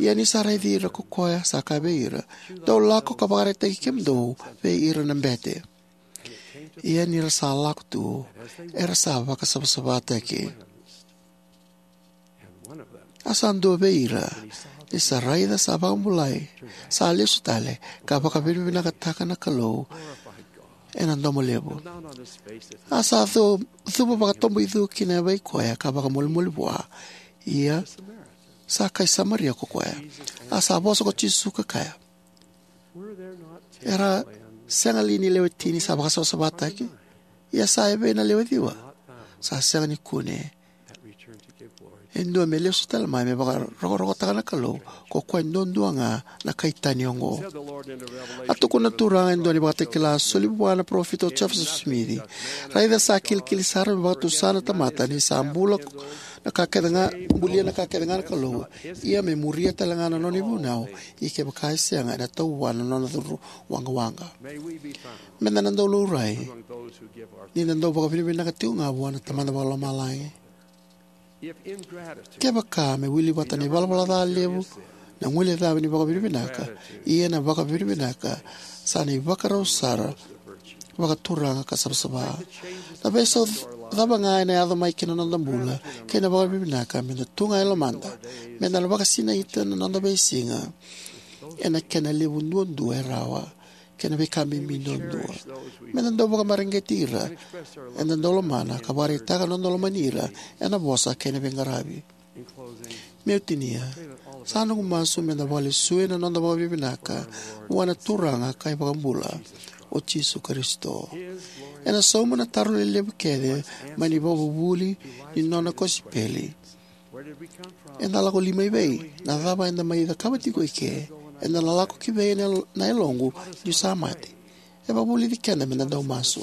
Ia ni sa raici ira ko koya, sa kaya vei ira, "Dou lako ka vakaraitaki kemudou vei ira na bete." Ia ni ra sa lako tu, era sa vakasavasavataki. A sa dua vei ira, ni sa raica sa vakabulai, sa lesu tale ka vakavinavinakataka na Kalou ena domo levu. A sa cu-, cuva vakatoboicu ki na yavai koya ka vakamolimoli vua. Ia, sa kai Samaria ko koya. A sa vosa ko Jisu ka kaya, era sega li ni lewe tini sa vakasavasavataki? Ia sa evei na lewe ciwa? Sa sega ni kune e dua me lesu tale mai me vakarokorokotaka na Kalou, ko koya duadua ga na kai tani oqo. A tukuna na Turaga e dua na ivakatakila a soli vua na parofita o Joseph Smith. Raica sa kilikili sara me vakatusa na tamata ni sa bula na ka kece ga, bulia na ka kece ga na Kalou, ia me muria tale ga na nona ivunau, ia kevaka e sega ena tau vua na nona curu waqawaqa. Meda na dau laurai ni da dau vakavinavinaka tiko ga vua na Tamada Vakalomalagi. Kevaka me wili vata na ivalavala ca levu na guilecavi ni vakavinavinaka, ia na vakavinavinaka sa na ivakarau sara vakaturaga ka savasava. Na veisau cava ga ena yaco mai ki na noda bula kei na vakavinavinaka, meda tu ga e lomada, meda na vakasinaita na noda veisiga ena kena levu duadua e rawa kei na veika bibi duadua. Meda dau vakamareqeti ira eda dau lomana ka vakaraitaka na noda lomani ira ena vosa kei na veiqaravi. Meu tinia, sa noqu masu meda vakalesui na noda vakavinavinaka vua na Turaga ka iVakabula, o Jisu Karisito. Ena sauma na taro lelevu kece mai na ivakavuvuli ni nona kosipeli. Eda lako li mai vei? Na cava eda mai cakava tiko eke? Eda na lako ki vei na, na yaloqu niu sa mate? E vakavulici keda meda dau masu. E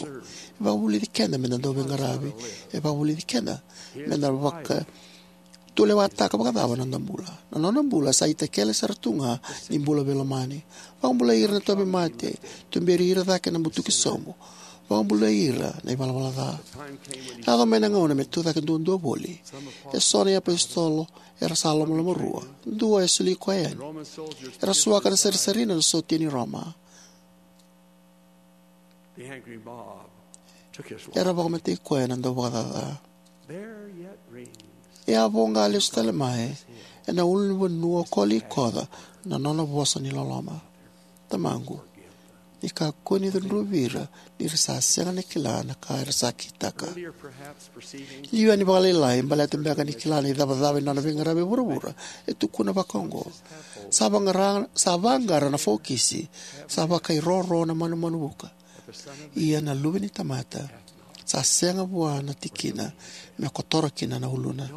vakavulici keda meda dau veiqaravi. E vakavulici keda meda vakatulewataka vakacava na noda bula. Na noda bula sa itakele sara tu ga ni bula veilomani. Vakabulai ira na tauvimate, tuberi ira cake na butuki sobu, vakabulai ira na ivalavala ca. Yaco mai na gauna me tu cake duadua voli. Eso na iapositolo era sa lomalomarua. Dua e soli koya yani. Era suaka na sarisarina na sotia ni Roma. Era vakamatei koya na dauvakacaca. E a voqa lesu tale mai ena ulunivanua o Kolikoca na nona vosa ni loloma. Tamaqu, ni kakua ni cudruvi ira, ni ra sa sega ni kila na ka era sa kitaka. Liu yani vakalailai, baleta beka ni kila na icavacava ni nona veiqaravi e vuravura, e tukuna vakaoqo: Sa vaqara, sa vaqara na fokisi, sa vakairoro na manumanu vuka. Ia na Luve ni tamata sa sega vua na tikina me kotora kina na uluna.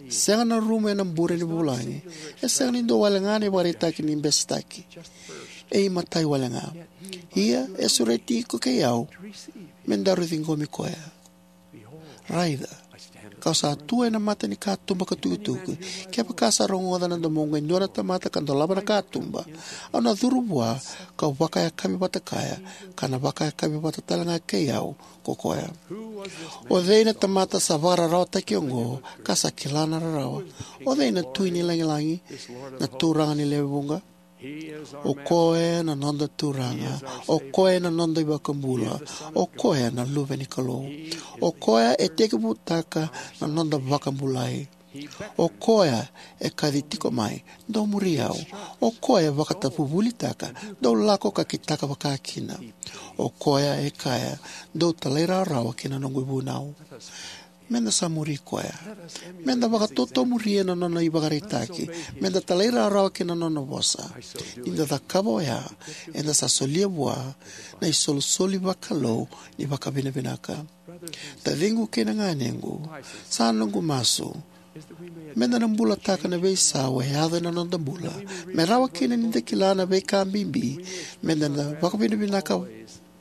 Sega na rumu ena bure ni vulagi. E sega ni dua wale ga na ivakaraitaki ni besetaki. E imatai wale ga. Ia e sureti iko kei au me daru ciqomi koya. Raica, kau sa tu ena mata ni katuba ka tukituki. Kevaka sa rogoca na domoqu e dua na tamata ka dolava na katuba, au na curu vua, kau vakayakavi vata kaya, ka na vakayakavi vata tale ga kei au ko koya. O cei na tamata sa vakararawataki oqo ka sa kila na rarawa? O cei na Tui ni lagilagi, na Turaga ni lewe vuqa? O koya na noda Turaga, o koya na noda iVakabula, o koya na Luve ni Kalou. O koya e tekivutaka na noda vakabulai. O koya e kaci tiko mai, dou muri au. O koya e vakatavuvulitaka, dou lako ka kitaka vakakina. O koya e kaya, dou talairawarawa ki na noqu ivunau. Meda sa muri koya. Meda vakatotomuria na nona ivakaraitaki. Meda talairawarawa ki na nona vosa. Ni da cakava oya, eda sa solia vua na isolisoli vakalou ni vakavinavinaka. Taciqu kei na ganequ, sa noqu masu meda na bulataka na veisau e yaco ena noda bula, me rawa kina ni da kila na veika bibi meda na vakavinavinaka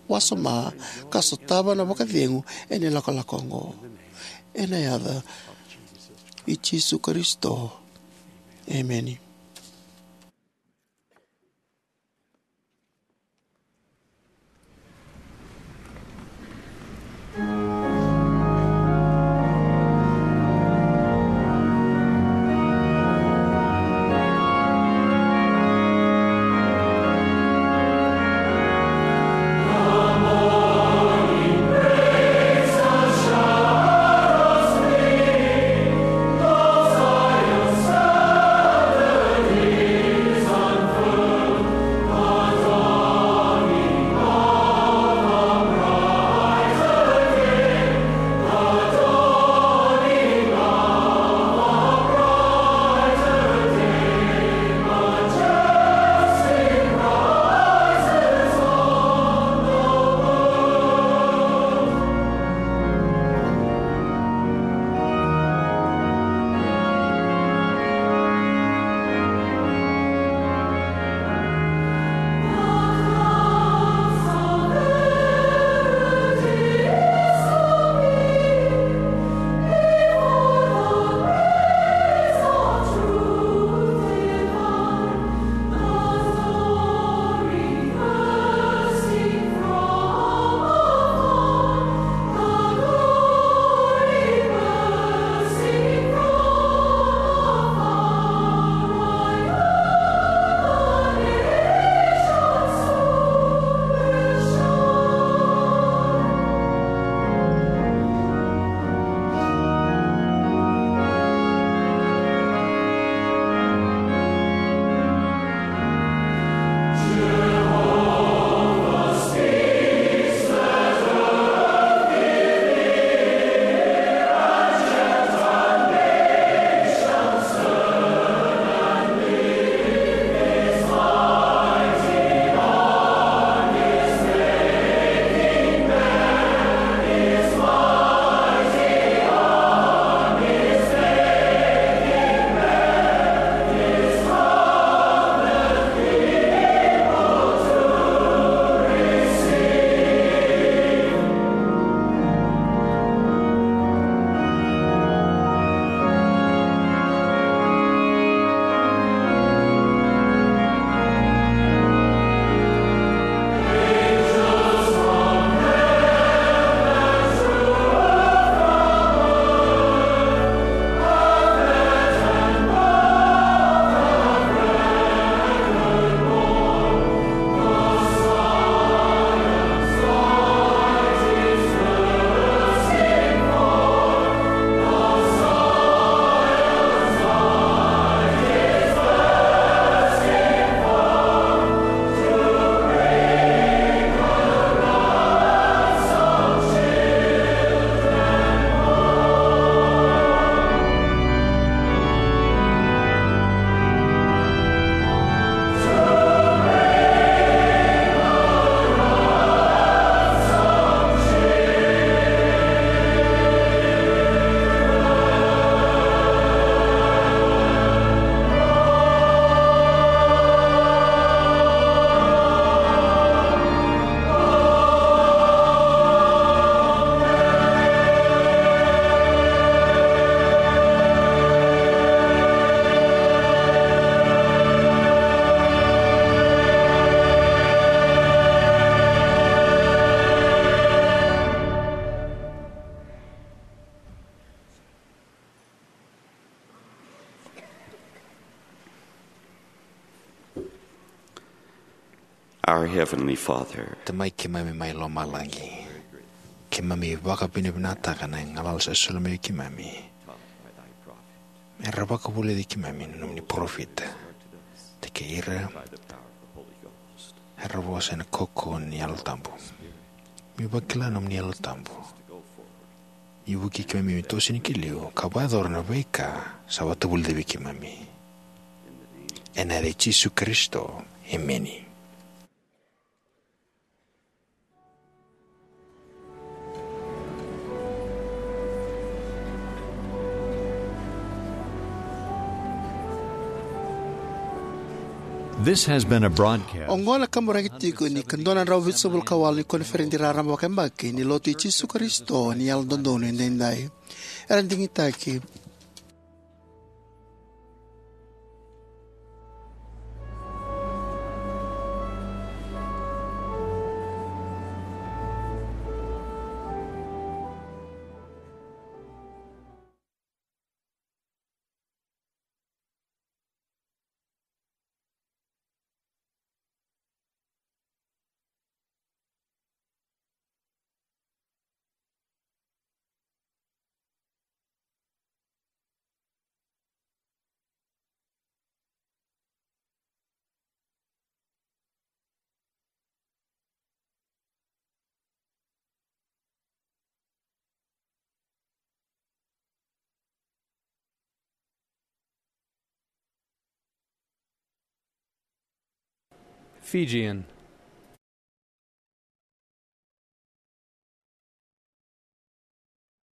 wasoma ka sotava na vakacegu ena ilakolako oqo. Ena yaca i Jisu Karisito. Emeni. Our Heavenly Father, Tamai keimami mai lomalagi, keimami vakavinavinakataka na galala sa soli mai vei keimami. Era vakavulici keimami na nomuni parofita, te kei ira era vosa ena kaukauwa ni Yalo Tabu. Mi vakila na nomuni Yalo Tabu ni vukei keimami me toso yani ki liu ka vakayacora na veika sa vakavulici vei keimami. Ena yaca i Jisu Karisito, emeni. This has been a broadcast. Oqo na kaburaki tiko ni ka dua na drau vitusagavulu ka walu ni koniferedi raraba vakayabaki ni Lotu i Jisu Karisito ni Yalododonu Edaidai. Era digitaki. Fijian.